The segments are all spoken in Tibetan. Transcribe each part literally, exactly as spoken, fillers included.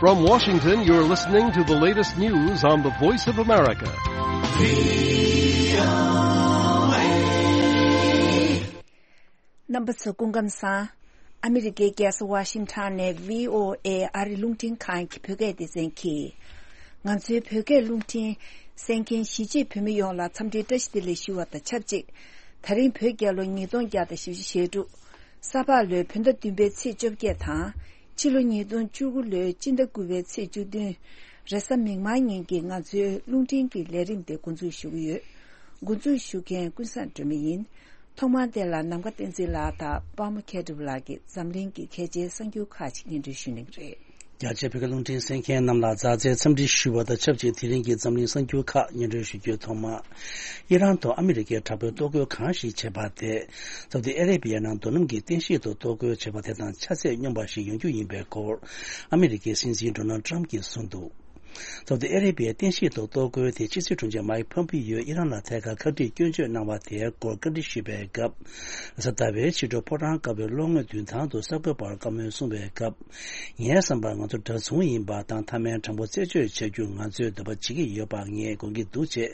From Washington, you're listening to the latest news on the Voice of America. རྣམ་པ་ཚོ་སྐུ་ཁམས་བཟང་། ཨ་མི་རི་ཀའི་རྒྱལ་ས་ཝ་ཤིང་ཊོན་ནས་བྷི་ཨོ་ཨེ་ཨ་རི་རླུང་འཕྲིན་ཁང་གི་བོད་སྐད་སྡེ་ཚན་གྱིས། ང་ཚོའི་བོད་སྐད་རླུང་འཕྲིན་གསན་མཁན་གཞིས་བྱེས་བོད་མི་ཡོངས་ལ་འཚམས་འདྲིའི་བཀྲ་ཤིས་བདེ་ལེགས་ཞུ་བ་དང་ཆབས་ཅིག་ད་རིང་བོད་རྒྱལ་ལོ་ཉིས་སྟོང་བརྒྱ་དང་བཞི་བཅུ་ཞེ་དྲུག་ས་ཕག་ལོའི་བོད་ཟླ་བདུན་པའི་ཚེས་བཅོ་བརྒྱད་དང་། ཕྱི་ལོ་ཉིས་སྟོང་བཅུ་དགུ་ལོའི་སྤྱི་ཟླ་དགུ་པའི་ཚེས་བཅུ་བདུན། རེས་གཟའ་མིག་དམར་ཉིན་གྱི་ང་ཚོའི་རླུང་འཕྲིན་གྱི་ལས་རིམ་དེ་འགོ་འཛུགས་ཞུ་གི་ཡོད། འགོ་འཛུགས་ཞུ་མཁན་ཀུན་བཟང་སྒྲོལ་མ་ཡིན། ཐོག་མར་དེ་ལ་ནམ་མཁའ་བསྟན་འཛིན་ལགས་དང་པདྨ་མཁས་གྲུབ་ལགས་ཀྱིས་འཛམ་གླིང་གི་གལ་ཆེའི་གསར་འགྱུར་ཁག་ཅིག་སྙན་སྒྲོན་ཞུ་གནང་གི་རེད། རྒྱ་ཆེའི་བོད་སྐད་རླུང་འཕྲིན་གསན་མཁན་རྣམས་ལ་མཛའ་བརྩེའི་འཚམས་འདྲི་ཞུ་བ་དང་ཆབས་ཅིག་དེ་རིང་གི་འཛམ་གླིང་གསར་འགྱུར་ཁག་སྙན་སྒྲོན་ཞུ་རྒྱུའི་ཐོག་མ། ཨི་རན་དུ་ཨ་མི་རི་ཀའི་དྲག་པོས་གཏོར་རྒོལ་གང་ཞིག་བྱས་པ་དེ། སའུ་ཏི་ཨ་རེ་བི་ཡ་ནང་རྡོ་སྣུམ་གྱི་རྟེན་གཞི་ཐོག་གཏོར་རྒོལ་བྱས་པ་དེ་དང་ཆ་ཚད་སྙོམས་པ་ཞིག་ཡོང་རྒྱུ་ཡིན་པའི་སྐོར། ཨ་མི་རི་ཀའི་སྲིད་འཛིན་ཌོ་ནལ་ཊམ་གྱིས་གསུངས་འདུག་སའུ་ཏི་ཨ་རེ་བི་ཡའི་རྟེན་གཞི་ཐོག་གཏོར་རྒོལ་དེ་ཕྱི་སྲིད་དྲུང་ཆེ་མཱིག་ཕོམ་པི་ཡོས་ཨི་རན་ལ་ཐད་ཀར་ཁ་བྲིས་སྐྱོན་བརྗོད་གནང་བ་དེའི་སྐོར་བཀའ་འདྲི་ཞུས་པའི་སྐབས། གཟའ་ཟླ་བའི་ཕྱི་དྲོ་ཕོ་བྲང་དཀར་པོའི་གློག་བརྙན་མདུན་ཐང་དུ་གསར་འགོད་པར་བཀའ་མོལ་གསུངས་པའི་སྐབས། ངའི་བསམ་པར་ང་ཚོ་འདྲ་མཚུངས་ཡིན་པ་དང་མཐའ་མའི་དྲང་པོ་རྩད་གཅོད་བྱ་རྒྱུར་ང་ཚོས་འདོད་པ་བྱེད་ཀྱི་ཡོད་པ་ངས་དགོངས་ཀྱི་འདུག་ཅེས་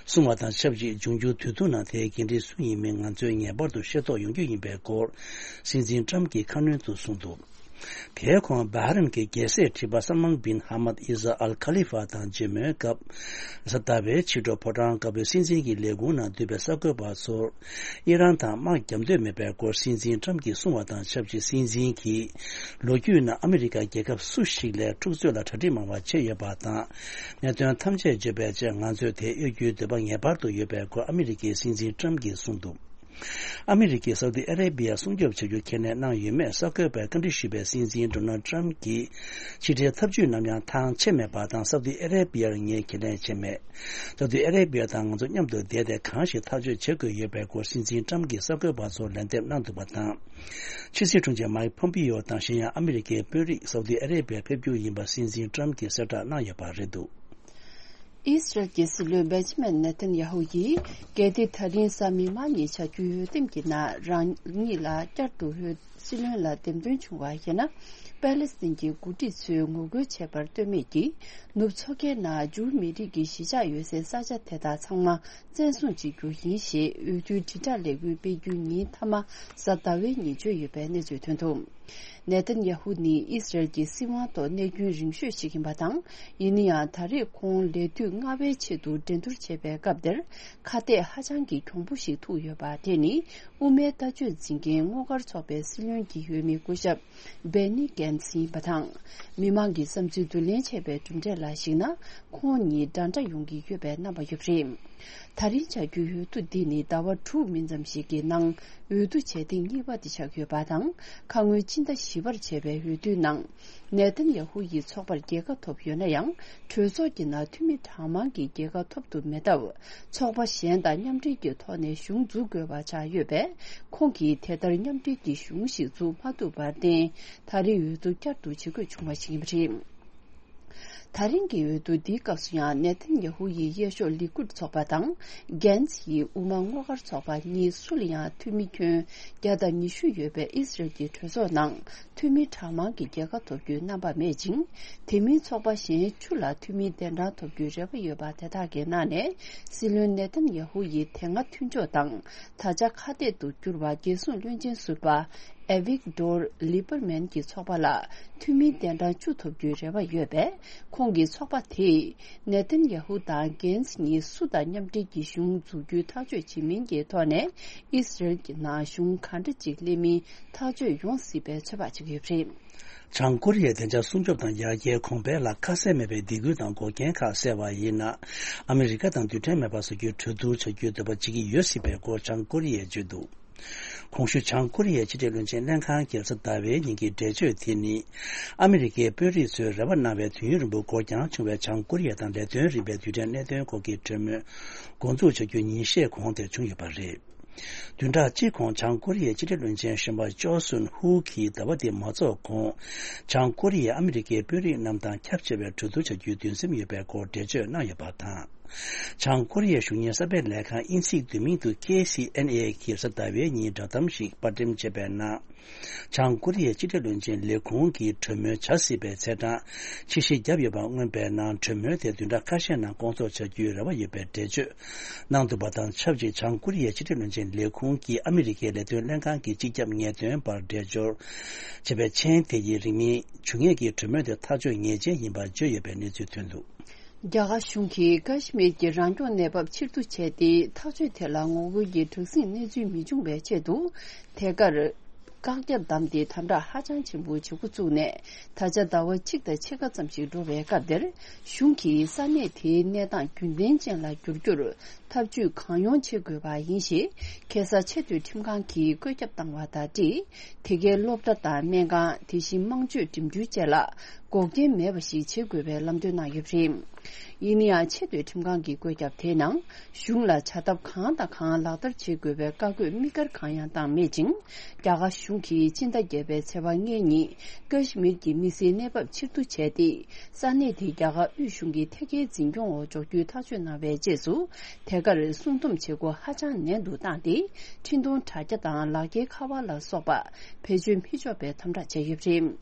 གསུངས་པ་དང་ཆབས་ཅིག་འབྱུང་འགྱུར་དུས་ཐུང་ནང་དེའི་འགན་འཁྲི་སུ་ཡིན་མིན་ང་ཚོས་ངེས་པར་དུ་ཤེས་རྟོགས་ཡོང་རྒྱུ་ཡིན་པའི་སྐོར། སྲིད་འཛིན་ཊམ་གྱིས་ཁ་སྣོན་དུ་གསུངས་འདུག་དེའི་གོང་བྷ་རེན་གྱི་རྒྱལ་སྲས་ཁྲི་པ་སལ་མཱན་བིན་ཧ་མད་ཨི་ཟ་ཨལ་ཁ་ལི་ཧྥ་དང་མཇལ་མོལ་སྐབས། གཟའ་ཟླ་བའི་ཕྱི་དྲོ་ཕོ་བྲང་དཀར་པོའི་སྲིད་འཛིན་གྱི་ལས་ཁུངས་ནང་འདུས་པའི་གསར་འགོད་པ་ཚོར། ཨི་རན་དང་དམག་རྒྱག་འདོད་མེད་པའི་སྐོར་སྲིད་འཛིན་ཊམ་གྱིས་གསུངས་པ་དང་ཆབས་ཅིག་སྲིད་འཛིན་གྱིས། ལོ་རྒྱུས་ནང་ཨ་མི་རི་ཀ་རྒྱལ་ཁབ་སུ་ཞིག་ལས་འཁྲུག་རྩོད་ལ་གྲ་སྒྲིག་མང་བ་བྱས་ཡོད་པ་དང་། གནད་དོན་ཐམས་ཅད་བརྗོད་པའི་རྗེས་ང་ཚོས་དེ་གཡོལ་རྒྱུའི་འདོད་པ་ངེས་པར་དུ་ཡོད་པའི་སྐོར་ཨ་མི་རི་ཀའི་སྲིད་འཛིན་ཊམ་གྱིས་གསུངས་འདུག་ཨ་མི་རི་ཀས་སའུ་ཏི་ཨ་རེ་བི་ཡ་སྲུང་སྐྱོབ་བྱ་རྒྱུ་ཁས་ལེན་གནང་ཡོད་མེད་གསར་འགོད་པས་བཀའ་འདྲི་ཞུས་པའི་སྲིད་འཛིན་ཌོ་ནལ་ཊམ་གྱིས། ཕྱི་འབྲེལ་ཐབས་ཇུས་ནམ་ཡང་ཐང་ཆད་མེད་པ་དང་སའུ་ཏི་ཨ་རེ་བི་ཡར་ངས་ཁས་ལེན་བྱས་མེད། སའུ་ཏི་ཨ་རེ་བི་ཡ་དང་ང་ཚོ་མཉམ་དུ་བསྡད་དེ་གང་ཞིག་ཐག་གཅོད་བྱེད་དགོས་ཡོད་པའི་སྐོར་སྲིད་འཛིན་ཊམ་གྱིས་གསར་འགོད་པ་ཚོར་ལན་འདེབས་གནང་འདུག་པ་དང་། ཕྱི་སྲིད་དྲུང་ཆེ་མཱིག་ཕོམ་པི་ཡོ་དང་གཞན་ཡང་ཨ་མི་རི་ཀའི་དཔོན་རིགས་སའུ་ཏི་ཨ་རེ་བི་ཡར་ཕེབས་རྒྱུ་ཡིན་པ་སྲིད་འཛིན་ཊམ་གྱིས་གསལ་བསྒྲགས་གནང་ཡོད་པ་རེད་འདུག་ཨི་སི་རལ་གྱི་སྲིད་བློན་བེན་ཇི་མིན་ནེ་ཐན་ཡ་ཧུ་ཡིས། གལ་ཏེ་ད་རིང་གཟའ་མིག་དམར་ཉིན་བྱ་རྒྱུའི་འོས་འདེམས་ཀྱི་ནང་རང་ཉིད་ལ་བསྐྱར་དུ་འོས་སྲིད་བློན་ལ་འདེམས་ཐོན་བྱུང་བ་ཡིན་ན། པེ་ལེ་སི་ཐན་གྱི་འགོ་ཁྲིད་ཚོས་ངོ་རྒོལ་བྱས་པར་ལྟོས་མེད་ཀྱིས། ནུབ་མཚོ་ཁའི་ནང་ཇུའུ་མི་རིགས་ཀྱི་གཞིས་ཆགས་ཡོད་སའི་ས་ཆ་དེ་དག་ཚང་མ་བཙན་བཟུང་བྱེད་རྒྱུ་ཡིན་ཞེས་འོས་བསྡུའི་དྲིལ་བསྒྲགས་ལས་འགུལ་སྤེལ་རྒྱུའི་ཉིན་མཐའ་མ་གཟའ་ཟླ་བའི་ཉིན་བརྗོད་ཡོད་པའི་གནས་ཚུལ་ཐོན་འདུག་ནེ་ཐན་ཡ་ཧུ་ནི་ཨི་སི་རལ་གྱི་སྲིད་དབང་ཐོག་གནས་རྒྱུན་རིང་ཤོས་ཤིག་ཡིན་པ་དང་། ཡིན་ན་ཡང་ད་རེས་ཁོང་ལས་དུས་སྔ་བའི་ཆེད་དུ་འགྲན་བསྡུར་བྱས་པའི་སྐབས་དེར་ཁ་གཏད་ཧ་ཅང་གི་གྱོང་པོ་ཞིག་ཐུག་ཡོད་པ་དེ་ནི་དབུ་མའི་ལྟ་སྤྱོད་འཛིན་མཁན་སྔོག་འགེལ་ཚོགས་པའི་སྲིད་བློན་གྱི་འོས་མི་སྐུ་ཞབས་སྦེ་ནི་གན་སི་ཡིན་པ་དང་། མི་མང་གི་བསམ་ཚུལ་བསྡུ་ལེན་བྱས་པའི་གྲུབ་འབྲས་ལ་གཞིགས་ན། ཁོང་གཉིས་འདྲ་འདྲ་ཡོང་གི་ཡོད་པའི་རྣམ་པ་ཡོད་པ་རེད། ད་རིང་བྱ་རྒྱུའི་འོས་བསྡུ་འདི་ནི་ཟླ་བ་དྲུག་མིན་ཙམ་ཞིག་གི་ནང་འོས་བསྡུ་བྱས་ཐེངས་གཉིས་པ་དེ་ཆགས་ཡོད་པ་དང་། ཁ་སྔོན་སྤྱི་ཟླ་བཞི་པར་བྱས་པའི་འོས་བསྡུའི་ནང་། ནེ་ཐན་ཡ་ཧུ་ཡི་ཚོགས་པར་རྒྱལ་ཁ་ཐོབ་ཡོད་ན་ཡང་། གྲོས་ཚོགས་ཀྱི་ནང་འཐུས་མི་གྲངས་མང་གི་རྒྱལ་ཁ་ཐོབ་ཐུབ་མེད་སྟབས། ཚོགས་པ་གཞན་དང་མཉམ་འབྲེལ་གྱི་ཐོག་ནས་གཞུང་འཛུགས་དགོས་པ་ཆགས་ཡོད་པས། ཁོང་གིས་དེ་ལྟར་མཉམ་འབྲེལ་གྱི་གཞུང་ཞིག་འཛུགས་མ་ཐུབ་པར་བརྟེན། ད་རེས་འོས་བསྡུ་བསྐྱར་དུ་བྱེད་དགོས་བྱུང་བ་ཞིག་ཡིན་པ་རེད། ད་རིང་གི་འོས་བསྡུ་འདིའི་སྐབས་སུ་ཡང་ནེ་ཐན་ཡ་ཧུ་ཡི་གཡས་ཕྱོགས་ལི་ཀུད་ཚོགས་པ་དང་། གན་ཛི་ཡི་དབུ་མ་སྔོག་འགེལ་ཚོགས་པ་གཉིས་སུ་ལ་ཡང་འཐུས་མི་ཁྱོན་བརྒྱ་དང་ཉི་ཤུ་ཡོད་པའི་ཨི་སི་རལ་གྱི་གྲོས་ཚོགས་ནང་འཐུས་མི་གྲངས་མང་གི་རྒྱལ་ཁ་ཐོབ་རྒྱུའི་རྣམ་པ་མེད་ཅིང་། དེ་མིན་ཚོགས་པ་གཞན་བཅུ་ལ་འཐུས་མི་གདན་དྲངས་ཐོབ་རྒྱུའི་རེ་བ་ཡོད་པ་དེ་དག་གི་ནང་ནས་སྲིད་བློན་ནེ་ཐན་ཡ་ཧུ་ཡི་དེ་སྔ་མཐུན་ཕྱོགས་དང་། ད་ཆ་ཁ་གཏད་དུ་གྱུར་བ་རྒྱལ་སྲུང་བློན་ཆེན་ཟུར་པ། ཨེ་ཝིག་ཏོར་ལི་པར་མན་གྱི་ཚོགས་པ་ལ་འཐུས་མིའི་གདན་གྲངས་བཅུ་ཐོབ་རྒྱུའི་རེ་བ་ཡོད་པས། ཁོང་གི་ཚོགས་པ་དེས་ནེ་ཐན་ཡ་ཧུ་དང་གན་ཛི་གཉིས་སུ་དང་མཉམ་འབྲེལ་གྱི་གཞུང་འཛུགས་རྒྱུའི་ཐག་གཅོད་བྱེད་མིན་གྱི་ཐོག་ནས་ཨི་སི་རལ་གྱི་ནང་གཞུང་ག་འདྲ་ཅིག་སླེབས་མིན་ཐག་གཅོད་ཡོང་སྲིད་པའི་ཚོད་དཔག་བྱེད་ཀྱི་ཡོད་པ་རེད། བྱང་ཀོ་རི་ཡའི་བདེ་འཇགས་སྲུང་སྐྱོབ་དང་ཡར་རྒྱས་གོང་འཕེལ་ལ་ཁ་གསལ་མེད་པའི་སྡིགས་སྐུལ་དང་འགོག་རྐྱེན་ཁག་བསལ་བ་ཡིན་ན། ཨ་མི་རི་ཀ་དང་རྡུལ་ཕྲན་མེད་པ་བཟོ་རྒྱུའི་གྲོས་བསྡུར་བྱ་རྒྱུའི་འདོད་པ་བྱེད་ཀྱི་ཡོད་སྲིད་པའི་སྐོར་བྱང་ཀོ་རི་ཡས་བརྗོད་འདུག་གོང་ཞུས་བྱང་ཀོ་རི་ཡའི་ཕྱི་འབྲེལ་བློན་ཆེན་ལྷན་ཁང་གི་གཟའ་ཟླ་བའི་ཉིན་གྱི་འགྲེལ་བརྗོད་དེ་ནི། ཨ་མི་རི་ཀའི་དཔོན་རིགས་ཚོས་རེ་བ་གནང་བའི་དུས་ཡུན་རིང་པོ་འགོར་འགྱངས་བྱུང་བའི་བྱང་ཀོ་རི་ཡ་དང་ལས་དོན་རིམ་པའི་རྡུལ་ཕྲན་གནད་དོན་སྐོར་གྱི་གྲོས་མོལ་འགོ་འཛུགས་བྱ་རྒྱུ་ཉིན་ཤས་གོང་དེར་བྱུང་ཡོད་པ་རེད། བདུན་ཕྲག་གཅིག་གོང་བྱང་ཀོ་རི་ཡའི་ཕྱི་འབྲེལ་བློན་ཆེན་གཞོན་པ་ཅོ་སུན་ཧུ་གིས་ཟླ་བ་འདི་མ་རྫོགས་གོང་། བྱང་ཀོ་རི་ཡས་ཨ་མི་རི་ཀའི་དཔོན་རིགས་རྣམས་དང་ཁྱབ་ཆེ་བའི་གྲོས་བསྡུར་བྱ་རྒྱུའི་འདུན་སེམས་ཡོད་པའི་སྐོར་འགྲེལ་བརྗོད་གནང་ཡོད་པ་དང་། བྱང་ཀོ་རི་ཡའི་གཞུང་གཉེར་གསར་སྤེལ་ལས་ཁང་དབྱིན་ཚིག་བསྡུས་མིང་དུ་ཁེ་སི་ཨེན་ཨེ་གིས་རེས་གཟའ་ཟླ་བའི་ཉིན་བསྒྲགས་གཏམ་ཞིག་པར་འགྲེམས་བྱས་པའི་ནང་། བྱང་ཀོ་རི་ཡའི་ཕྱི་འབྲེལ་བློན་ཆེན་ལས་ཁུངས་ཀྱིས་གྲོས་མོལ་བྱ་སྲིད་པའི་ཚེས་གྲངས་ཕྱིར་བཤིག་བརྒྱབ་ཡོད་པ་མངོན་པའི་ནང་། གྲོས་མོལ་དེ་བདུན་ཕྲག་ཁ་ཤས་ནང་སྐོང་ཚོགས་བྱ་རྒྱུའི་རེ་བ་ཡོད་པའི་འགྲེལ་བརྗོད་གནང་འདུག་པ་དང་ཆབས་ཅིག་བྱང་ཀོ་རི་ཡའི་ཕྱི་འབྲེལ་བློན་ཆེན་ལས་ཁུངས་ཀྱིས་ཨ་མི་རི་ཀའི་ལས་དོན་ལྷན་ཁང་གི་སྤྱི་ཁྱབ་ངེས་སྟོན་པར་འགྲེལ་སྦྱོར་བྱས་པའི་མཆན་དེ་ཡིས་རིང་མིན་འབྱུང་ངེས་ཀྱི་གྲོས་མོལ་དེ་ཐག་གཅོད་ངེས་ཅན་ཡིན་པར་བརྗོད་ཡོད་པའི་གནས་ཚུལ་ཐོན་འདུག། རྒྱ་གར་གཞུང་གིས་ཀ་ཤི་མིར་གྱི་རང་སྐྱོང་གནས་བབ་ཕྱིར་བསྡུ་བྱས་ཏེ། ཐག་གཅོད་དེ་ལ་ངོ་རྒོལ་གྱི་དྲག་ཟིང་གནས་ཚུལ་མི་འབྱུང་བའི་ཆེད་དུ། ཐད་ཀར་བཀག་རྒྱ་བསྡམས་ཏེ་དམ་དྲག་ཧ་ཅང་ཆེན་པོ་བྱེད་འགོ་བཙུགས་ནས། ད་ཆ་ཟླ་བ་གཅིག་དང་ཕྱེད་ཀ་ཙམ་ཞིག་འགྲོ་བའི་སྐབས་འདིར། གཞུང་གིས་ས་གནས་དེའི་གནས་སྟངས་རྒྱུན་ལྡན་ཅན་ལ་བསྒྱུར་རྒྱུར་ཐབས་ཇུས་གང་ཡོང་བྱེད་དགོས་པ་ཡིན་ཞེས། ཁ་སང་ཆེས་མཐོའི་ཁྲིམས་ཁང་གིས་བཀོད་ཁྱབ་བཏང་བ་དང་འབྲེལ། དེ་གའི་སློབ་གྲྭ་དང་སྨན་ཁང་། དེ་བཞིན་དམངས་སྤྱོད་འགྲིམ་འགྲུལ་བཅས་ལ་འགོག་རྐྱེན་མེད་པ་ཞིག་བྱེད་དགོས་པའི་ལམ་སྟོན་གནང་ཡོད་པ་རེད། ཡིན་ན་ཡང་། ཆེས་མཐོའི་ཁྲིམས་ཁང་གི་བཀོད་ཁྱབ་དེའི་ནང་། གཞུང་ལ་བྱ་ཐབས་གང་དང་གང་ལག་བསྟར་བྱེད་དགོས་པའི་བཀའ་བཀོད་དམིགས་བཀར་གང་ཡང་བཏང་མེད་ཅིང་། རྒྱ་གར་གཞུང་གིས་སྤྱི་ཟླ་བརྒྱད་པའི་ཚེས་པ་ལྔའི་ཉིན། ཀ་ཤི་མིར་གྱི་མི་སེར་གནས་བབ་ཕྱིར་བསྡུ་བྱས་ཏེ། ས་གནས་དེ་རྒྱ་གར་དབུས་གཞུང་གི་ཐད་ཀའི་འཛིན་སྐྱོང་འོག་འཇོག་རྒྱུའི་ཐག་གཅོད་གནང་བའི་རྗེས་སུ། ཐད་ཀར་སྲུང་སྡོམ་བྱེད་སྒོ་ཧ་ཅང་ནན་དུ་བཏང་སྟེ། འཕྲིན་གཏོང་དྲ་རྒྱ་དང་ལག་འཁྱེར་ཁ་པར་ལ་སོགས་པ་བེད་སྤྱོད་མི་ཆོག་པའི་དམ་དྲག་བྱས་ཡོད་པ་རེད།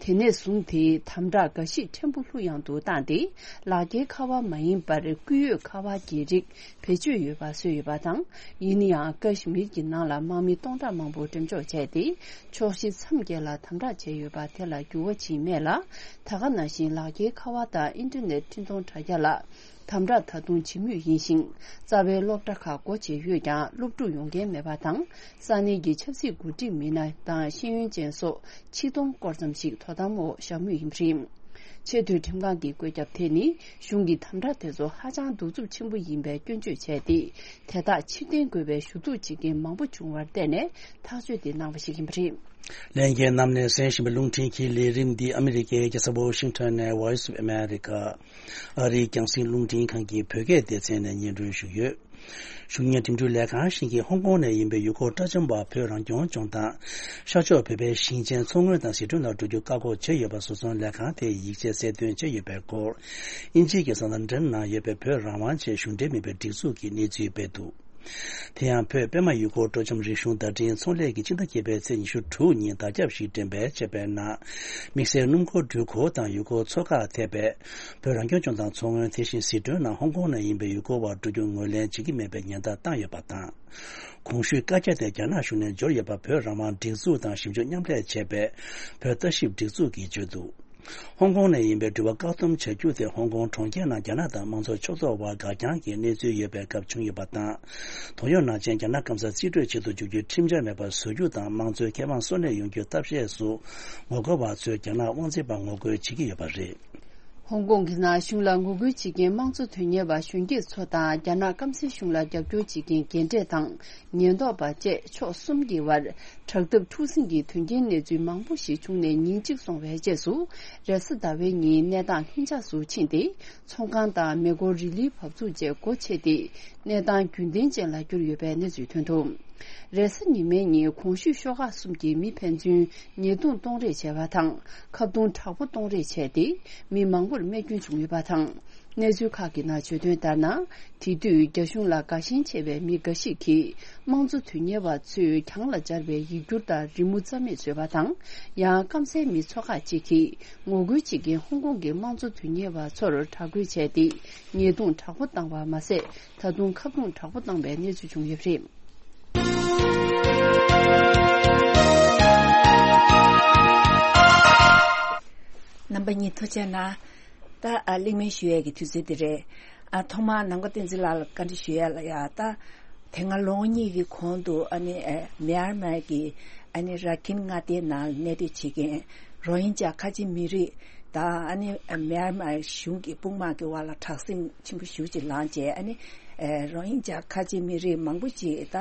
དེ་ནས་བཟུང་སྟེ་དམ་དྲག་འགའ་ཞིག་ཕྲན་བུ་ལྷུག་ཡངས་དུ་བཏང་སྟེ། ལག་འཁྱེར་ཁ་པར་མ་ཡིན་པར་སྐུད་ཡོད་ཁ་པར་གྱི་རིགས་བེད་སྤྱོད་ཡོད་པ་བཟོས་ཡོད་པ་དང་། ཡིན་ན་ཡང་། ཀ་ཤི་མིར་གྱི་ནང་ལ་དམག་མི་སྟོང་ཕྲག་མང་པོ་འགྲེམས་འཇོག་བྱས་ཏེ། ཕྱོགས་བཞི་མཚམས་བརྒྱད་ལ་དམ་དྲག་བྱས་ཡོད་པ་དེ་ལ་འགྱུར་བ་ཕྱིན་མེད་ལ། ད་ག་ནང་བཞིན་ལག་འཁྱེར་ཁ་པར་དང་ཨིན་ཊར་ནེཊ་འཕྲིན་གཏོང་དྲ་རྒྱ་ལ། དམ་དྲག་ད་དུང་བྱེད་མུས་ཡིན་ཞིང་། རྩ་བའི་སློབ་གྲྭ་ཁག་སྒོ་འབྱེད་ཡོད་ཀྱང་། སློབ་ཕྲུག་ཡོང་མཁན་མེད་པ་དང་། ས་གནས་ཀྱི་ཆབ་སྲིད་འགོ་ཁྲིད་མི་སྣ་དང་ཤེས་ཡོན་ཅན་སོགས་ཆིག་སྟོང་སྐོར་ཙམ་ཞིག་དོ་དམ་འོག་བཞག་མུས་ཡིན་པ་རེད། ཆེས་མཐོའི་ཁྲིམས་ཁང་གི་བཀོད་ཁྱབ་དེ་ནི། གཞུང་གི་དམ་དྲག་དེ་ཚོ་ཧ་ཅང་གདུག་རྩུབ་ཆེན་པོ་ཡིན་པའི་སྐྱོན་བརྗོད་བྱས་ཏེ། དེ་དག་ཕྱིར་འཐེན་དགོས་པའི་ཞུ་གཏུག་བྱེད་མཁན་མང་པོ་བྱུང་བར་བརྟེན་ནས་ཐག་གཅོད་དེ་གནང་བ་ཞིག་ཡིན་པ་རེད། ལྷན་རྒྱས་རྣམས་ནས་གསན་བཞིན་པའི་རླུང་འཕྲིན་གྱི་ལས་རིམ་འདི་ཨ་མི་རི་ཀའི་རྒྱལ་ས་ཝོ་ཤིང་ཊོན་ནས་Voice of America ཨ་རིའི་རྒྱང་སྲིང་རླུང་འཕྲིན་ཁང་གི་བོད་སྐད་སྡེ་ཚན་ནས་སྙན་སྒྲོན་ཞུས་ཡོད། གཞུང་གཉེར་འགྲིམ་འགྲུལ་ལས་ཁང་ཞིག་གིས་ཧོང་ཀོང་ནས་ཡིན་པའི་ཡུལ་སྐོར་དཔྱ་ཁྲལ་བ་བོད་རང་སྐྱོང་ལྗོངས་དང་། ཤར་ཕྱོགས་བོད་པའི་ཞིང་ཆེན་མཚོ་སྔོན་དང་ཟི་ཁྲོན་ལ་འགྲོ་རྒྱུ་བཀག་འགོག་བྱས་ཡོད་པ་བཟོ་ཚོང་ལས་ཁང་དེས་ཡིག་ཆ་གསལ་སྟོན་བྱས་ཡོད་པའི་སྐོར། དབྱིན་ཇིའི་གེ་སར་ལན་ཌན་ནང་ཡོད་པའི་བོད་རང་དབང་ཆེད་གཞུང་འབྲེལ་མིན་པའི་སྒྲིག་འཛུགས་ཀྱིས་གནས་ཚུལ་སྤེལ་འདུག། དེ་ཡང་བོད་པད་མ་ཡུལ་སྐོར་སྤྲོ་འཆམ་རིག་གཞུང་བརྡ་འཕྲིན་ཚོང་ལས་ཀྱིས་སྤྱི་ཟླ་བརྒྱད་པའི་ཚེས་ཉི་ཤུ་དྲུག་ཉིན་དར་ཁྱབ་ཞིག་འགྲེམས་སྤེལ་བྱས་པའི་ནང་། དམིགས་བསལ་སྣུམ་འཁོར་འགྲུལ་འཁོར་དང་ཡུལ་སྐོར་ཚོགས་ཁག་ཐེ་བའི་བོད་རང་སྐྱོང་ལྗོངས་དང་མཚོ་སྔོན། དེ་བཞིན་ཟི་ཁྲོན་ནང་ཧོང་ཀོང་ནས་ཡིན་པའི་ཡུལ་སྐོར་བ་འགྲོ་རྒྱུ་ངོས་ལེན་བྱེད་ཀྱི་མེད་པའི་ཉེན་བརྡ་བཏང་ཡོད་པ་དང་། གོང་ཞུས་བཀའ་རྒྱ་དེ་རྒྱ་ནག་གཞུང་ནས་འབྱོར་ཡོད་པ་བོད་རང་དབང་སྒྲིག་འཛུགས་དང་ཞིབ་འཇུག་མཉམ་ལས་བྱས་པའི་བོད་ལྟ་ཞིབ་སྒྲིག་འཛུགས་ཀྱིས་བརྗོད་འདུག། ཧོང་ཀོང་ནས་ཡིན་པའི་འགྲུལ་པ་བཀག་སྡོམ་བྱ་རྒྱུ་དེ་ཧོང་ཀོང་གྲོང་ཁྱེར་ནང་རྒྱ་ནག་དང་དམངས་གཙོ་ཕྱོགས་གཏོགས་བར་འགག་རྐྱང་གི་གནས་ཚུལ་ཡོད་པའི་སྐབས་བྱུང་ཡོད་པ་དང་། དོན་ཡོད་ནང་བཞིན་རྒྱ་ནག་སྐམ་སར་རྩིས་སྤྲོད་བྱེད་དུ་འཇུག་རྒྱུའི་ཁྲིམས་འཆར་མེད་པར་བཟོ་རྒྱུ་དང་། དམངས་གཙོའི་ཁེ་དབང་སོར་གནས་ཡོང་རྒྱུའི་ཐབས་ཤེས་སུ་ངོ་རྒོལ་བ་ཚོས་རྒྱ་ནག་དབང་འཛིན་པར་ངོ་རྒོལ་བྱེད་ཀྱི་ཡོད་པ་རེད། ཧོང་ཀོང་གི་ནང་གཞུང་ལ་ངོ་རྒོལ་བྱེད་མཁན་དམངས་གཙོ་དོན་གཉེར་བ་གཞོན་སྐྱེས་ཚོ་དང་། རྒྱ་ནག་སྐམ་སའི་གཞུང་ལ་རྒྱབ་སྐྱོར་བྱེད་མཁན་རྒན་གྲས་དང་། ཉེན་རྟོག་པ་བཅས་ཕྱོགས་གསུམ་གྱི་བར་དྲག་འཐབ་འཁྲུག་ཟིང་གི་དོན་རྐྱེན་གནས་ཚུལ་མང་པོ་ཞིག་བྱུང་ནས་ཉིན་གཅིག་སོང་བའི་རྗེས་སུ། རེས་གཟའ་ཟླ་བའི་ཉིན་གནས་སྟངས་ལྷིང་འཇགས་སུ་ཕྱིན་ཏེ། ཚོང་ཁང་དང་མེ་འཁོར་རི་ལིའི་བབས་ཚུགས་བཅས་སྒོ་ཕྱེ་སྟེ། གནས་སྟངས་རྒྱུན་ལྡན་ཅན་ལ་གྱུར་ཡོད་པའི་གནས་ཚུལ་ཐོན་འདུག། རེས་གཟའ་ཉི་མའི་ཉིན་གོང་ཞུས་ཤོག་ཁག་གསུམ་གྱི་མི་ཕན་ཚུན་ཉེས་རྡུང་གཏོང་རེས་བྱས་པ་དང་། ཁ་རྡུང་དྲག་པོ་གཏོང་རེས་བྱས་ཏེ། མི་མང་པོར་རྨས་སྐྱོན་བྱུང་ཡོད་པ་དང་། གནས་ཚུལ་ཁག་གི་ནང་བརྗོད་དོན་ལྟར་ན། དེ་དུས་རྒྱ་གཞུང་ལ་དགའ་ཞེན་ཆེ་བའི་མི་འགའ་ཞིག་གིས། དམངས་གཙོ་དོན་གཉེར་བ་ཚོས་གྱང་ལ་སྦྱར་བའི་ཡིག་སྒྱུར་དང་རི་མོ་རྩ་མེད་བཟོས་པ་དང་། ཡང་སྐམ་སའི་མི་ཚོ་ཁག་ཅིག་གིས། ངོ་རྒོལ་བྱེད་མཁན་ཧོང་ཀོང་གི་དམངས་གཙོ་དོན་གཉེར་བ་ཚོར་དྲག་རྒོལ་བྱས་ཏེ། ཉེས་རྡུང་དྲག་པོ་བཏང་བ་མ་ཟད། ད་དུང་ཁ་རྡུང་དྲག་པོ་བཏང་བའི་གནས་ཚུལ་བྱུང་ཡོད་པ་རེད། རྣམ་པ་གཉིས་ཐུགས་རྗེ་གནང་། ད་ཨ་གླེང་མོལ་ཞུ་ཡས་ཀྱི་དུས་ཚོད་འདི་རེད། ཨ་ཐོག་མར་ནམ་མཁའ་བསྟན་འཛིན་ལགས་ལ་བཀའ་འདྲི་ཞུ་ཡས་ལ་ཡ། ད་དེ་སྔ་ལོ་ངོ་གཉིས་ཀྱི་གོང་དུ་ཨ་ནི་ཨ་མེན་མར་གྱི་ཨ་ནི་ར་ཁིན་མངའ་སྡེའི་ནང་གནས་སྡོད་བྱེད་མཁན་རོ་ཧིན་ཇཱ་ཁ་ཆེ་མི་རིགས་དང་། ཨ་ནི་མེན་མར་གཞུང་གི་དཔུང་དམག་གི་དབར་ལ་དྲག་ཟིང་ཆེན་པོ་ཞེ་པོ་ཅིག་ལངས་རྗེས། ཨ་ནི་ཨེ་རོ་ཧིན་ཇཱ་ཁ་ཆེ་མི་རིགས་མང་པོ་ཅིག་ད་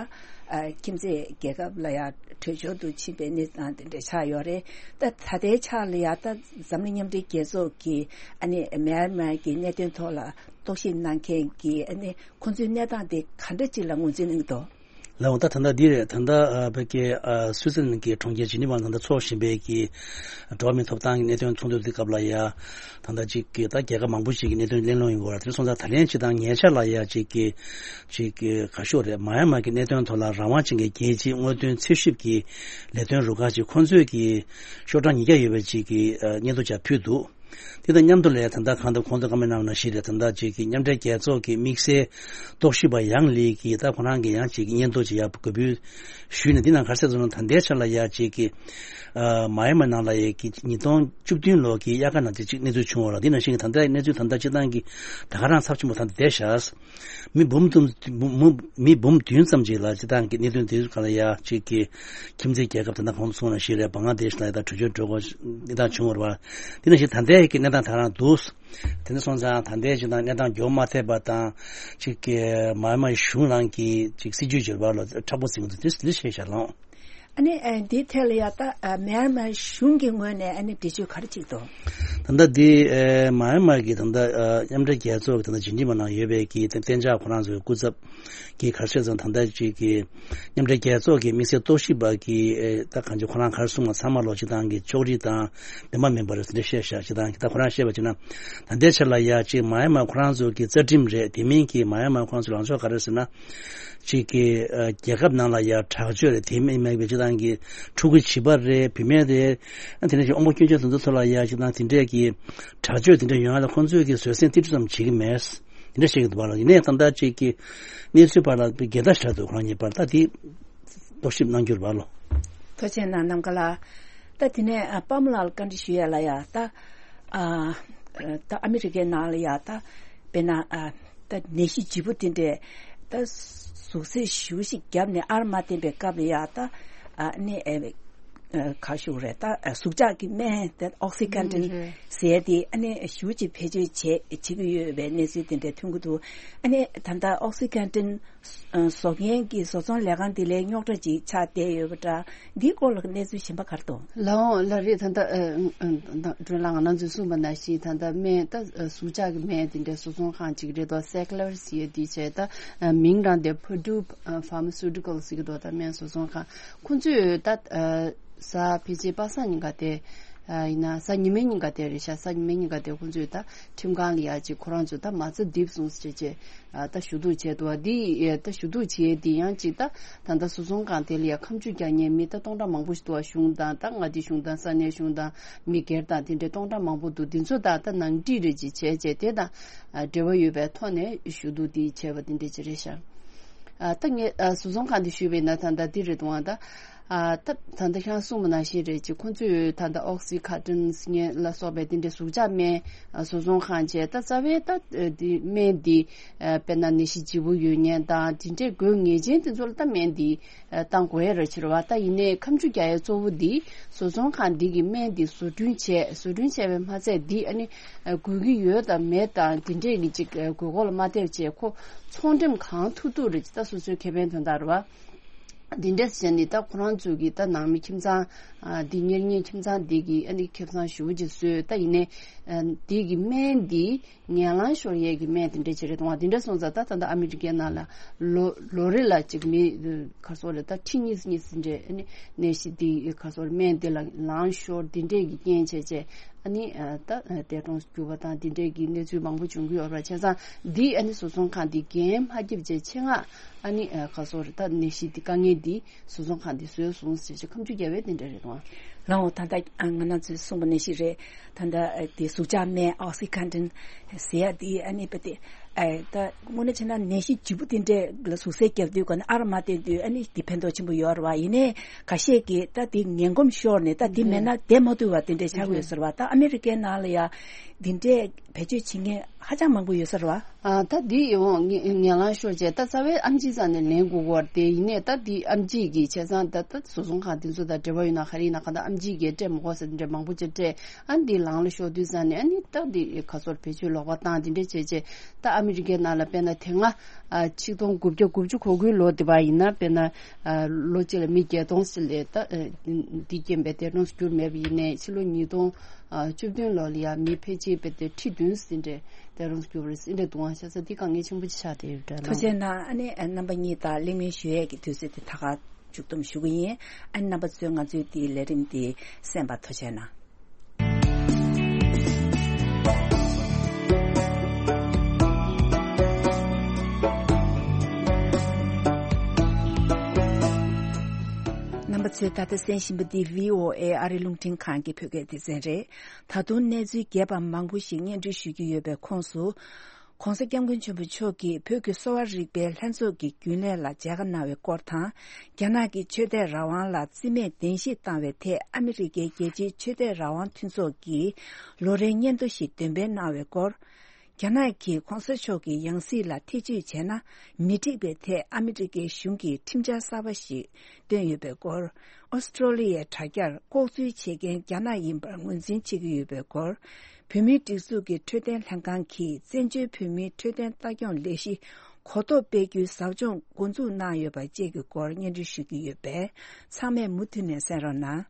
ཨ་ཁྱིམ་མཚེས་རྒྱལ་ཁབ་ལ་ཡ་བྲོས་བྱོལ་དུ་ཕྱིན་པའི་གནས་སྟངས་དེ་འདྲ་ཆགས་ཡོད་རེད། ད་ད་ལྟའི་ཆ་ལ་ཡ། ད་འཛམ་གླིང་མཉམ་འབྲེལ་རྒྱལ་ཚོགས་ཀྱིས་ཨ་ནི་མེན་མར་གྱི་གནད་དོན་ཐོག་ལ་རྟོག་ཞིབ་གནང་མཁན་གྱི་ཨ་ནི་ཁོང་ཚོའི་གནས་སྟངས་དེ་ག་འདྲ་ཅིག་ལ་ངོས་འཛིན་གནང་གི་འདུག། ལགས་འོ། ད་ད་ལྟ་འདི་རེད། ད་ལྟ་ཨ་བོད་ཀྱི་ཨ་སུའི་ཙི་ལན་གྱི་གྲོང་ཁྱེར་ཇི་ནི་ཝ་ད་ལྟ་འཚོགས་བཞིན་པའི་གི་འགྲོ་བ་མིའི་ཐོབ་ཐང་གི་གནད་དོན་ཚོགས་འདུ་དེ་སྐབས་ལ་ཡ། ད་ལྟ་ཅིག་གི་ད་རྒྱལ་ཁབ་མང་པོ་ཞིག་གི་གནད་དོན་གླེང་སློང་ཡོང་གི་ཡོད་རེད། དེ་སོང་ཙང་ད་ལན་ཅིག་དང་ཉེ་ཆར་ལ་ཡ་ཅིག་གི་ཅིག་གི་ག་ཤོག་རེད། མཱ་ཡན་མཱ་གི་གནད་དོན་ཐོག་ལ་རང་དབང་ཅན་གྱི་རྒྱལ་སྤྱིའི་དངོས་དོན་རྩིས་ཞིབ་ཀྱི་ལས་དོན་རུ་ཁག་ཅིག་ཁོང་ཚོས་ཀྱི་ཤོག་གྲངས་ཉིས་བརྒྱ་ཡོད་པའི་ཅིག་གི་ཨ་སྙན་ཐོ་ཅིག་ཕུལ་འདུག་དེ་དང་མཉམ་དུ་ལས་ད་ལྟ་གང་ལྟར་ཁོང་ཚོ་བཀའ་མོལ་གནང་བ་ནང་བཞིན་རེད། ད་ལྟ་ཅིག་གི་མཉམ་འབྲེལ་རྒྱལ་ཚོགས་ཀྱི་དམིགས་བསལ་རྟོག་ཞིབ་པ་ཡང་ལི་གིས་ད་ཁོ་རང་གི་ཡང་ཅིག་གི་སྙན་ཐོ་ཅིག་ཡར་འགོད་འབུལ་ཞུས་ནས། འདི་ནང་ག་རེ་གསལ་སོང་ན། ད་ལྟའི་ཆར་ལ་ཡ་ཅིག་གི་ཨ་མཱ་ཡན་མཱ་ནང་ལ་ཡ་གི་ཉིས་སྟོང་བཅུ་བདུན་ལོ་གི་དབྱར་ཁ་ནང་དེ་ཅིག་གནས་ཚུལ་བྱུང་བ་ལ། འདི་ནང་བཞིན་གྱི་ད་ལྟའི་གནས་ཚུལ་ད་ལྟ་སྤྱི་བཏང་གི་ད་ག་རང་ཚབས་ཆེན་པོ་ད་ལྟ་བསྡད་ཤག་མི་འབུམ་དུ་མི་མི་མི་འབུམ་བདུན་ཙམ་ཅིག་ལ་སྤྱི་བཏང་གི་གནད་དོན་དེ་ག་ལ་ཡ་ཅིག་གི་ཁྱིམ་མཚེས་རྒྱལ་ཁབ་དེ་འདྲ་གོང་དུ་སོང་ན་ཞིག་རེད། བང་ལ་དེཤ་ལ་ཡ་ད་བྲོས་བྱོལ་འགྲོ་དགོས་གནས་སྟངས་བྱུང་བ་རེད་བ། དེ་ནང་བཞིན་ད་ལྟའི་གི་གནས་སྟངས་ད་རང་འདུག་དེ་འདྲ་སོང་ཙང་ད་ལྟའི་ཅིག་དང་གནས་སྟངས་འགྱུར་མ་ཐེབས་པ་དང་། ཅིག་གི་མཱ་ཡན་མཱ་གཞུང་རང་གི་ཅིག་སྲིད་ཇུས་འགྱུར་བ་ལ་མཁྲེགས་པོ་འཛིན་གྱི་འདུག་དེ་འདི་ཤེས་བྱ་ལོང་། ཨ་ནི་ཨ་འདིའི་ཐད་ལ་ཡ་ད་ཨ་མཱ་ཡན་མཱ་གཞུང་གི་ངོས་ནས་ཨ་ནི་འགྲེལ་བརྗོད་ག་རེ་བྱེད་ཀྱི་འདུག་ད་ལྟ་འདི་ཨ་མཱ་ཡན་མཱ་གི་ད་ལྟ་ཨ་མཉམ་འབྲེལ་རྒྱལ་ཚོགས་ཀྱི་ད་ལྟ་ཇི་ནི་ཝ་ནང་ཡོད་པའི་གི་གཏན་འཇགས་ཁོ་རང་ཚོའི་སྐུ་ཚབ་ཀྱི་ག་རེ་ཟེར་ཙང་། ད་ལྟ་ཅིག་གི་མཉམ་འབྲེལ་རྒྱལ་ཚོགས་ཀྱི་དམིགས་བསལ་རྟོག་ཞིབ་པ་གི་ཨེ་ད་གང་ཅི་ཁོ་རང་ག་རེ་གསུངས་པ་ཚང་མ་ལོ་སྤྱི་བཏང་གི་ཕྱོགས་རིས་དང་ལྡན་པ་མིན་པ་རེད་ཟེར་ནས་བཤད་བཞག་སྤྱི་བཏང་གི་ད་ཁོ་རང་བཤད་པ་བྱས་ན། ད་ལྟའི་ཆར་ལ་ཡ་ཅིག་མཱ་ཡན་མཱ་ཁོ་རང་ཚོ་གི་རྩ་ཁྲིམས་རེད། དེ་མིན་གྱི་མཱ་ཡན་མཱ་ཁོ་རང་ཚོ་ལངས་ཕྱོགས་ག་རེ་ཟེར་ན། ཅིག་གི་ཨ་རྒྱལ་ཁབ་ནང་ལ་ཡ་དྲག་སྤྱོད་རེད། དེ་མིན་མེད་པའི་སྤྱི་བཏང་གི་ཕྲུ་གུ་བྱིས་པ་རེད། བུད་མེད་རེད། ཨ་དེ་འདྲ་ཞིག་དབང་པོ་སྐྱོན་ཅན་དེ་ཚོ་ཐོག་ལ་ཡ་སྤྱི་བཏང་དེ་འདྲས་ཀྱི་དྲག་སྤྱོད་དེ་འདྲ་ཡོང་ཡ་ལ་ཁོང་ཚོས་ཀྱི་བཟོད་བསྲན་ཏིལ་འབྲུ་ཙམ་བྱེད་ཀྱི་མེད། དེ་འདྲ་བཤད་ཀྱི་འདུག་བ་ལ། ཡིན་ནའི་ད་ལྟ་ཅིག་གི་གནས་ཚུལ་བར་ལ་འགལ་ཟླ་ཞིག་འདུག་ཁོང་གཉིས་བར་ད་དེ་རྟོག་ཞིབ་གནང་རྒྱུ་རེད་བ་ལོ། ཐུགས་རྗེ་གནང་། ནམ་མཁའ་ལགས། ད་དེ་ནས་ཨ་པདྨ་ལགས་ལ་བཀའ་འདྲི་ཞུ་ཡ་ལ་ཡ་ད་ཨ་ད་ཨ་མི་རི་ཀའི་ནང་ལ་ཡ་ད་དཔེར་ན་ཨ་ད་ནད་གཞི་ལྗིད་པོ་དེ་འདྲས་ད་ཟུག་གཟེར་ཞེ་པོ་ཞིག་བརྒྱབ་ནས་ཨར་མ་བསྟན་པའི་སྐབས་ལ་ཡ་ད་ཨ་ནི་ཨ་ཨ་ག་ཞུ་རེད། ད་ཨ་ཟུག་བཅག་གི་སྨན་དེ་ཨོག་སི་ཀན་ཏིན་ཟེར་དེ་ཨ་ནི་ཞེ་པོ་ཅིག་བེད་སྤྱོད་བྱེད་བྱེད་ཀྱི་ཡོད་པའི་གནས་ཚུལ་དེ་འདྲ་ཐོན་གྱི་འདུག་ཨ་ནི་ད་ལྟ་ཨོག་སི་ཀན་ཏིན་བཟོ་མཁན་གྱི་བཟོ་ཚོང་ལས་ཁང་དེ་ལས་རྙོག་དྲ་ཅིག་ཆགས་བསྡད་ཡོད་པ་འདྲ། འདིའི་སྐོར་ལ་གནས་ཚུལ་གཞན་པ་ག་རེ་འདུག་ལགས་འོང་། ལགས་རེད། ད་ལྟ་ཨ་ཨ་ཨ་སྒྲོན་ལགས་ང་རང་ཚོས་གསུངས་པ་ནང་བཞིན་ད་ལྟ་སྨན་ད་ཨ་ཟུག་བཅག་གི་སྨན་དེ་འདྲའི་བཟོ་ཚོང་ཁང་ཅིག་རེད་དོ། སེ་ཀ་ལར་ཟེར་ཡས་དེ་བྱས། ད་ཨ་མིང་རང་དེ་Purdue Pharmaceuticals ཟེར་གྱི་འདུག་ད་སྨན་བཟོ་ཚོང་ཁང་ཁོང་ཚོས་ད་ཨ་གཟའ་ཕལ་ཆེར་པ་སངས་ཉིན་ག་དེ་ཨ་ཡིན་ན་གཟའ་ཉི་མའི་ཉིན་ག་དེ་རེད་ཤག་གཟའ་ཉི་མའི་ཉིན་ག་དེ་ཁོང་ཚོས་ད་ཁྲིམས་ཁང་ལ་ཡ་ཅིག་ཁོ་རང་ཚོས་ད་མ་རྩ་རྡིབ་སོང་ཟེར་བྱས། ཨ་ད་ཞུ་གཏུག་བྱས་འདུག་བ། འདི་ཨེ་ད་ཞུ་གཏུག་བྱས་དེ་ཡང་ཅིག་ད་ད་ལྟ་བཟོ་ཚོང་ཁང་དེ་ལ་ཡ་ཁ་མཆུ་རྒྱག་མཁན་མི་ད་སྟོང་ཕྲག་མང་པོ་ཞིག་འདུག་བ། གཞུང་དང་ད་མངའ་སྡེ་གཞུང་དང་ས་གནས་གཞུང་དང་མི་སྒེར་དང་དེ་འདྲའི་སྟོང་ཕྲག་མང་པོ་འདུག་འདི་ཚོ་ད་ད་ནང་འགྲིག་རེ་ཅིག་བྱས་བྱས་དེ་དང་ཨ་འབྲེལ་བ་ཡོད་པའི་ཐོག་ནས་ཞུ་གཏུག་འདི་བྱས་པ་དེ་འདྲ་ཅིག་རེད་ཤག་ཨ་ད་ངས་ཨ་བཟོ་ཚོང་ཁང་དེ་ཞུས་པ་ཡིན་ན་ད་ད་འདི་རེད་འདུག་བ། ད་ཨ་ད་ད་ལྟ་ཁྱེད་རང་གསུངས་པ་ནང་བཞིན་རེད་ཅིག་ཁོང་ཚོས་ད་ལྟ་ཨོག་སི་ཁ་ཏིན་ཟེར་མཁན་ལ་སོགས་པའི་དེ་འདྲའི་ཟུག་བཅག་སྨན་ཨ་བཟོ་ཚོང་ཁང་བྱས། ད་རྩ་བའི་ད་འདི་སྨན་འདི་ཨ་དཔེར་ན་ནད་གཞི་ལྗིད་པོ་ཡོད་མཁན་དང་དེ་འདྲའི་དགོས་ངེས་ཅན་དེ་ཚོ་ལ་ད་སྨན་འདི་ཨ་བཏང་དགོས་ཡ་རེད་ཕྱིར་བ། ད་ཡིན་ནའི་ཁ་མཆུ་རྒྱག་ཡ་གཙོ་བོ་འདི་བཟོ་ཚོང་ཁང་འདི་གི་སྨན་འདི་བཟོ་སྐྲུན་བྱས། བཟོ་སྐྲུན་བྱས་པའི་མ་ཚད་འདི་ཨ་ནི་ཨ་དགོས་ཀྱི་ཡོད་དང་མེད་དང་དེ་འདྲས་ཀྱི་ཅིག་ཨ་དགོས་མཁོ་ལ་མ་བལྟས་བྱས་ཁོ་ཚོང་འགྲེམས་གང་ཐུབ་ཐུབ་རེད་ཅིག་ད་སོ་སོའི་ཁེ་ཕན་དོན་དག་རེད་བ། འདི་འདྲས་བྱས་ནས་ད་ཁོ་རང་ཚོ་གི་ད་ནང་མི་ཁྱིམ་ཚང་ཨ་འདི་གཉེར་མཁན་ཁྱིམ་ཚང་འདི་གི་ཨ་ནི་ཁེ་བཟང་ཞེ་པོ་ཅིག་བཟོས། ད་ཡིན་ནའི་ཨ་འདི་གི་སྨན་འདི་ངན་ལངས་ཤོར་ཡས་ཀྱི་སྨན་དེ་འདྲ་ཅིག་རེད་འདུག་བ། དེ་འདྲ་སོང་ཙང་ད་ད་ལྟ་ཨ་མི་རི་ཀའི་ནང་ལ་ལོ་ལོ་རེ་ལ་ཅིག་མི་ག་སོགས་རེད། ད་ཁྲི་གཉིས་གཉིས་ཟིན་འདྲས་ཨ་ནི་ནད་གཞི་འདི་ག་སོགས་རེད། སྨན་འདི་ལ་ལངས་ཤོར་འདི་འདྲས་ཀྱི་རྐྱེན་བྱས་བྱས་ཨ་ནི་ད་འདས་གྲོངས་གྱུར་པ་དང་འདི་འདྲས་ཀྱི་གནས་ཚུལ་མང་པོ་བྱུང་གི་ཡོད་རེད། བྱས་ཙང་འདི་ཨ་ནི་བཟོ་ཚོང་ཁང་འདི་འགན་མ་བརྒྱབ་བྱས་ཆེད་མངགས་ཨ་ནི་ག་སོགས་རེད། ད་ནད་གཞི་འདི་དཀའ་ངལ་འདི་བཟོ་ཚོང་ཁང་འདི་བཟོས་སོང་ཟེར་བྱས་ཁ་མཆུ་རྒྱག་པའི་དེ་འདྲ་རེད་དང་། ལགས་འོང་། ད་ལྟ་ང་རང་ཚོས་གསུངས་པ་ནང་བཞིན་རེད། ད་ལྟ་དེ་ཟུག་བཅག་སྨན་ཨོག་སི་ཁན་ཏིན་ཟེར་ཡ་དེ་ཨ་ནི་དཔེ་དེ་ཨ་ད་དངོས་གནས་བྱས་ན་ནད་གཞི་ལྗིད་པོ་དེ་འདྲས་ལ་ཟུག་གཟེར་བརྒྱབ་དུས་ག་ནས་ཨར་མ་བསྟན་དུས་ཨ་ནི་དེ་ཕན་ཐོགས་ཆེན་པོ་ཡོད་རེད་བ། ཡིན་ནའི་ཁ་ཤས་ཀྱིས་ད་དེ་ངན་གོམས་ཤོར་ནས་ད་དེ་མེད་ན་བསྡད་མ་ཐུབ་པ་དེ་འདྲས་ཆགས་ཀྱི་ཡོད་ཟེར་བ། ད་ཨ་མི་རི་ཀའི་ནང་ལ་ཡ་དེ་འདྲས་བེད་སྤྱོད་བྱེད་མཁན་ཧ་ཅང་མང་པོ་ཡོད་ས་རེད་བ། ཨ་ད་འདི་ཡིན་འོང་ངན་ངན་ལང་ཤོར་བྱས་ད་རྩ་བའི་ཨེམ་ཆི་རྩ་ནས་ལེན་དགོས་ཀྱི་ཡོད་རེད་དེ། ཡིན་ནའི་ད་འདི་ཨེམ་ཆི་གི་བྱས་ཙང་ད་ད་བཟོ་ཚོང་ཁང་དེ་ཚོ་དང་འབྲེལ་བ་ཡོད་ན་ག་རེ་ཡིན་ན་གང་ལྟར། ཅིག་གིས་སྤྲད་མི་དགོས་ཟེར་འདྲ་མང་པོ་ཅིག་སྤྲད། ཨ་ནི་འདི་ལང་ལ་ཤོར་དུས་ཙང་ནས་ཨ་ནི་ད་འདི་ག་ཚོར་བེད་སྤྱོད་ལོག་པ་བཏང་འདི་འདྲ་བྱས་བྱས། ད་ཨ་མི་རི་ཀའི་ནང་ལ་དཔེར་ན་དེ་སྔ་ཨ་ཆིག་སྟོང་དགུ་བརྒྱ་དགུ་བཅུ་གོ་དགུའི་ལོ་དེ་བ་ཡིན་ན་དཔེར་ན་ཨ་ལོ་གཅིག་ལ་མི་བརྒྱད་སྟོང་ཙམ་ལས་ད་ཨ་འདི་རྐྱེན་པས་འདས་གྲོངས་སུ་གྱུར་མེད་པ་ཡིན་ནའི་ཕྱི་ལོ་ཉིས་སྟོང་ཨ་བཅུ་བདུན་ལོ་ལ་ཡང་མི་ཕལ་ཆེར་དཔེ་དེ་ཁྲི་བདུན་ཟིན་འདྲ་འདས་གྲོངས་སུ་གྱུར་བ་རེད་ཟེར་འདྲ་འདུག་ཨང་། ཤ་ཚ་འདི་དཀའ་ངལ་ཆེན་པོ་ཅིག་ཆགས་བསྡད་ཡོད་འདྲ་ཐུགས་རྗེ་གནང་། ཨ་ནི་རྣམ་པ་གཉིས་དང་གླེང་མོལ་ཞུ་ཡས་ཀྱི་དུས་ཚོད་དེ་ད་ག་མཇུག་བསྡོམས་ཞུ་གི་ཡིན། ཨ་ནི་རྣམ་པ་ཚོས་ང་ཚོའི་འདིའི་ལས་རིམ་འདི་གསན་པར་ཐུགས་རྗེ་གནང་། རྣམ་པ་ཚོས་ད་ལྟ་གསན་བཞིན་པ་འདི་བྷི་ཨོ་ཨེ་ཨ་རི་རླུང་འཕྲིན་ཁང་གི་བོད་སྐད་སྡེ་ཚན་རེད། ད་དུང་གནས་ཚུལ་རྒྱས་པ་མང་པོ་ཞིག་སྙན་སྒྲོན་ཞུ་རྒྱུ་ཡོད་པའི་ཁོངས་སུ། ྋགོང་ས་ྋསྐྱབས་མགོན་ཆེན་པོ་མཆོག་གིས་བོད་ཀྱི་གསོ་བ་རིག་པའི་ལྷན་ཚོགས་ཀྱི་རྒྱུན་ལས་ལ་མཇལ་ཁ་གནང་བའི་སྐོར་དང་། རྒྱ་ནག་གིས་ཆོས་དད་རང་དབང་ལ་བརྩི་མེད་གདན་ཞུ་བཏང་བའི་ཐད་ཨ་མི་རི་ཀའི་རྒྱལ་སྤྱིའི་ཆོས་དད་རང་དབང་མཐུན་ཚོགས་ཀྱིས་ལོ་རེའི་སྙན་ཐོ་ཞིག་འདོན་སྤེལ་གནང་བའི་སྐོར། རྒྱ་ནག་གིས་ྋགོང་ས་མཆོག་གི་ཡང་སྲིད་ལ་ཐེ་བྱུས་བྱས་ན་མི་འགྲིག་པའི་ཐད་ཨ་མི་རི་ཀའི་གཞུང་གིས་ཁྲིམས་འཆར་གསར་པ་ཞིག་བཏོན་ཡོད་པའི་སྐོར། ཨོ་སི་ཀྲོ་ལི་ཡའི་དྲ་རྒྱར་ལྐོག་འཛུལ་བྱེད་མཁན་རྒྱ་ནག་ཡིན་པར་ངོས་འཛིན་བྱེད་ཀྱི་ཡོད་པའི་སྐོར། བོད་མིའི་སྒྲིག་འཛུགས་ཀྱི་འཕྲོད་བསྟེན་ལྷན་ཁང་གིས་བཙན་བྱོལ་བོད་མིའི་འཕྲོད་བསྟེན་ལྟ་སྐྱོང་ལས་གཞི་གོ་རྟོགས་སྤེལ་རྒྱུའི་ཟབ་སྦྱོང་འགོ་འཛུགས་གནང་ཡོད་པ་བཅས་ཀྱི་སྐོར་སྙན་སྒྲོན་ཞུ་གི་ཡོད་པས་ཚང་མས་མུ་མཐུད་ནས་གསན་རོགས་གནང་།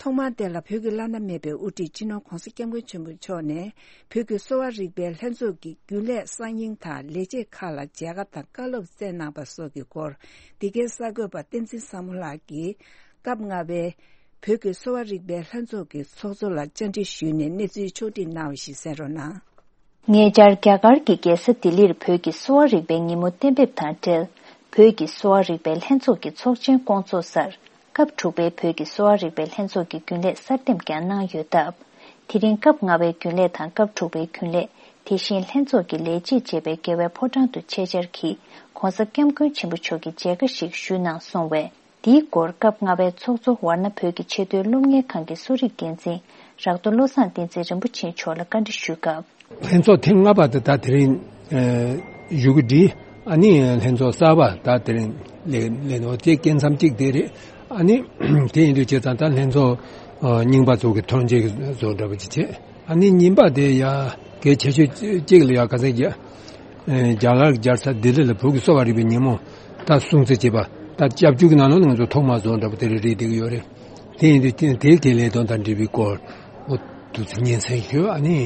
ཐོག་མར་དེ་ལ་བོད་ཀྱི་བླ་ན་མེད་པའི་དབུ་ཁྲིད་སྤྱི་ནོར་ྋགོང་ས་ྋསྐྱབས་མགོན་ཆེན་པོ་མཆོག་ནས་བོད་ཀྱི་གསོ་བ་རིག་པའི་ལྷན་ཚོགས་ཀྱི་རྒྱུན་ལས་གསར་རྙིང་དང་ལས་བྱེད་ཁག་ལ་མཇལ་ཁ་དང་བཀའ་སློབ་སྩལ་གནང་པ་སོགས་ཀྱི་སྐོར་འདི་གའི་གསར་འགོད་པ་བསྟན་འཛིན་བཟང་མོ་ལགས་ཀྱིས་སྐབས་ལྔ་པའི་བོད་ཀྱི་གསོ་བ་རིག་པའི་ལྷན་ཚོགས་ཀྱི་ཚོགས་གཙོ་ལ་བཅར་འདྲི་ཞུས་ནས་གནས་ཚུལ་ཕྱོགས་སྒྲིག་གནང་བ་ཞིག་གསན་རོགས་གནང་། ཉེ་ཆར་རྒྱ་གར་གྱི་རྒྱལ་ས་ལྡི་ལིར་བོད་ཀྱི་གསོ་བ་རིག་པའི་ཉིན་མོ་གཏན་འབེབས་དང་འབྲེལ། བོད་ཀྱི་གསོ་བ་རིག་པའི་ལྷན་ཚོགས་ཀྱི་ཚོགས་ཆེན་བསྐོང་ཚོགས་སར། སྐབས་དྲུག་པའི་བོད་ཀྱི་གསོ་བ་རིག་པའི་ལྷན་ཚོགས་ཀྱི་རྒྱུན་ལས་གསར་འདེམས་ཀྱང་གནང་ཡོད་སྟབས། དེ་རིང་སྐབས་ལྔ་པའི་རྒྱུན་ལས་དང་སྐབས་དྲུག་པའི་རྒྱུན་ལས། དེ་བཞིན་ལྷན་ཚོགས་ཀྱི་ལས་བྱེད་བཅས་པའི་རྒྱལ་བའི་ཕོ་བྲང་དུ་ཆེད་བཅར་གྱིས་ྋགོང་ས་ྋསྐྱབས་མགོན་ཆེན་པོ་མཆོག་གི་མཇལ་ཁ་ཞིག་ཞུས་གནང་སོང་བས། འདིའི་སྐོར་སྐབས་ལྔ་པའི་ཚོགས་གཙོ་ཝར་ན་བོད་ཀྱི་ཆེས་མཐོའི་སློབ་གཉེར་ཁང་གི་གསོ་རིག་འགན་འཛིན་རག་ཏུ་བློ་བཟང་བསྟན་འཛིན་རིན་པོ་ཆེ་མཆོག་ལ་བཀའ་འདྲི་ཞུས་སྐབས། ལྷན་ཚོགས་ཐེངས་ལྔ་པ་དེ་ད་དེ་རིང་བཞུགས་ཀྱི་འདི་ཨ་ནི་ལྷན་ཚོགས་གསར་པ་ད་དེ་རིང་ལས་ལས་ནོ་དེ་སྐད་མཚམས་གཅིག་དེ་རེད། ཨ་ནི་དེ་ཡིན་དུས་བྱས་ཙང་ད་ལྷན་ཚོགས་རྙིང་པ་ཚོ་གི་ཐོན་རྗེས་བཟོ་འདྲ་པོ་ཅིག་བྱས། ཨ་ནི་རྙིང་པ་དེ་ཡ་གལ་ཆེ་ཤོས་གཅིག་ལ་ཡ་ག་ཚད་རྒྱ་རྒྱ་གར་རྒྱལ་ས་ལྡི་ལི་ལ་བོད་ཀྱི་གསོ་བ་རིག་པའི་ཉིན་མོ་ད་སྲུང་བརྩི་བྱེད་པ་ད་སྐྱབས་བཅོལ་གྱི་ནང་ལོགས་ནས་ང་ཚོ་ཐོག་མར་བཟོ་འདྲ་པོ་དེ་རེད་རེད་བསྡད་ཀྱི་ཡོད་རེད། དེ་ཡིན་དུས་དེ་དེའི་གི་ལས་དོན་དང་འབྲེལ་བའི་སྐོར་འོ་དུས་ཚོད་ཉིན་མཚན་ཞུ་ཨ་ནི་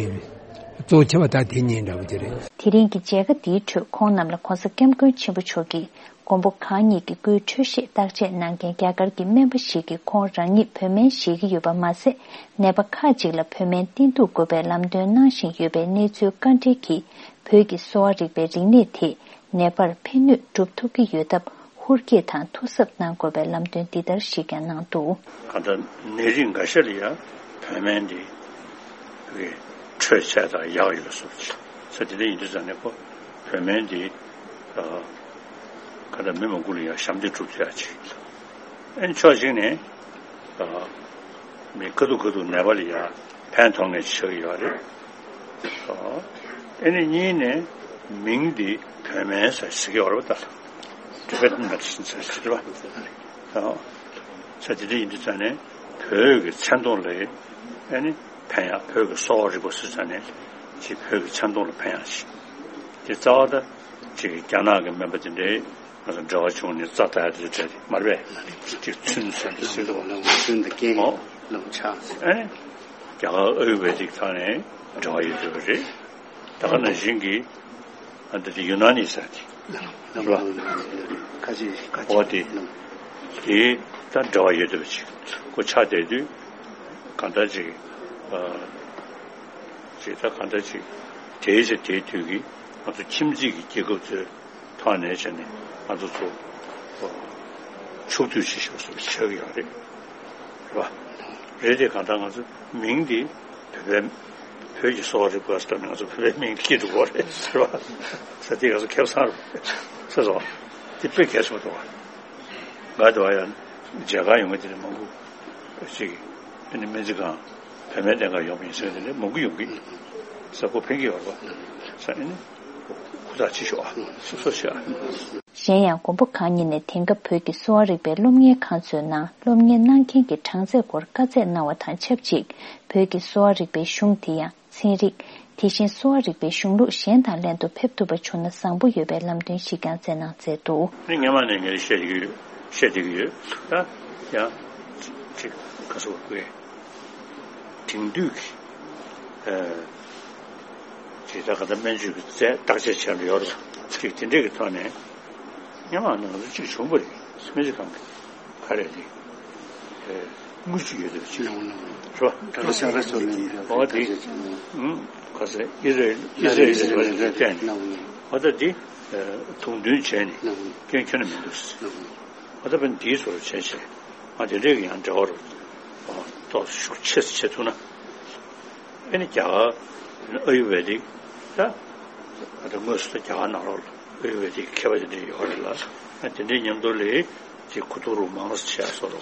གཙོ་ཆེ་བ་ད་དེ་གཉིས་འདྲ་པོ་དེ་རེད། དེ་རིང་གི་མཇལ་ཁ་འདིའི་ཁྲོད་ཁོང་རྣམས་ལ་ྋགོང་ས་ྋསྐྱབས་མགོན་ཆེན་པོ་མཆོག་གིས་མགོན་པོ་གང་ཉིད་ཀྱི་སྐུའི་འཕྲོད་བཞེས་བརྟག་དཔྱད་གནང་མཁན་རྒྱ་གར་གྱི་སྨན་པ་ཞིག་གིས་ཁོང་རང་ཉིད་བོད་སྨན་བཞེས་ཀྱི་ཡོད་པ་མ་ཟད། ནད་པ་ཁག་ཅིག་ལ་བོད་སྨན་བསྟེན་གཏུག་དགོས་པའི་ལམ་སྟོན་གནང་བཞིན་ཡོད་པའི་གནས་ཚུལ་བཀའ་འདྲི་གིས། བོད་ཀྱི་གསོ་བ་རིག་པའི་རིག་གནས་དེས་ནད་པར་ཕན་ནུས་སྒྲུབ་ཐུབ་ཀྱི་ཡོད་སྟབས། ཧུར་སྐྱེད་དང་ཐུགས་གཟབ་གནང་དགོས་པའི་ལམ་སྟོན་འདི་ལྟར་ཞིག་ཀྱང་གནང་འདུག་གང་ལྟར་ནད་རིགས་འགའ་ཤས་ལ་ཡང་བོད་སྨན་འདི་གི་འཕྲོད་ཚད་དང་ཡག་ཡོད་བཟོ་ཅིག་ས་དེ་འདྲ་ཡིན་དུས་ཙང་ནས་ཁོ་བོད་སྨན་འདི་གང་ལྟར་མི་མང་པོ་ལ་ཡང་ཞབས་འདེགས་སྒྲུབ་ཐུབ་ཡག་ཅིག་ཨ་ནི་ཕྱོགས་གཅིག་ནས་མི་ཁ་ཐུག་ཁ་ཐུག་ནད་པ་ལ་ཡང་ཕན་ཐོགས་ངེས་ཆགས་ཀྱི་ཡོད་རེད། ཨ་ནི་གཉིས་ནས་མིང་འདི་བོད་སྨན་ཟེར་ཟེར་གྱི་ཡོད་རེད་པ། ད་Tibetan medicine ཟེར་ཟེར་བ། ས་དེ་འདྲ་ཡིན་དུས་ཙང་ནས་བོད་ཀྱི་མཚན་མཐོང་ལ་ཨ་ནི་ཕན་ཡག་བོད་ཀྱི་གསོ་བ་རིག་པ་ཟེར་ཙང་ནས་ཅིག་བོད་ཀྱི་མཚན་མཐོང་ལ་ཕན་ཡག་ཅིག་དེ་རྩ་བ་ད་ཅིག་རྒྱ་ནག་གི་སྨན་པ་དེ་འདྲའི་ང་ཚོ་འབྲེལ་བ་བྱུང་ནས་རྩ་ད་ཡ་དེ་འདྲ་དེ་མ་རེད་པས། ཅིག་ཚུན་ཟེར་དུ་ཟེར་དུ་ཚུན་དུ་རྐྱེན་ཨོ་ལམ་ཆགས། ཨ་ནི་རྒྱ་གར་ཨ་ཡུར་བེ་དིག་ཐང་ནས་འབྲེལ་བ་ཡོད་འདོད་པ་རེད། ད་ག་ནང་བཞིན་གྱི་ཨ་འདི་དེ་ཡུ་ན་ནི་ཟེར་དེ་རེད་པ། ཁ་ཅིག་ཁ་ཅིག་འོ་དེ་དེ་ད་འབྲེལ་བ་ཡོད་འདོད་པ་ཅིག་ཁོ་ཆགས་བསྡད་དུས་གང་འདྲ་ཅིག་ཨ་ཅིག་ད་གང་འདྲ་ཅིག་དེའི་ཆ་དེའི་དུས་ཀྱི་ང་ཚོ་ཁྱིམ་མཚེས་ཀྱི་རྒྱལ་ཁབ་ཚོའི་ཐོག་ནས་བྱས་ནས་ང་ཚོ་ཚོ་ཕྱོགས་བསྡུས་བྱེད་ཤོག་ཟེར་བ་ཆགས་ཀྱི་ཡོད་རེད། རེད་པ། རེད་དེ་གང་ལྟར་ང་ཚོ་མིང་འདི་བོད་པའི་བོད་ཀྱི་གསོ་བ་རིག་པ་ཟེར་ནས་ང་ཚོ་བོད་པའི་མིང་སྐྱེ་འགྲོ་གི་རེད་ཟེར་བ། ས་དེ་ང་ཚོ་ཁེ་བཟང་རེད་ཟེར་སོང་། དེ་དཔེ་གལ་ཆེན་པོ་འདུག་པ། ང་དེ་བ་ཡང་མཇལ་ཁ་ཡོང་གི་དེ་ནས་མང་པོ་ཞིག་ཨ་ནི་སྨན་རྩིས་ཁང་བོད་སྨན་ལྡན་ཁང་ཡོང་བ་ཡིན་ཟེར་དེ་ནས་མང་པོ་ཡོང་གི་ས་ཁོ་ཕན་གྱི་ཡོད་རེད་པ་ས་ཨ་ནི་ཧུར་ཐག་བྱེད་ཤོག་ཨ་སོ་སོ་ཤོག་ཨ། གཞན་ཡང་མགོན་པོ་གང་ཉིད་ནས་དེང་སྐབས་བོད་ཀྱི་གསོ་བ་རིག་པའི་སློབ་གཉེར་ཁང་ཚོའི་ནང་སློབ་གཉེར་གནང་མཁན་གྱི་གྲངས་ཚད་སྐོར་བཀའ་སྩལ་གནང་བ་དང་ཆབས་ཅིག་བོད་ཀྱི་གསོ་བ་རིག་པའི་གཞུང་དེ་ཡང་ཚན་རིག་དེ་བཞིན་གསོ་བ་རིག་པའི་གཞུང་ལུགས་གཞན་དང་ལྷན་དུ་ཕེབས་ཐུབ་པ་བྱུང་ན་བཟང་པོ་ཡོད་པའི་ལམ་སྟོན་ཞིག་ཀྱང་སྩལ་གནང་མཛད་འདུག་ནི་སྔོན་མ་ནས་ངས་བཤད་ཀྱི་ཡོད། བཤད་བསྡད་ཀྱི་ཡོད། ད་ཡང་ཅིག་ག་སོགས་པའི་དེང་དུས་ཀྱི་ཨ་ཅིག་ད་ག་ད་སྨན་བཅོས་ཀྱི་རྩལ་བརྟག་དཔྱད་བྱས་ནས་ཡོད་རེད། ཅིག་དེ་འདྲས་ཀྱི་ཐོག་ནས་སྔོན་མ་ནང་ལ་ཅིག་བྱུང་བ་རེད། སྨན་རྩིས་ཁང་གི་ག་རེ་རེད། དངུལ་ཅིག་ཡོད་དེ་ཅིག་རེད་བ། ད་ལྟ་ཤ་ཁ་ཚོ་ལེན་འོ་དེ་ག་ཚད་ཨི་རེ་ཨི་རེ་ཨི་རེ་བ་ལ་བརྟེན་ནས་འོ་ད་དེ་དུང་འདོན་བྱས་ནས་སྐྱོན་ཁྱོན་ནས་མི་འདུག་འོ་ད་བན་དེའི་ཚོར་བྱས་བྱས་ང་དེ་འདྲས་ཀྱི་ཡང་འབྲེལ་བ་རུ་ཏོག་ཤུགས་ཆེ་ཆེ་ཐུབ་ན། ཨ་ནི་རྒྱ་གར་ཨ་ཡུ་ཝེ་དིག་ད་ད་དངོས་སུ་ད་རྒྱ་གར་ནང་ལོགས་ལ་ཨ་ཡུ་ཝེ་དིག་མཁས་པ་དེ་འདྲ་ཡོད་རེད་ལ། ཨ་དེ་འདྲའི་མཉམ་དུ་ལས་ཅིག་ཁུ་ཐུག་རུ་མང་རུ་བྱས་སོ་རུ་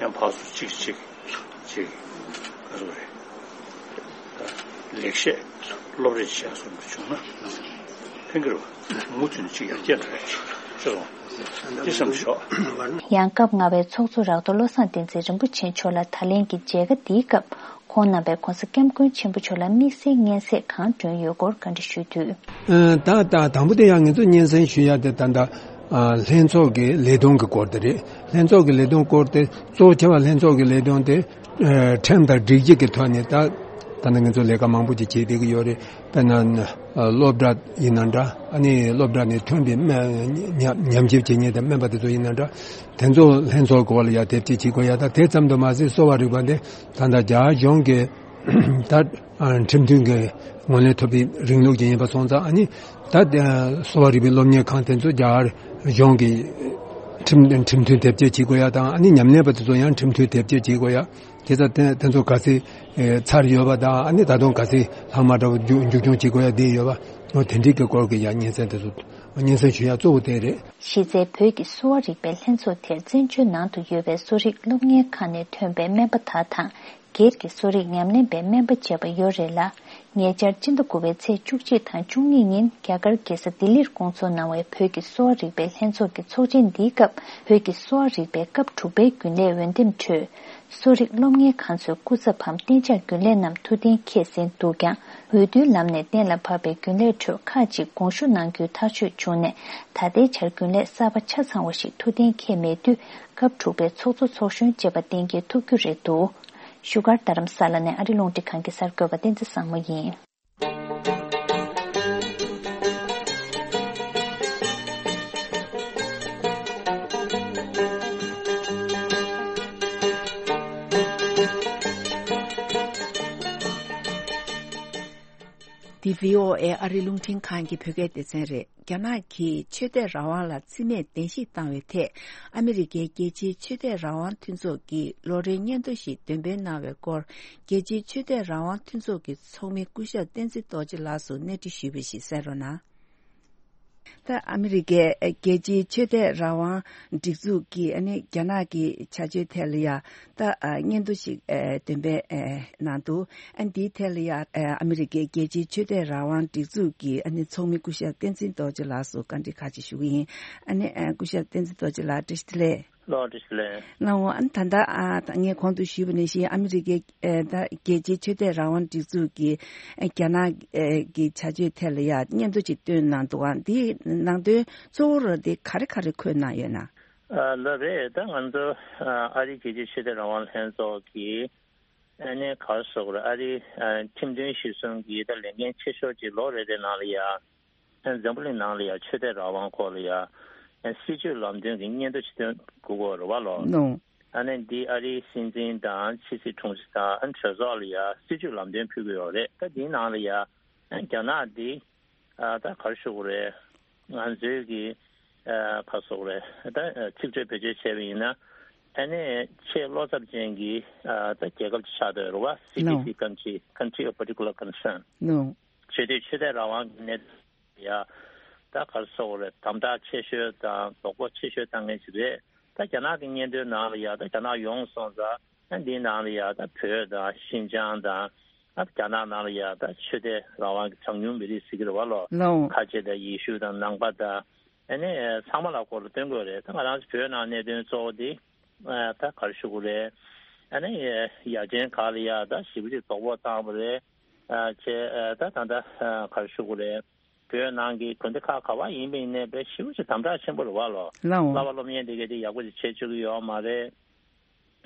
ཡང་ཕར་ཚུར་ཅིག་ཅིག་ཅིག་ག་ཚོད་རེད། ད་ལེགས་བཤད་སློབ་རེས་བྱས་སོ་རུ་བྱུང་ན་ཕན་གྱི་རེད་བ། མུ་མཐུད་ནས་ཅིག་ཡར་རྒྱས་འགྲོ་ཡ་ཅིག་ཅི་སོང་དེ་བསམ་ཤོག་ཡང་སྐབས་ལྔ་པའི་ཚོགས་གཙོ་རག་ཏུ་བློ་བཟང་བསྟན་འཛིན་རིན་པོ་ཆེ་མཆོག་ལ་ད་ལན་གྱི་མཇལ་ཁ་འདིའི་སྐབས་ཁོང་རྣམ་པས་༸གོང་ས་༸སྐྱབས་མགོན་ཆེན་པོ་མཆོག་ལ་དམིགས་བསལ་སྙན་སེང་གང་བསྒྲོན་ཡོད་སྐོར་བཀའ་འདྲི་ཞུས་དུས། ཨ་ད་ད་དང་པོ་དེ་ཡང་ངེད་ཚོ་སྙན་སེང་ཞུ་ཡ་དེ་ད་ད་ཨ་ལྷན་ཚོགས་ཀྱི་ལས་དོན་གྱི་སྐོར་དེ་རེད། ལྷན་ཚོགས་ཀྱི་ལས་དོན་སྐོར་དེ་གཙོ་ཆེ་བ་ལྷན་ཚོགས་ཀྱི་ལས་དོན་དེ་ཨ་ཁྲིམས་དང་སྒྲིག་གཞི་གི་ཐོག་ནས་ད་ད་ནི་ངེད་ཚོ་ལས་ཀ་མང་པོ་ཅིག་བྱེད་བསྡད་ཀྱི་ཡོད་རེད། དཔེར་ན་སློབ་གྲྭ་ཡིན་ན་འདྲ། ཨ་ནི་སློབ་གྲྭ་ནས་ཐོན་པའི་སྨན་ཉམས་ཉམས་ཞིབ་བྱེད་མཁན་དང་སྨན་པ་དེ་ཚོ་ཡིན་ན་འདྲ། དེ་ཚོ་ལྷན་ཚོགས་སྐོར་ལ་ཡ་དེབ་སྐྱེལ་བྱེད་དགོས་ཡ་དང་དེ་ཙམ་དུ་མ་ཟད་གསོ་བ་རིག་པ་འདི་ད་ལྟ་རྒྱ་གཞུང་གི་ད་ཁྲིམས་མཐུན་གྱི་ངོས་ལེན་ཐོབ་པའི་རིང་ལུགས་ཅིག་ཡིན་པ་སོང་ཙང་། ཨ་ནི་ད་གསོ་བ་རིག་པའི་སློབ་གཉེར་ཁང་དེ་ཚོ་རྒྱ་གར་གཞུང་གི་ཁྲིམས་ཁྲིམས་མཐུན་དེབ་སྐྱེལ་བྱེད་དགོས་ཡ་དང་། ཨ་ནི་ཉམས་ལེན་པ་དེ་ཚོ་ཡང་ཁྲིམས་མཐུན་དེབ་སྐྱེལ་བྱེད་དགོས་ཡ། དེ་ཚོ་དེ་དེ་ཚོ་ག་ཚོད་ཚར་ཡོད་པ་དང་། ཨ་ནི་ད་དུང་ག་ཚོད་ལྷག་མ་འདྲ་བོ་མཇུག་མཇུག་སྐྱོང་བྱེད་དགོས་ཡ་དེ་ཡོད་པ། འོ་དེ་འདྲའི་གི་སྐོར་གྱི་ཡང་སྙན་སེང་དེ་ཚོ་སྙན་སེང་ཞུ་ཡ་གཙོ་བོ་དེ་རེད། གཞི་རྩའི་བོད་ཀྱི་གསོ་བ་རིག་པའི་ལྷན་ཚོགས་དེར་བཙན་བྱོལ་ནང་དུ་ཡོད་པའི་གསོ་རིག་སློབ་གཉེར་ཁང་ནས་ཐོན་པའི་སྨན་པ་དག་དང་སྒེར་གྱི་གསོ་རིག་ཉམས་ལེན་པའི་སྨན་པ་བཅས་པ་ཡོད་རེད་ལ། ཉེ་ཆར་སྤྱི་ཟླ་དགུ་པའི་ཚེས་བཅུ་གཅིག་དང་བཅུ་གཉིས་ཉིན་རྒྱ་གར་རྒྱལ་ས་ལྡི་ལིར་སྐོང་ཚོགས་གནང་བའི་བོད་ཀྱི་གསོ་བ་རིག་པའི་ལྷན་ཚོགས་ཀྱི་ཚོགས་ཆེན་འདིའི་སྐབས་བོད་ཀྱི་གསོ་བ་རིག་པའི་སྐབས་དྲུག་པའི་རྒྱུན་ལས་འོས་འདེམས་ཁྲོད། གསོ་རིག་སློབ་གཉེར་ཁང་ཚོའི་སྐུ་ཚབ་བམ་གཏན་འཇགས་རྒྱུན་ལས་རྣམས་ཐུགས་གཏན་འཁེལ་ཟིན་འདུག་ཀྱང་། འོས་བསྡུའི་ལམ་ནས་གཏན་ལ་ཕབ་པའི་རྒྱུན་ལས་ཁྲོད་ཁག་ཅིག་དགོངས་ཞུ་གནང་རྒྱུའི་ཐག་གཅོད་བྱུང་ནས། ད་ལྟའི་ཆར་རྒྱུན་ལས་གསར་པ་ཆ་ཚང་བ་ཞིག་ཐུགས་གཏན་འཁེལ་མེད་དུས། སྐབས་དྲུག་པའི་ཚོགས་གཙོ་ཚོགས་གཞོན་བཅས་པ་གཏན་འཁེལ་ཐུབ་རྒྱུ་རེད་འདུག་བཞུགས་སྒར་རྡ་རམ་ས་ལ་ནས་ཨ་རི་རླུང་འཕྲིན་ཁང་གི་གསར་འགོད་པ་བསྟན་འཛིན་བཟང་མོ་ཡིན། འདི་བྷི་ཨོ་ཨེ་ཨ་རི་རླུང་འཕྲིན་ཁང་གི་བོད་སྐད་སྡེ་ཚན་རེད། རྒྱ་ནག་གིས་ཆོས་དད་རང་དབང་ལ་བརྩི་མེད་གདན་ཞུ་བཏང་བའི་ཐད། ཨ་མི་རི་ཀའི་རྒྱལ་སྤྱིའི་ཆོས་དད་རང་དབང་མཐུན་ཚོགས་ཀྱི་ལོ་རེའི་སྙན་ཐོ་ཞིག་འདོན་སྤེལ་གནང་བའི་སྐོར། རྒྱལ་སྤྱིའི་ཆོས་དད་རང་དབང་མཐུན་ཚོགས་ཀྱི་ཚོགས་མི་སྐུ་ཞབས་བསྟན་འཛིན་རྡོ་རྗེ་ལགས་སུ་གནས་འདྲི་ཞུས་པ་ཞིག་གསན་རོགས་གནང་། ད་ཨ་མི་རི་ཀའི་རྒྱལ་སྤྱིའི་ཆོས་དད་རང་དབང་སྒྲིག་འཛུགས་ཀྱིས་ཨ་ནི་རྒྱ་ནག་གི་བྱ་སྤྱོད་ཐད་ལ་ཡ། ད་ཨ་སྙན་ཐོ་ཞིག་ཨ་འདོན་སྤེལ་ཨ་གནང་འདུག་ཨ་འདིའི་ཐད་ལ་ཡ་ཨ་ཨ་མི་རི་ཀའི་རྒྱལ་སྤྱིའི་ཆོས་དད་རང་དབང་སྒྲིག་འཛུགས་ཀྱི་ཨ་ནི་ཚོགས་མི་སྐུ་ཞབས་བསྟན་འཛིན་རྡོ་རྗེ་ལགས་སུ་བཀའ་འདྲི་ཁག་ཅིག་ཞུ་གི་ཡིན། ཨ་ནི་ཨ་སྐུ་ཞབས་བསྟན་འཛིན་རྡོ་རྗེ་ལགས་བཀྲ་ཤིས་བདེ་ལེགས། ལགས་འོ། ཨ་ནི་ད་ལྟ་ཨ་ད་ངས་གོང་དུ་ཞུས་པ་ནང་བཞིན་ཨ་མི་རི་ཀའི་ཨ་ད་རྒྱལ་སྤྱིའི་ཆོས་དད་རང་དབང་སྒྲིག་འཛུགས་ཀྱི་ཨ་རྒྱ་ནག་ཨ་གི་བྱ་སྤྱོད་ཐད་ལ་ཡ་སྙན་ཐོ་ཅིག་བཏོན་གནང་འདུག་ཨ་འདིའི་ནང་དོན་གཙོ་བོ་ར་དེ་ག་རེ་ག་རེ་འཁོད་གནང་ཡོད་ན། ཨ་ལགས་རེད། ད་ང་ཚོ་ཨ་ཨ་རིའི་རྒྱལ་སྤྱིའི་ཆོས་དད་རང་དབང་ལྷན་ཚོགས་ཀྱི་ཨ་ནི་ག་རེ་ཟེར་དགོས་རེད། ཨ་རིའི་ཨ་ཁྲིམས་དོན་གཞི་བཟུང་གི་ད་ལས་འགན་ཆེ་ཤོས་ཅིག་ལོ་རེ་རེ་ནང་ལ་ཡ། འཛམ་བུ་གླིང་ནང་ལ་ཡང་ཆོས་དད་རང་དབང་སྐོར་ལ་ཡང་སྲིད་བྱུས་ལམ་སྟོན་གྱི་སྙན་ཐོ་ཅིག་བཏོན་དགོས་ཀྱི་རེད་བ་ལོ། ནོ། ཨ་ནི་འདི་ཨ་རིའི་སྲིད་འཛིན་དང་ཕྱི་སྲིད་དྲུང་ཆེ་དང་ཨ་ནི་གྲོས་ཚོགས་ལ་ཡང་སྲིད་བྱུས་ལམ་སྟོན་ཕུལ་གྱི་ཡོད་རེད། ད་འདིའི་ནང་ལ་ཡང་རྒྱ་ནག་འདི་ཨ་ད་ག་རེ་ཞུ་དགོས་རེད། ང་ཚོའི་གི་ཨ་ག་རེ་ཞུ་དགོས་རེད། ད་ཚིག་འགྲེལ་བེད་སྤྱོད་བྱས་པ་ཡིན་ན་ཨ་ནི་ཆེས་བློ་འཚབ་ཅན་གྱི་ཨ་ད་རྒྱལ་ཁབ་ཅིག་ཆགས་བསྡད་ཡོད་རེད་བ། སི་པི་སི། ནོ། Country, country of particular concern. ནོ། བྱེད་དུས་ཆོས་དད་རང་དབང་གི་གནད་དོན་ཡ། ད་ག་རེ་ཟེར་དགོས་རེད། དམ་དྲག་ཆེ་ཤོས་དང་དོགས་པ་ཆེ་ཤོས་བཏང་མཁན་ཞིག་རེད། ད་རྒྱ་ནག་གི་སྙན་ཐོའི་ནང་ལ་ཡ་ད་རྒྱ་ནག་ཡོངས་སོང་ཙང་ད་འདིའི་ནང་ལ་ཡ་ད་བོད་དང་ཤིན་ཅང་དང་ད་རྒྱ་ནག་ནང་ལ་ཡ་ད་ཆོས་དད་རང་དབང་གི་གྲངས་ཉུང་མི་རིགས་ཟེར་གྱི་རེད་བ་ལོ། ལའོ། ཁ་ཆེ་དང་ཡེ་ཤུ་དང་ནང་པ་དང་ ཨ་ནི་ཚང་མ་ལ་སྐོར་ལ་སྟོན་དགོས་རེད། ད་ང་རང་ཚོ་བོད་ནང་གནད་དོན་གཙོ་བོ་དེ་ད་ག་རེ་ཞུ་དགོས་རེད། ཨ་ནི་ཡ་ཆེན་ཁག་ལ་ཡ་ད་ཞེ་པོ་ཅིག་དོགས་པ་བཏང་བ་རེད། བྱས་ད་ད་ད་ག་རེ་ཞུ་དགོས་རེད། བོད་ནང་གི་དགོན་སྡེ་ཁག་ག་བ་ཡིན་པ་ཡིན་ནའི་དཔེ་ཞེ་པོ་ཅིག་དམ་དྲག་ཆེན་པོ་རེད་བ་ལོ། ལའོ། བསླབ་པ་སློབ་གཉེར་འདི་གས་དེ་ཡག་པོ་ཅིག་བྱེད་ཆོག་གི་ཡོད་མ་རེད།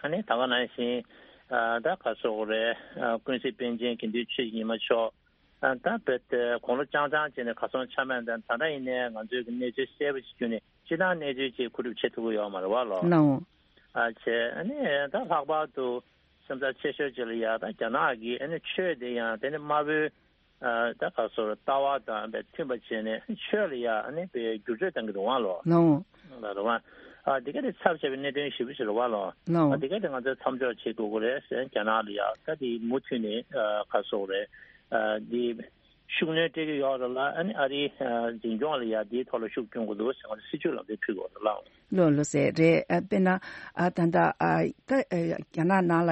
ཨ་ནི་ད་ག་ནང་བཞིན་ད་ག་སོག་རེད། ཀུན་གཟིགས་པཎ་ཆེན་དགེ་འདུན་ཆོས་ཀྱི་ཉི་མ་མཆོག་ད་བོད་དེ་དགུང་ལོ་རྐྱང་རྐྱང་བྱས་ནས་གར་སོང་ཆ་མེད། ད་ད་ལྟ་ཡིན་ནའི་ང་ཚོའི་གི་གནས་ཚུལ་གསལ་པོ་ཞིག་བརྒྱུད་ནས་སྤྱི་བཏང་གནས་ཚུལ་ཅིག་མཁོ་སྒྲུབ་བྱེད་ཐུབ་ཀྱི་ཡོད་མ་རེད་བ་ལོ། ལའོ། ཨ་བྱས་ཨ་ནི་ད་ལྷག་པར་དུ་སེམས་འཚབ་ཆེ་ཤོས་ཅིག་ལ་ཡ་ད་རྒྱ་ནག་གི་ཨ་ནི་ཆོས་དེ་ཡང་དེ་ནི་དམར་པོའི་ཨ་ད་ག་སོག་ལྟ་བ་དང་དཔེ་མཐུན་པ་བྱས་ནས་ཆོས་ལ་ཡ་ཨ་ནི་དཔེ་བསྒྱུར་བཅོས་བཏང་གི་རེད་བ་ལོ། ལའོ། ལ་རེད་བ། ཨ་དེ་ག་དེ་ཚབས་ཆེ་བའི་གནད་དོན་ཞེ་པོ་ཞིག་རེད་བ་ལོ། ལའོ། ཨ་དེ་ག་དེ་ང་ཚོས་མཚམས་འཇོག་བྱེད་དགོས་ཀྱི་རེད་ཟེར། རྒྱ་ནག་ལ་ཡ་ད་དེ་མུ་མཐུད་ནས་ཨ་ག་སོག་རེད། ཨ་དེ་ཤུགས་སྣོན་སྤྲད་ཀྱི་ཡོད་རེད་ལ། ཨ་ནི་ཨ་རིའི་ཨ་འཛིན་སྐྱོང་ལ་ཡ་དེའི་ཐོག་ལ་ཤུགས་སྐྱོན་དགོས་འདུག་ཟེར་ང་ཚོ་སྲིད་བྱུས་ལམ་སྟོན་ཕུལ་དགོས་རེད་ལ། ལོ་ལོ་ཟེར་རེད། ཨ་དཔེར་ན་ཨ་ད་ལྟ་ཨ་ད་ཨ་རྒྱ་ནག་ནང་ལ་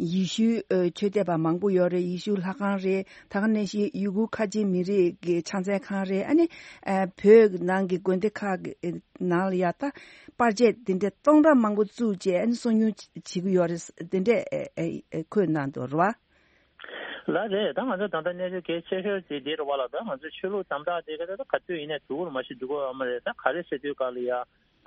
ཡེ་ཤུའི་ཨ་ཆོས་དད་པ་མང་པོ་ཡོད་རེད། ཡེ་ཤུ་ལྷ་ཁང་རེད། ད་ག་ནང་བཞིན་ཡུ་གུར་ཁ་ཆེ་མི་རིགས་ཀྱི་ཕྱག་འཚལ་ཁང་རེད། ཨ་ནི་ཨ་བོད་ནང་གི་དགོན་སྡེ་ཁག་གི་ནང་ལ་ཡ་ད་པར་ཆས་དེ་འདྲ་སྟོང་ཕྲག་མང་པོ་བཙུགས་བྱས་ཨ་ནི་གསོ་སྐྱོང་བྱེད་ཀྱི་ཡོད་རེད། དེ་འདྲས་ཨ་ཨ་ཨ་འཁོད་གནང་འདུག་རེད་བ། ལགས་རེད། ད་ང་ཚོ་ད་ལྟ་གནས་ཚུལ་གལ་ཆེ་ཤོས་དེ་འདི་རེད་བ་ལ། ད་ང་ཚོ་ཆོས་ལུགས་དམ་དྲག་དེ་ག་ད་ག་དུས་ཡིན་ནའི་འགྲོ་གི་རེད་མ་གཞི་འགྲོ་གི་ཡོད་མ་རེད། ད་ག་རེ་ཟེར་དུས་ག་ལ་ཡ་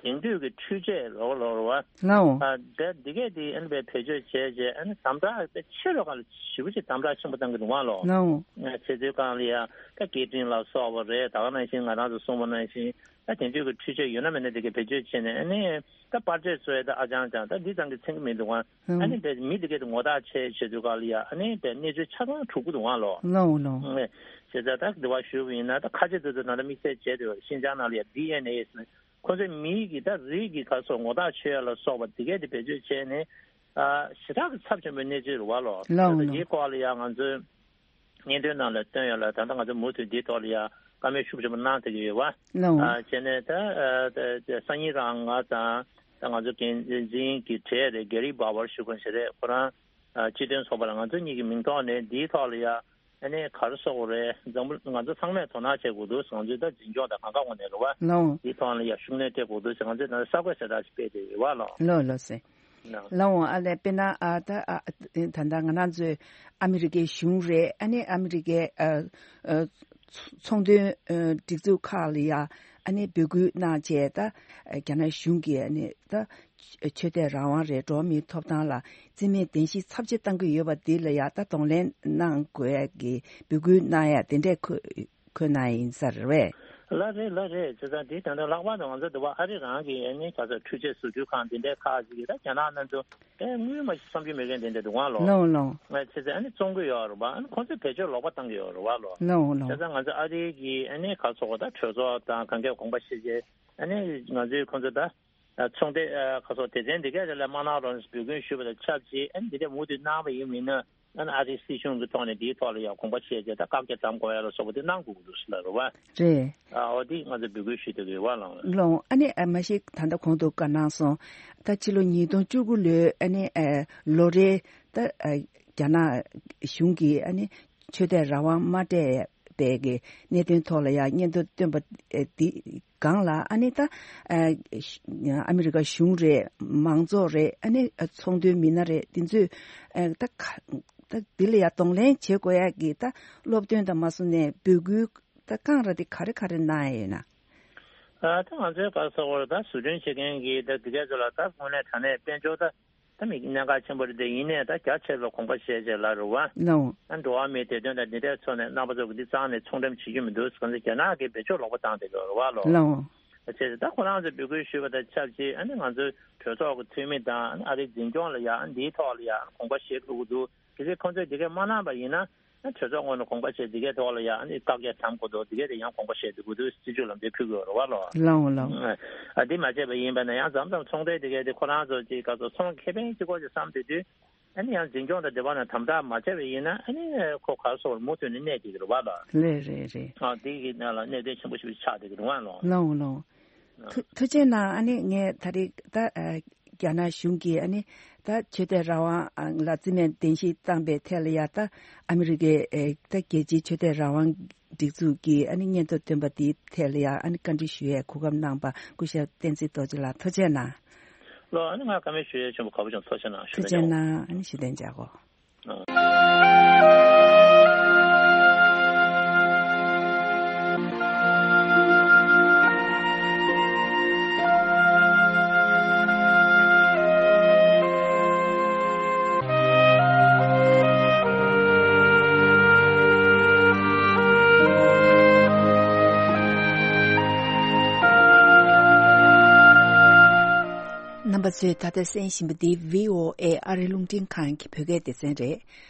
དེང་དུས་ཀྱི་འཕྲུལ་ཆས་ལོག་ལོག་རེད་བ། ལའོ། ཨ་ད་འདི་གས་དེ་ཨ་ནི་དཔེ་བེད་སྤྱོད་བྱས་རྗེས་ཨ་ནི་དམ་དྲག་དཔེ་ཆེ་རུ་ག་ལ་ཞེ་པོ་ཅིག་དམ་དྲག་ཆེན་པོ་བཏང་གི་འདུག་བ་ལོ། ལའོ། ཨ་བྱེད་དུས་ག་ལ་ཡ་ད་སྐད་འཕྲིན་ལ་སོགས་པ་རེད། ད་ག་ནང་བཞིན་ང་རང་ཚོ་གསུངས་པ་ནང་བཞིན་ད་དེང་དུས་ཀྱི་འཕྲུལ་ཆས་ཡོད་ན་མེད་ན་དེ་གས་བེད་སྤྱོད་བྱས་ནས་ཨ་ནི་ད་པར་ཆས་བཟོ་ཡ་ད་ཨ་ཅང་ཅང་ད་འདི་ཙམ་གྱིས་ཚིམ་གྱི་མི་འདུག་ཨ། ཨ་ནི་དཔེ་མི་དེ་གས་དེ་ངོ་རྟགས་ཆེ་བྱེད་དུས་ག་ལ་ཡ་ཨ་ནི་དཔེ་གནས་ཚུལ་ཆ་ཚང་གྲུབ་ཀྱི་འདུག་ཨ་ལོ། ལའོ་ལའོ། ཨེ་བྱས་ཙང་ད་འདི་བ་ཞུས་པ་ཡིན་ན་ད་ཁ་ཆེ་ཏོག་ཏོག་ད་ལྟ་དམིགས་བསལ་བྱས་ཏེ་ཤིན་ཅང་ནང་ལ་ཡ་ཌི་ཨེན་ཨེ་ཟེར་ཁོ་ཚོའི་མིའི་གི་ད་རིགས་ཀྱི་ག་སོགས་ངོ་རྟགས་ཆོད་ཡ་ལ་སོགས་པ་དེ་གས་དེ་བེད་སྤྱོད་བྱས་ནས་ཨ་ཞེ་དྲག་གི་ཚབས་ཆེན་པོའི་གནས་ཚུལ་རེད་བ་ལོ། ལའོ་ད་ལྟ་ལའོ། དེའི་སྐོར་ལ་ཡ་ང་ཚོས་སྙན་ཐོའི་ནང་ལ་བཏོན་ཡོད་ལ། ད་ལྟ་ང་ཚོ་མུ་མཐུད་འདིའི་ཐོག་ལ་ཡ་བཀའ་མོལ་ཤུགས་ཆེན་པོ་གནང་བསྡད་ཀྱི་ཡོད་བ། ལའོ། ཨ་བྱས་ནས་ད་ཨ་ད་ད་སང་ཉིན་རང་ང་དང་ད་ང་ཚོ་འགན་འཛིན་གྱི་གྲས་རེད། གེ་རི་བྷ་ཝར་ཞུ་མཁན་ཞིག་རེད། ཁོ་རང་ཨ་སྤྱི་མཐུན་ཚོགས་པ་ལ་ང་ཚོ་གཉིས་ཀྱི་མིང་ཐོག་ནས་འདིའི་ཐོག་ལ་ཡ་ཨ་ནི་ག་རེ་ཟེར་དགོས་རེད། འཛམ་བུ་ང་ཚོ་ཚང་མས་དོ་སྣང་བྱེད་དགོས་འདུག་ང་ཚོའི་ད་འཛིན་སྐྱོང་དང་གང་ག་ངོས་ནས་རེད་བ། ལའོ། འདིའི་ཐོག་ལ་ཡ་ཤུགས་སྣོན་སྤྲད་དགོས་འདུག་ང་ཚོས་ད་གསར་འགོད་གསལ་བསྒྲགས་ཤིག་སྤེལ་བསྡད་ཡོད་བ་ལོ། ལའོ་ལའོ་ཟེར། ལའོ། ལའོ་ཨ་ལས་དཔེར་ན་ཨ་ད་ཨ་ད་ལྟ་ང་རང་ཚོའི་ཨ་མི་རི་ཀའི་གཞུང་རེད། ཨ་ནི་ཨ་མི་རི་ཀའི་ཨ་ཨ་ཚོང་དོན་ཨ་སྒྲིག་འཛུགས་ཁག་ལ་ཡ་ཨ་ནི་འབོད་སྐུལ་གནང་བྱས་ད་རྒྱ་ནག་གཞུང་གིས་ཨ་ནི་ད་ཆོས་དད་རང་དབང་རེད། འགྲོ་བ་མིའི་ཐོབ་ཐང་ལ་རྩིས་མེད་བདེན་བཞི་ཚབས་ཆེ་བཏང་གི་ཡོད་པ་འདི་ལ་ཡ་ད་གདོང་ལེན་གནང་དགོས་ཡ་གི་འབོད་སྐུལ་གནང་ཡ་དེ་འདྲས་འཁོད་འཁོད་གནང་ཡིན་ས་རེད་བས། ལགས་རེད་ལགས་རེད། བྱས་ཙང་འདི་ད་ལྟ་ལྷག་པར་དུ་ང་ཚོ་འདི་བ་ཨ་རི་རང་གི་ཨ་ནི་ག་ཚོད་འཕྲུལ་ཆས་བཟོ་སྐྲུན་ཁང་འདི་འདྲའི་ཁག་ཅིག་གིས་ད་རྒྱ་ནག་གནམ་གྲུ་ཨེ་དངུལ་མ་བསམ་རྒྱུ་མེད་མཁན་དེ་འདྲ་འདུག་ཨང་ལོ། ལའོ་ལའོ། ང་བྱས་ཙང་ཨ་ནི་བཙོང་གི་ཡོད་རེད་པ། ཨ་ནི་ཁོང་ཚོས་བེད་སྤྱོད་ལོག་པ་བཏང་གི་ཡོད་རེད་བ་ལོ། ལའོ་ལའོ། བྱས་ཙང་ང་ཚོ་ཨ་རི་གི་ཨ་ནི་ག་ཚོད་ད་གྲོས་ཚོགས་དང་གང་གས་དགོངས་པ་བཞེས་རྗེས་ཨ་ནི་ང་ཚོས་ཁོང་ཚོ་ད་ཚོང་སྡེ་ག་ཚོད་སྡེ་ཚན་འདི་གས་དེ་ལ་མ་གནང་རོགས་འབོད་སྐུལ་ཞུས་པ་དང་ཆབས་ཅིག་ཨ་ནི་འདི་འདྲ་མུ་མཐུད་གནང་བ་ཡིན་མིན་ན། ཨ་ནི་ཨ་རིའི་སྲིད་གཞུང་གི་ཐོག་ནས་འདིའི་ཐོག་ལ་ཡང་དགོངས་པ་བཞེས་བྱས་ད་བཀག་རྒྱ་དམ་དགོས་ཡ་ལ་སོགས་པ་དེ་གནང་དགོས་ཀྱི་འདུག་ཟེར་ལབ་རེད་བ། རེད། ཨ་འོ་དེ་ང་ཚོས་འབོད་སྐུལ་ཞུས་བསྡད་ཀྱི་ཡོད་བ་ལགས། ལོ། ཨ་ནི་ཨ་མ་ཤི་ད་ལྟ་གོང་དུ་བཀའ་གནང་སོང་། ད་ཕྱི་ལོ་ཉིས་སྟོང་བཅུ་དགུ་ལོའི་ཨ་ནི་ཨ་ལོ་རེའི་ད་ཨ་རྒྱ་ནག་གཞུང་གིས་ཨ་ནི་ཆོས་དད་རང་དབང་མ་སྤྲད་པའི་གི་གནད་དོན་ཐོག་ལ་ཡང་སྙན་ཐོ་བཏོན་པ་ཨ་འདི་སྒང་ལ་ཨ་ནི་ད་ཨ་ཨ་མི་རི་ཀ་གཞུང་རེད། མང་ཚོགས་རེད། ཨ་ནི་ཚོང་དོན་མི་སྣ་རེད། འདི་ཚོས་ཨ་ད་ག་ད་འདི་ལ་ཡ་གདོང་ལེན་བྱེད་དགོས་ཡ་གི་ད་སློབ་སྟོན་དང་མ་སོང་ནས་འབོད་སྐུལ་ད་གང་ར་དེ་ག་རེ་ག་རེ་གནང་ཡ་ཡོད་ན། ཨ་ད་ང་ཚོའི་ག་ས་བར་ད་བཟོ་སྐྲུན་བྱེད་མཁན་གྱི་ད་འདི་གས་ཚོ་ལ་ད་དངོས་གནས་དྲང་གནས་དཔལ་འབྱོར་ད་ད་མི་གནད་འགག་ཆེན་པོ་རེད་དེ། ཡིན་ནའི་ད་རྒྱ་ཆེ་ལ་དགོངས་པ་བཞེས་བྱས་ལ་རུ་བ། ལའོ། ཨ་འགྲོ་བ་མིའི་བདེ་དོན་དང་འདི་འདྲའི་ཐོག་ནས་རྣམ་པ་ཚོ་གི་འདི་རྩ་ནས་ཚོང་འགྲེམས་བྱེད་རྒྱུ་མི་འདུག་ཟེར་ག་ཚོད་རྒྱ་ནག་གིས་བེད་སྤྱོད་ལོག་པ་བཏང་བསྡད་ཡོད་རུ་བ་ལོ། ལའོ། བྱས་ད་ཁོ་རང་ཚོས་འབོད་སྐུལ་ཞུས་པ་དང་ཆབས་ཅིག་ཨ་ནི་ང་ཚོའི་གྲོས་ཚོགས་ཀྱི་འཐུས་མི་དང་ཨ་རིའི་འཛིན་སྐྱོང་ལ་ཡང་འདིའི་ཐོག་ལ་ཡང་དགོངས་པ་བཞེས་དགོས་ཀྱི་འདུག་གལ་སྲིད་ཁོང་ཚོས་འདི་གས་མ་གནང་པ་ཡིན་ན་ཨ་གྲོས་ཚོགས་ངོས་ནས་དགོངས་པ་བཞེས་འདི་གས་ཐོག་ལ་ཡང་ཨ་ནི་བཀག་རྒྱ་དམ་དགོས་འདུག་འདི་གས་དེ་ཡང་དགོངས་པ་བཞེས་དགོས་ཀྱི་འདུག་སྲིད་བྱུས་ལམ་སྟོན་ཕུལ་དགོས་རེད་བ་ལོ། ལའོ་ལའོ། ཨ་འདི་མ་བྱས་པ་ཡིན་པ་ན་ཡང་མཚམས་མཚམས་ཚོང་འབྲེལ་འདི་གས་དེ་ཁོ་རང་ཚོ་ཅིག་ག་ཚོད་ཚོང་ཁེ་ཕན་གཅིག་པོ་ཅིག་བསམ་བསྡད་དུས། ཨ་ནི་ཡང་འཛིན་སྐྱོང་དང་འབྲེལ་བ་ནང་དམ་དྲག་མ་བྱས་པ་ཡིན་ན་ཨ་ནི་ཁོ་ག་སོགས་མུ་མཐུད་ནས་གནས་བསྡད་ཀྱི་རེད་བ་ལ། རེད་རེད་རེད། ཨ་དེ་གི་ནང་ལ་གནད་དོན་ཆེན་པོ་ཞིག་ཆགས་བསྡད་ཀྱི་རེད་བ་ལོ། ལའོ་ལའོ། ཨ་ཐུགས་ཐུགས་རྗེ་གནང་། ཨ་ནི་ངས་ད་རེས་ད་ཨ་རྒྱ་ནག་གཞུང་གིས་ཨ་ནི་ད་ཆོས་དད་རང་དབང་ལ་རྩིས་མེད་བདེན་བཞི་བཏང་པའི་ཐད་ལ་ཡ་ད་ཨ་མི་རི་ཀའི་ཨེ་ད་རྒྱལ་སྤྱིའི་ཆོས་དད་རང་དབང་ སྒྲིག་འཛུགས་ཀྱི་ཨ་ནི་སྙན་ཐོ་བཏོན་པ་དེའི་ཐད་ལ་ཡང་ཨ་ནི་བཀའ་འདྲི་ཞུ་ཡས་གོ་སྐབས་གནང་པ་སྐུ་ཞབས་བསྟན་འཛིན་རྡོ་རྗེ་ལགས་ཐུགས་རྗེ་གནང་། ལགས། ཨ་ནི་ང་བཀའ་མོལ་ཞུ་ཡས་ཆེན་པོ་ག་པོ་ཅང་ཐུགས་རྗེ་གནང་། ཞུ་ཐུགས་རྗེ་གནང་། ཨ་ནི་ཞུ་དན་བྱ་གོ། རྣམ་པ་ཚོས་ད་ལྟ་གསན་བཞིན་པ་འདི་བྷི་ཨོ་ཨེ་ཨ་རི་རླུང་འཕྲིན་ཁང་གི་བོད་སྐད་སྡེ་ཚན་རེད།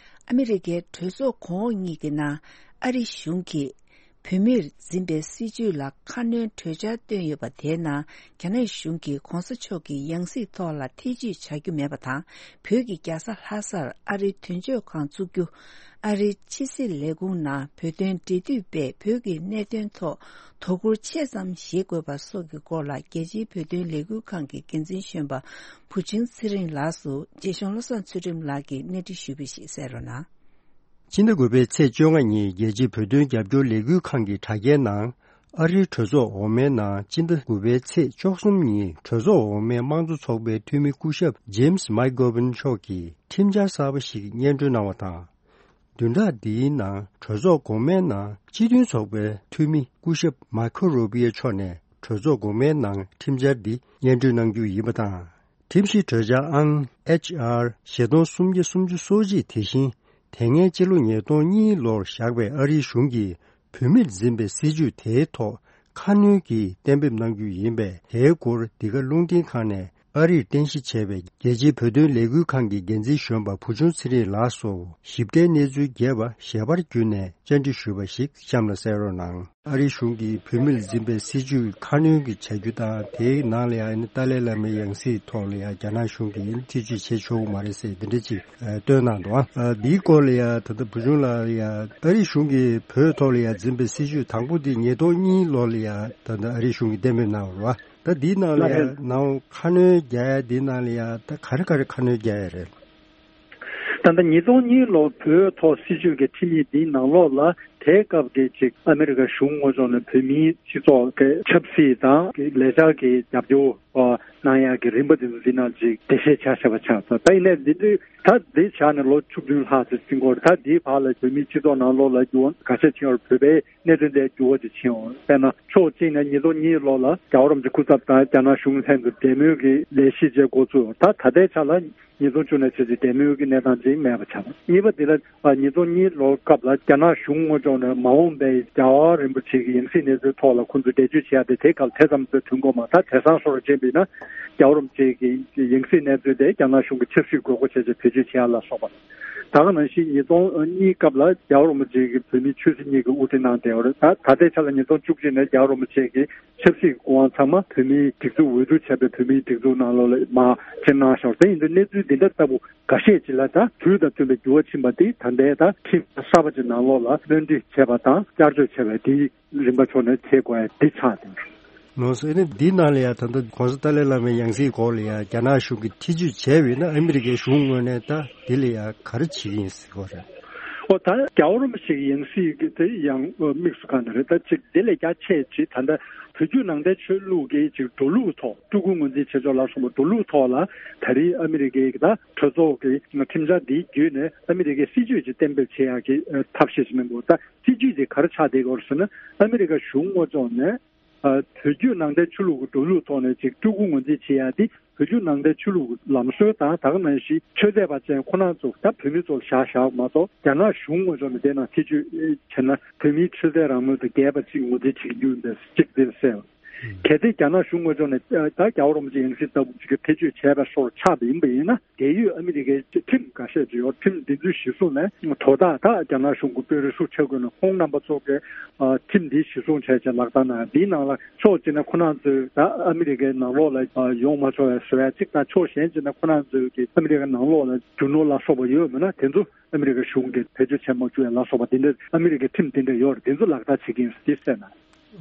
ཨ་མི་རི་ཀའི་གྲོས་ཚོགས་གོང་འོག་གཉིས་ཀྱི་ནང་ཨ་རི་གཞུང་གིས་བོད་མིར་འཛིན་པའི་སྲིད་བྱུས་ལ་ཁ་སྣོན་གྲོས་འཆར་བཏོན་ཡོད་པ་དེའི་ནང་རྒྱ་ནག་གཞུང་གིས་གོང་ས་མཆོག་གི་ཡང་སྲིད་ཐོག་ལ་ཐེ་བྱུས་བྱ་རྒྱུ་མེད་པ་དང་། བོད་ཀྱི་རྒྱལ་ས་ལྷ་སར་ཨ་རིའི་དོན་གཅོད་ཁང་བཙུགས་རྒྱུ། ཨ་རིའི་ཕྱི་སྲིད་ལས་ཁུངས་ནང་བོད་དོན་འབྲེལ་མཐུད་པས་བོད་ཀྱི་གནད་དོན་ཐོག་དོ་ཁུར་ཆེ་ཙམ་བཞེས་དགོས་པ་སོགས་ཀྱི་སྐོར་ལ་རྒྱལ་སྤྱིའི་བོད་དོན་ལས་འགུལ་ཁང་གི་འགན་འཛིན་གཞོན་པ་བུ་ཆུང་ཚེ་རིང་ལགས་སུ་རྗེ་གཞུང་བློ་བཟང་ཚུལ་ཁྲིམས་ལགས་ཀྱིས་གནས་འདྲི་ཞུས་པ་ཞིག་གསན་རོགས་གནང་། སྤྱི་ཟླ་དགུ་པའི་ཚེས་བཅོ་ལྔ་ཉིན་རྒྱལ་སྤྱིའི་བོད་དོན་རྒྱབ་སྐྱོར་ལས་འགུལ་ཁང་གི་དྲ་རྒྱའི་ནང་། ཨ་རིའི་གྲོས་ཚོགས་འོག་མའི་ནང་སྤྱི་ཟླ་དགུ་པའི་ཚེས་བཅུ་གསུམ་ཉིན་གྲོས་ཚོགས་འོག་མའི་དམངས་གཙོ་ཚོགས་པའི་འཐུས་མི་སྐུ་ཞབས་ཇེམ་སི་མེག་གྷོ་ཝན་མཆོག་གིས་ཁྲིམས་འཆར་གསར་པ་ཞིག་སྙན་སྒྲོན་གནང་བ་དང་། བདུན་ཕྲག་འདིའི་ནང་གྲོས་ཚོགས་གོང་མའི་ནང་སྤྱི་མཐུན་ཚོགས་པའི་འཐུས་མི་སྐུ་ཞབས་མར་ཁོ་རུ་པི་ཡོ་མཆོག་ནས་གྲོས་ཚོགས་གོང་མའི་ནང་ཁྲིམས་འཆར་འདི་སྙན་སྒྲོན་གནང་རྒྱུ་ཡིན་པ་དང་། ཁྲིམས་ཞིབ་གྲོས་འཆར་ཨང་ཨེཆ་ཨར་བཞི་སྟོང་སུམ་བརྒྱ་སུམ་ཅུ་སོ་གཅིག་དེ་བཞིན་དེ་སྔའི་ཕྱི་ལོ་ཉིས་སྟོང་གཉིས་ལོར་བཞག་པའི་ཨ་རིའི་གཞུང་གིས་བོད་མིར་འཛིན་པའི་སྲིད་བྱུས་དེའི་ཐོག་ཁ་སྣོན་གྱིས་གཏན་འབེབས་གནང་རྒྱུ་ཡིན་པས། དེའི་སྐོར་འདི་ག་རླུང་འཕྲིན་ཁང་ནས་ཨ་རིར་རྟེན་གཞི་བྱས་པའི་རྒྱལ་སྤྱིའི་བོད་དོན་ལས་འགུལ་ཁང་གི་འགན་འཛིན་གཞོན་པ་བུ་ཆུང་ཚེ་རིང་ལགས་སུ་ཞིབ་ཕྲའི་གནས་ཚུལ་རྒྱས་པ་ཞལ་པར་བརྒྱུད་ནས་བཅར་འདྲི་ཞུས་པ་ཞིག་གཤམ་ལ་གསན་རོགས་གནང་། ཨ་རིའི་གཞུང་གིས་བོད་མིར་འཛིན་པའི་སྲིད་བྱུས་ཁ་སྣོན་གྱི་བྱ་རྒྱུ་དང་། དེའི་ནང་ལ་ཡང་ཏཱ་ལའི་བླ་མའི་ཡང་སྲིད་ཐོག་ལ་ཡང་རྒྱ་ནག་གཞུང་གིས་ཐེ་བྱུས་བྱེད་ཆོག་གི་མ་རེད་ཟེར་འདི་འདྲ་ཅིག་བཏོན་གནང་འདུག་ཨ་འདིའི་སྐོར་ལ་ཡང་ད་ལྟ་བུ་ཆུང་ལགས་ལ་ཡང་ཨ་རིའི་གཞུང་གིས་བོད་ཐོག་ལ་ཡང་འཛིན་པའི་སྲིད་བྱུས་དང་པོ་འདི་ཉིས་སྟོང་གཉིས་ལོ་ལ་ཡང་ད་ལྟ་ཨ་རིའི་གཞུང་གིས་གཏན་འབེབས་གནང་བ་རེད་བ། ད་འདིའི་ནང་ལ་ཡང་ནང་ཁ་སྣོན་རྒྱག་ཡ་འདིའི་ནང་ལ་ཡང་ད་ག་རེ་ག་རེ་ཁ་སྣོན་རྒྱག་ཡ་རེད། ད་ལྟ་ཉིས་སྟོང་གཉིས་ལོ་བོད་ཐོག་སྲིད་བྱུས་ཀྱི་ཁྲིམས་ཡིག་འདིའི་ནང་ལོགས་ལ་དེའི་སྐབས་ཀྱི་ཅིག་ཨ་མི་རི་ཀ་གཞུང་དངོས་ཕྱོགས་ནས་བོད་མིའི་སྤྱི་ཚོགས་ཀྱི་ཆབ་སྲིད་དང་ལས་འཆར་གྱི་རྒྱབ་སྐྱོར་གནང་ཡག་གི་རིམ་པ་འདི་ཚོ་འདི་ནང་ཅིག་འགྲེལ་བཤད་ཆ་བཞག་པ་ཆགས་སོང་། ད་ཡིན་ནའི་འདི་འདི་ད་འདི་བཞག་ནས་ལོ་བཅུ་བདུན་ལྷག་ཙམ་ཕྱིན་སྐོར། ད་འདིའི་བར་ལ་བོད་མིའི་སྤྱི་ཚོགས་ནང་ལོགས་ལ་འགྱུར་བ་ག་ཚད་ཕྱིན་ཡོད་རེད། བོད་པའི་གནད་དོན་དེ་འགྱུར་བ་ཅིག་ཕྱིན་ཡོད་རེད། དཔེར་ན་ཕྱོགས་གཅིག་ནས་ཉིས་སྟོང་གཉིས་ལོ་ལ་རྒྱལ་བ་རིན་པོ་ཆེ་སྐུ་ཚབ་དང་རྒྱ་ནག་གཞུང་ལྷན་དུ་འབྲེལ་མོལ་གྱི་ལས་གཞི་བཅས་འགོ་བཙུགས་ཡོད། ད་ད་ལྟའི་ཆ་ལ་ཉིས་སྟོང་བཅུ་ནས་བྱས་ཏེ་འབྲེལ་མོལ་གྱི་གནས་སྟངས་ཅིག་མེད་པ་ཆགས། གཉིས་པ་དེ་ལ་ཨ་ཉིས་སྟོང་གཉིས་ལོའི་སྐབས་ལ་རྒྱ་ནག་གཞུང་དངོས་ཕྱོགས་ནས་མ་འོངས་པའི་རྒྱལ་བ་རིན་པོ་ཆེ་གི་ཡང་སྲིད་གནས་ཚུལ་ཐོག་ལ་ཁོང་ཚོས་འགྲེལ་བརྗོད་བྱེད་ཡ་དེ་དེ་སྐབས་དེ་ཙམ་དུ་ཐོན་གོ་མ། ད་དེང་སང་བཟོ་འདྲ་བྱས་པ་ཡིན་ན་རྒྱལ་བ་རིན་པོ་ཆེ་གི་ཡང་སྲིད་གནས་ཚུལ་དེ་རྒྱ་ནག་གཞུང་གི་ཆབ་སྲིད་དགོས་མཁོ་བྱས་ཏེ་བེད་སྤྱོད་བྱེད་ཡ་ལ་སོགས་པ། ད་ག་ནང་བཞིན་ཉིས་སྟོང་གཉིས་སྐབས་ལ་རྒྱལ་བ་རིན་པོ་ཆེ་གིས་བོད་མིའི་ཆོས་སྲིད་གཉིས་ཀྱི་དབུ་ཁྲིད་གནང་བསྡད་ཡོད་རེད། ད་ད་ལྟའི་ཆ་ལ་ཉིས་སྟོང་བཅུ་གཅིག་ནས་རྒྱལ་བ་རིན་པོ་ཆེ་གིས་ཆབ་སྲིད་ཀྱི་སྐུ་དབང་ཚང་མ་བོད་མིའི་སྒྲིག་འཛུགས་འོས་བསྡུ་བྱས་པའི་བོད་མིའི་སྒྲིག་འཛུགས་ནང་ལོགས་ལ་མར་ཕྱིར་གནང་ཤོར། དེ་ཡིན་དུས་གནས་ཚུལ་འདི་འདྲ་ལྟ་བུ་འགའ་ཤས་ཅིག་ལ་ད་དུས་དང་མཐུན་པའི་འགྱུར་བ་ཕྱིན་པ་འདི་ད་ལྟའི་ད་ཁྲིམས་གསར་པ་ཅིག་ནང་ལོགས་ལ་བློ་འདྲི་བྱས་པ་དང་བསྐྱར་བཅོས་བྱས་པ་འདི་རིམ་པ་ཕྱོགས་ནས་བྱེད་དགོས་ཡ་འདི་ཆགས་ཏེ། ལགས་སོ། ཨ་ནི་འདི་ནང་ལ་ཡང་ད་ལྟ་གོང་ས་ཏཱ་ལའི་བླ་མའི་ཡང་སྲིད་སྐོར་ལ་ཡང་རྒྱ་ནག་གཞུང་གིས་ཐེ་བྱུས་བྱས་པ་ཡིན་ན་ཨ་མི་རི་ཀའི་གཞུང་ངོས་ནས་ད་འདི་ལ་ཡང་ག་རེ་བྱེད་ཀྱི་ཡིན་ཟེར་གོ་རེད། ཨོ་ད་རྒྱལ་བ་རིན་པོ་ཆེ་གི་ཡང་སྲིད་ཀྱི་དེ་ཡང་དམིགས་སུ་བཀར་ནས་རེད། ད་ཅིག་དེ་ལས་རྒྱ་ཆེ་ཅིག་ད་ལྟ་བོད་བརྒྱུད་ནང་བསྟན་ཆོས་ལུགས་ཀྱི་ཅིག་འགྲོ་ལུགས་ཐོག་སྤྲུལ་སྐུ་ངོས་འཛིན་བྱེད་ཕྱོགས་ལ་སོགས་པ་འགྲོ་ལུགས་ཐོག་ལ་ད་རིང་ཨ་མི་རི་ཀའི་ད་གྲོས་ཚོགས་ཀྱི་ཁྲིམས་འཆར་འདི་བརྒྱུད་ནས་ཨ་མི་རི་ཀའི་སྲིད་བྱུས་ཅིག་གཏན་འབེབས་བྱེད་ཡག་གི་ཐབས་ཤེས་ཅིག་གནང་འདུག་ད་སྲིད་བྱུས་དེ་ག་རེ་ཆགས་བསྡད་ཡོད་རེད་ཟེར་ན། ཨ་མི་རི་ཀ་གཞུང་དངོས་ཕྱོགས་ནས་ཨ་བོད་བརྒྱུད་ནང་བསྟན་ཆོས་ལུགས་ཀྱི་འགྲོ་ལུགས་ཐོག་ནས་ཅིག་སྤྲུལ་སྐུ་ངོས་འཛིན་བྱེད་ཡ་དེ་བོད་བརྒྱུད་ནང་བསྟན་ཆོས་ལུགས་ཀྱི་ལམ་སྲོལ་དང་། ད་ག་ནང་བཞིན་ཆོས་དད་པ་ཅན་ཁོ་རང་ཚོ་ད་བོད་མི་ཚོ་ལ་བཞག་བཞག་མ་གཏོགས། རྒྱ་ནག་གཞུང་དངོས་ཕྱོགས་ནས་དེ་ནང་ཐེ་བྱུས་བྱས་ན་བོད་མིའི་ཆོས་དད་རང་མོས་དང་འགལ་བ་ཅིག་ངོས་འཛིན་བྱེད་ཀྱི་ཡོད་པའི་གཅིག་དེ་གསལ། གལ་ཏེ་རྒྱ་ནག་གཞུང་དངོས་ཕྱོགས་ནས་ད་རྒྱལ་བ་རིན་པོ་ཆེ་ཡང་སྲིད་ལྟ་བུ་ཅིག་གི་ཐེ་བྱུས་བྱས་པའི་བཟོ་འདྲ་ཆགས་པ་ཡིན་པ་ཡིན་ན། འབྲེལ་ཡོད་ཨ་མི་རི་ཀའི་ཁྲིམས་འགའ་ཤས་ཅིག་ཡོད། ཁྲིམས་འདི་ཚོའི་གཞི་བཟུང་ནས་དོ་བདག་ད་རྒྱ་ནག་གཞུང་གི་དཔོན་རིགས་སུ་ཆ་བགོས་ནས་ཁོང་རྣམ་པ་ཚོ་གིས་ཨ་ཁྲིམས་འདི་གཞི་བཟུང་བྱས་བྱས་ལག་བསྟར་གནང་། འདིའི་ནང་ལ་ཕྱོགས་གཅིག་ནས་ཁོ་རང་ཚོས་ད་ཨ་མི་རི་ཀའི་ནང་ལོགས་ལ་ཨ་ཡོང་མ་ཆོག་པའི་བཟོ་ཡ་གཅིག་དང་། ཕྱོགས་གཞན་གཅིག་ནས་ཁོ་རང་ཚོས་ཀྱི་ཨ་མི་རི་ཀའི་ནང་ལོགས་ལ་རྒྱུ་ནོར་ལ་སོགས་པ་ཡོད་མེད་ན་དེ་ཚོ་ཨ་མི་རི་ཀ་གཞུང་གིས་བེད་སྤྱོད་བྱེད་མ་བཅུག་ཡ་ལ་སོགས་པ་འདི་འདྲ་ཨ་མི་རི་ཀའི་ཁྲིམས་འདི་འདྲ་ཡོད་རེད། འདི་ཚོ་ལག་བསྟར་བྱེད་ཀྱི་ཡིན་ཟེར་གསལ་གནང་།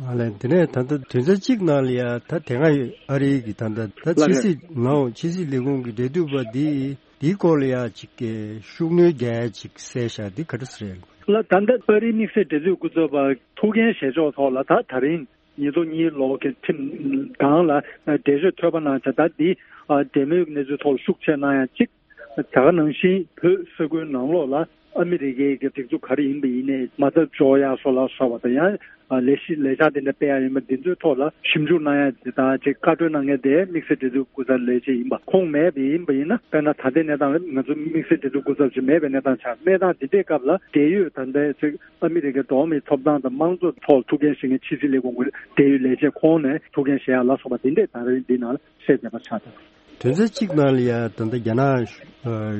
ཨ་ལས། དེ་ནས་ད་ལྟ་དོན་ཚན་གཅིག་ནང་ལ་ཡ་ད་དེ་སྔ་ཨ་རིའི་གི་ད་ལྟ་ད་ལགས་ཕྱི་སྲིད་ནའོ་ཕྱི་སྲིད་ལས་ཁུངས་ཀྱི་འབྲེལ་མཐུད་པ་འདི་ འདིའི་སྐོར་ལ་ཡང་ཅིག་གི་ཤུགས་སྣོན་རྒྱག་ཡ་ཅིག་གསལ་བཞག་འདི་ག་འདྲ་ཟེར་ཡ་ལ། ད་ལྟ་པ་རིའི་དམིགས་བསལ་འབྲེལ་མཐུད་སྐུ་ཚབ་པ་ཐུགས་འགན་བཞེས་ཕྱོགས་ཐོག་ལ་ད་ད་རིང་ཉིས་སྟོང་གཉིས་ལོ་གི་ཁྲིམས་སྒང་ལ་འགྲེལ་བརྗོད་ཐོལ་པ་གནང་བྱས། ད་འདི་འབྲེལ་མོལ་གནས་ཚུལ་ཐོག་ལ་ཤུགས་ཆེ་གནང་ཡ་གཅིག། ད་ག་ནང་བཞིན་བོད་ས་ཁུལ་ནང་ལོགས་ལ་ཨ་མི་རི་ཀའི་གི་སྒྲིག་འཛུགས་ག་རེ་ཡིན་པ་ཡིན་ནའི་མ་རྩ་འཇོག་ཡ་སོགས་ལ་སོགས་པ་དང་། ཡང་ལས་གཞི་ལས་འཆར་དེ་འདྲ་སྤེལ་ཡ་ཡིན་པ་འདི་ཚོའི་ཐོག་ལ་ཞིབ་འཇུག་གནང་ཡ་དེ་དང་ཅིག་བཀའ་འཁྲོལ་གནང་མཁན་དེ་དམིགས་བསལ་འབྲེལ་མཐུད་སྐུ་ཚབ་ལས་བྱེད་ཡིན་པ། ཁོང་མེད་པ་ཡིན་པ་ཡིན་ན། དཔེར་ན་ད་ལྟའི་གནས་སྟངས་ལ་ང་ཚོ་དམིགས་བསལ་འབྲེལ་མཐུད་སྐུ་ཚབ་ཅིག་མེད་པའི་གནས་སྟངས་ཆགས། གནས་སྟངས་འདི་འདྲའི་སྐབས་ལ་འབྲེལ་ཡོད་ད་ལྟའི་ཅིག་ཨ་མི་རི་ཀའི་འགྲོ་བ་མིའི་ཐོབ་ཐང་དང་དམངས་གཙོ་ཐོག་ཐུགས་འགན་བཞེས་མཁན་ཕྱི་སྲིད་ལས་ཁུངས་ཀྱི་འབྲེལ་ཡོད་ལས་བྱེད་ཁོང་ནས་ཐུགས་འགན་བཞེས་ཡ་ལ་སོགས་པ་འདི་འདྲས་ད་རེས་འདི་ནང་ལ་གསལ་བསྡད་པ་ཆགས་འདུག། དོན་ཚན་གཅིག་ནང་ལ་ཡང་ད་ལྟ་རྒྱ་ནག་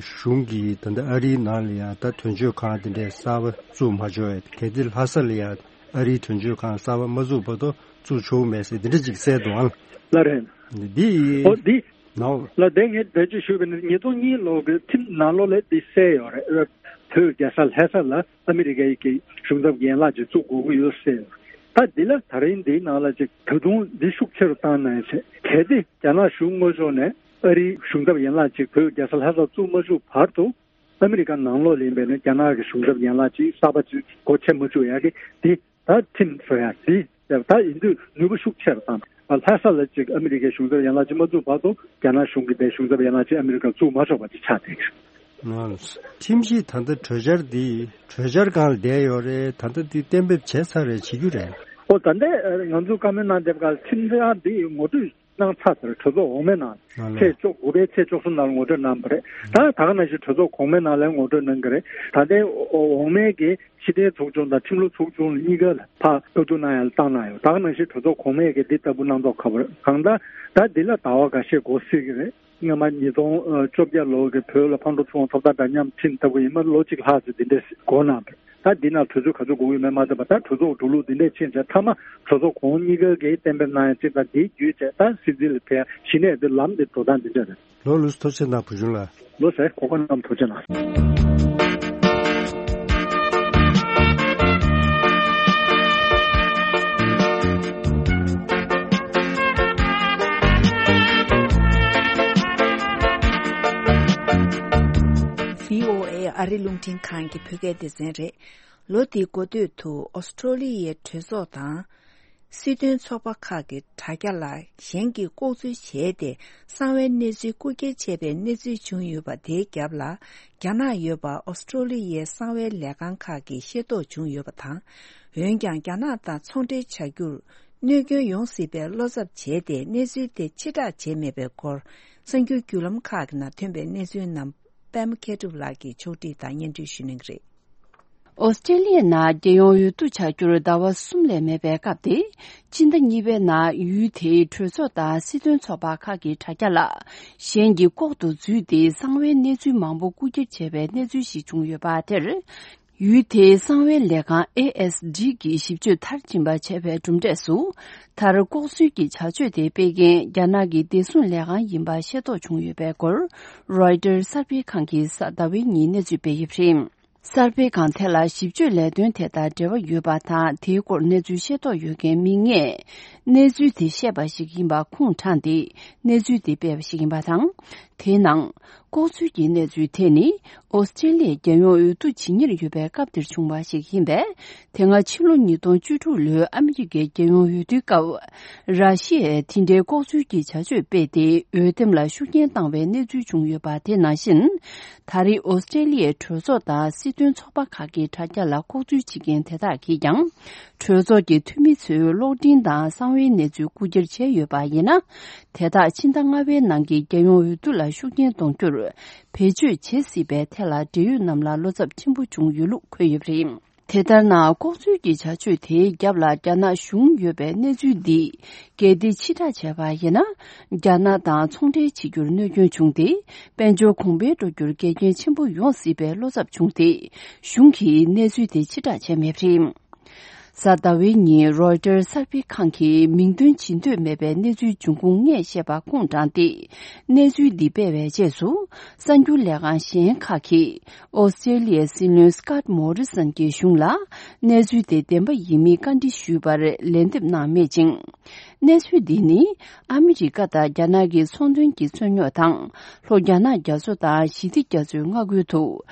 གཞུང་གིས་ད་ལྟ་ཨ་རིའི་ནང་ལ་ཡང་ད་དོན་གཅོད་ཁང་དེ་འདྲའི་གསར་པ་བཙུགས་མ་ཆོག་ཡ། གལ་ཏེ་ལྷ་ས་ལ་ཡང་ཨ་རིའི་དོན་གཅོད་ཁང་གསར་པ་མ་བཙུགས་བར་དུ་བཙུགས་ཆོག་མེད་ཟེར་དེ་འདྲ་ཅིག་གསལ་འདུག་ཨང་། ལགས་རེད། འདི་ཨོ་འདི་ནའོ། ལགས་དེ་ངས་བེད་སྤྱོད་ཞུས་པ་ནི་ཉིས་སྟོང་གཉིས་ལོ་གི་ཁྲིམས་ནང་ལོགས་ལ་འདི་གསལ་ཡོད་རེད། བོད་རྒྱལ་ས་ལྷ་ས་ལ་ཨ་མི་རི་ཀའི་གི་གཞུང་ཚབ་ཡན་ལག་ཅིག་བཙུགས་དགོས་ཀྱི་ཡོད་ཟེར། ད་འདི་ལ་ད་རིང་འདིའི་ནང་ལ་ཅིག་ད་དུང་འདི་ཤུགས་ཆེ་རུ་བཏང་གནང་ཡ་བྱས། གལ་ཏེ་རྒྱ་ནག་གཞུང་དངོས་ཕྱོགས་ནས་ཨ་རིའི་གཞུང་ཚབ་ཡན་ལག་ཅིག་བོད་རྒྱལ་ས་ལྷ་སར་བཙུགས་མ་བཅུག་བར་དུ། ཨ་མི་རི་ཀ་ནང་ལོགས་ལ་ཡིན་པས་ན་རྒྱ་ནག་གི་གཞུང་ཚབ་ཡན་ལག་ཅིག་གསར་པ་ཅིག་སྒོ་ཕྱེ་མ་བཅུག་ཡ་གི་འདི་ད་ཁྲིམས་བཟོ་ཡ་འདི་ད་ཡིན་དུས་ནུས་པ་ཤུགས་ཆེ་རུ་བཏང་། ལྷ་ས་ལ་ཅིག་ཨ་མི་རི་ཀའི་གཞུང་ཚབ་ཡན་ལག་ཅིག་མ་བཙུགས་བར་དུ་རྒྱ་ནག་གཞུང་གི་དེ་གཞུང་ཚབ་ཡན་ལག་ཅིག་ཨ་མི་རི་ཀར་བཙུགས་མ་ཆོག་པ་ཅིག་ཆགས་བསྡད་ཀྱི་རེད། ཁྲིམས་གཞི་ད་ལྟ་གྲོས་འཆར་འདི་གྲོས་འཆར་སྒང་ལ་བསྡད་ཡོད་རེད། ད་ལྟ་འདི་གཏན་འབེབས་བྱས་ཚར་རེད། བྱེད་རྒྱུ་རེད། ཨོ་ད་ལྟ་ང་ཚོ་བཀའ་མོལ་གནང་བསྡད་པ་ག་ཁྲིམས་འཆར་འདི་ངོ་སྤྲོད་གནང་ཚར་ཚར། གྲོས་ཚོགས་འོག་མའི་ནང་ལ་ལ། ཚེས་བཅུ་དགུ་པའི་ཚེས་བཅུ་གསུམ་ནང་ལ་ངོ་སྤྲོད་གནང་བ་རེད། ད་ད་ག་ནང་བཞིན་གྲོས་ཚོགས་གོང་མའི་ནང་ལ་ངོ་སྤྲོད་གནང་གི་རེད། ད་ལྟའི་འོག་མའི་གི་ཕྱི་དྲིལ་ཚོགས་ཆུང་དང་ཁྲིམས་ལུགས་ཚོགས་ཆུང་གཉིས་ཀ་ལ་ཕར་བཀའ་བསྡུར་གནང་ཡ་ལ་བཏང་གནང་ཡོད། ད་ག་ནང་བཞིན་གྲོས་ཚོགས་གོང་མས་གི་འདི་ལྟ་བུ་གནང་མདོག་ཁ་པོ་རེད། གང་ལྟར་ད་འདི་ལ་ཟླ་བ་འགའ་ཤས་འགོར་སྲིད་ཀྱི་རེད། སྔོན་མ་ཉིས་སྟོང་བཅོ་བརྒྱད་ལོ་གི་བོད་ལ་ཕར་འགྲོ་ཚུར་འོང་ཐོབ་ཐང་འདྲ་མཉམ་ཁྲིམས་ལྟ་བུ་ཡིན་མ་ལོ་གཅིག་ལྷག་ཙམ་འདི་འདྲས་འགོར་གནང་བ་རེད། ད་འདི་ནང་གྲོས་ཚོགས་ག་ཚོད་དགོས་ཀྱི་ཡོད་མེད་མ་ཚད་པ། ད་གྲོས་ཚོགས་འགྲོ་ལུགས་འདི་འདྲས་ཕྱིན་ཚེ་མཐའ་མ་གྲོས་ཚོགས་གོང་གཉིས་ཀ་གིས་གཏན་འབེབས་གནང་ཡ་གཅིག་དང་། དེའི་བརྒྱུད་བྱས་ད་སྲིད་འཛིན་ལ་ཕེབས་ཡ་གཞི་ནས་འདི་ལམ་འདི་འགྲོ་སྟངས་འདི་འདྲས་རེད། ལོ་ལུས་ཐུགས་རྗེ་གནང་བུ་ཆུང་ལགས། ལོ་ཟེར་གོ་སྐབས་གནང་ཐུགས་རྗེ་གནང་། བྷི་ཨོ་ཨེ་ཨ་རི་རླུང་འཕྲིན་ཁང་གི་བོད་སྐད་སྡེ་ཚན་རེད། ལོ་འདིའི་འགོ་སྟོད་དུ་ཨོ་སི་ཀྲོ་ལི་ཡའི་གྲོས་ཚོགས་དང་། སྲིད་དོན་ཚོགས་པ་ཁག་གི་དྲ་རྒྱ་ལ་གཞན་གྱིས་ལྐོག་འཛུལ་བྱས་ཏེ་གསང་བའི་གནས་ཚུལ་རྐུ་འཁྱེར་བྱས་པའི་གནས་ཚུལ་བྱུང་ཡོད་པ་དེའི་རྒྱབ་ལ། རྒྱ་ནག་ཡོད་པ་ཨོ་སི་ཀྲོ་ལི་ཡའི་གསང་བའི་ལས་ཁང་ཁག་གིས་ཤེས་རྟོགས་བྱུང་ཡོད་པ་དང་། འོན་ཀྱང་རྒྱ་ནག་དང་ཚོང་འབྲེལ་བྱ་རྒྱུར་གནོད་སྐྱོན་ཡོང་སྲིད་པའི་བློ་འཚབ་བྱས་ཏེ་གནས་ཚུལ་དེ་ཕྱིར་བསྒྲགས་བྱས་མེད་པའི་སྐོར། གསར་འགྱུར་བརྒྱུད་ལམ་ཁག་གི་ནང་ཐོན་པའི་གནས་ཚུལ་རྣམས་པད་མ་མཁས་གྲུབ་ལགས་ཀྱིས་ཕྱོགས་སྒྲིག་དང་སྙན་སྒྲོན་ཞུ་གནང་གི་རེད། ཨོ་སི་ཀྲེ་ལི་ཡའི་ནང་རྒྱལ་ཡོངས་འོས་བསྡུ་བྱ་རྒྱུར་ཟླ་བ་གསུམ་ལས་མེད་པའི་སྐབས་དེ། སྤྱི་ཟླ་གཉིས་པའི་ནང་ཡུལ་དེའི་གྲོས་ཚོགས་དང་སྲིད་དོན་ཚོགས་པ་ཁག་གི་དྲ་རྒྱ་ལ་གཞན་གྱིས་ལྐོག་ཏུ་འཛུལ་ཏེ་གསང་བའི་གནས་ཚུལ་མང་པོ་རྐུ་འཁྱེར་བྱས་པའི་གནས་ཚུལ་ཞིག་བྱུང་ཡོད་པ་དེར། ཡུལ་དེའི་གསང་བའི་ལས་ཁང་ཨེ་ཨེས་ཌི་གིས་ཞིབ་དཔྱོད་མཐར་ཕྱིན་པ་བྱས་པའི་གྲུབ་འབྲས་སུ། མཐར་ལྐོག་འཛུལ་གྱི་བྱ་སྤྱོད་དེ་སྤེལ་མཁན་རྒྱ་ནག་གི་བདེ་སྲུང་ལས་ཁང་ཡིན་པ་ཤེས་རྟོགས་བྱུང་ཡོད་པའི་སྐོར། རོའི་ཊར་གསར་སྤེལ་ཁང་གིས་གཟའ་ཟླ་བའི་ཉིན་གནས་ཚུལ་སྤེལ་ཡོད་པ་རེད། གསར་སྤེལ་ཁང་དེ་ལ་ཞིབ་དཔྱོད་ལས་དོན་དེ་དང་འབྲེལ་བ་ཡོད་པ་དང་། དེའི་སྐོར་གནས་ཚུལ་ཤེས་རྟོགས་ཡོད་མཁན་མི་ལྔས་གནས་ཚུལ་དེ་བཤད་པ་ཞིག་ཡིན་པ་ཁུངས་དྲངས་ཏེ་གནས་ཚུལ་དེ་སྤེལ་བ་ཞིག་ཡིན་པ་དང་། དེའི་ནང་ལྐོག་འཛུལ་གྱི་གནས་ཚུལ་དེ་ནི་ཨོ་སི་ཀྲེ་ལི་ཡའི་རྒྱལ་ཡོངས་འོས་བསྡུ་ཇི་སྙེད་ཡོད་པའི་སྐབས་དེར་བྱུང་བ་ཞིག་ཡིན་པས། དེ་སྔ་ཕྱི་ལོ་ཉིས་སྟོང་བཅུ་དྲུག་ལོའི་ཨ་མི་རི་ཀའི་རྒྱལ་ཡོངས་འོས་བསྡུའི་སྐབས། ར་ཤི་ཡས་དེ་འདྲའི་ལྐོག་འཛུལ་གྱི་བྱ་སྤྱོད་སྤེལ་ཏེ་འོས་འདེམས་ལ་ཤུགས་རྐྱེན་བཏང་བའི་གནས་ཚུལ་བྱུང་ཡོད་པ་དེ་ནང་བཞིན། ད་རེས་ཨོ་སི་ཀྲེ་ལི་ཡའི་གྲོས་ཚོགས་དང་སྲིད་དོན་ཚོགས་པ་ཁག་གི་དྲ་རྒྱ་ལ་ལྐོག་འཛུལ་བྱེད་མཁན་དེ་དག་གིས་ཀྱང་། གྲོས་ཚོགས་ཀྱི་འཐུས་མི་ཚོའི་གློག་འཕྲིན་དང་གསང་བའི་གནས་ཚུལ་རྐུ་འཁྱེར་བྱས་ཡོད་པ་ཡིན་ན། དེ་དག་ཕྱི་ཟླ་ལྔ་པའི་ནང་གི་རྒྱལ་ཡོངས་འོས་བསྡུ་ལ་ཤུགས་རྐྱེན་གཏོང་རྒྱུར་བེད་སྤྱོད་བྱེད་སྲིད་པའི་ཐད་ལ་འབྲེལ་ཡོད་རྣམས་ལ་བློ་འཚབ་ཆེན་པོ་བྱུང་ཡོད་ལུགས་འཁོད་ཡོད་པ་རེད། དེ་ལྟར་ན། ལྐོག་འཛུལ་གྱི་བྱ་སྤྱོད་དེའི་རྒྱབ་ལ་རྒྱ་ནག་གཞུང་ཡོད་པའི་གནས་ཚུལ་འདི། གལ་ཏེ་ཕྱིར་བསྒྲགས་བྱས་པ་ཡིན་ན། རྒྱ་ནག་དང་ཚོང་འབྲེལ་བྱེད་རྒྱུར་གནོད་སྐྱོན་བྱུང་སྟེ། དཔལ་འབྱོར་གོང་འཕེལ་འགྲོ་རྒྱུར་འགལ་རྐྱེན་ཆེན་པོ་ཡོང་སྲིད་པའི་བློ་འཚབ་བྱུང་སྟེ། གཞུང་གིས་གནས་ཚུལ་དེ་ཕྱིར་བསྒྲགས་བྱས་མེད་པ་རེད། གཟའ་ཟླ་བའི་ཉིན་རོའི་ཊར་གསར་སྤེལ་ཁང་གིས་མིང་འདོན་བྱེད་འདོད་མེད་པའི་གནས་ཚུལ་འབྱུང་ཁུངས་ལྔས་བཤད་པ་ཁུངས་དྲངས་ཏེ། གནས་ཚུལ་འདི་སྤེལ་བའི་རྗེས་སུ། གསར་འགྱུར་ལས་ཁང་གཞན་ཁག་གིས་ཨོ་སི་ཀྲེ་ལི་ཡའི་སྲིད་བློན་སི་ཀཱད་མོ་རི་སན་གྱི་གཞུང་ལ་གནས་ཚུལ་དེ་བདེན་པ་ཡིན་མིན་བཀའ་འདྲི་ཞུས་པར་ལན་འདེབས་གནང་མེད་ཅིང་། གནས་ཚུལ་འདི་ནི་ཨ་མི་རི་ཀ་དང་རྒྱ་ནག་གི་ཚོང་དོན་གྱི་རྩོད་རྙོག་དང་། ལྷོ་རྒྱ་ནག་རྒྱ་མཚོ་དང་ཞི་བདེ་རྒྱ་མཚོའི་མངའ་ཁུལ་དུ་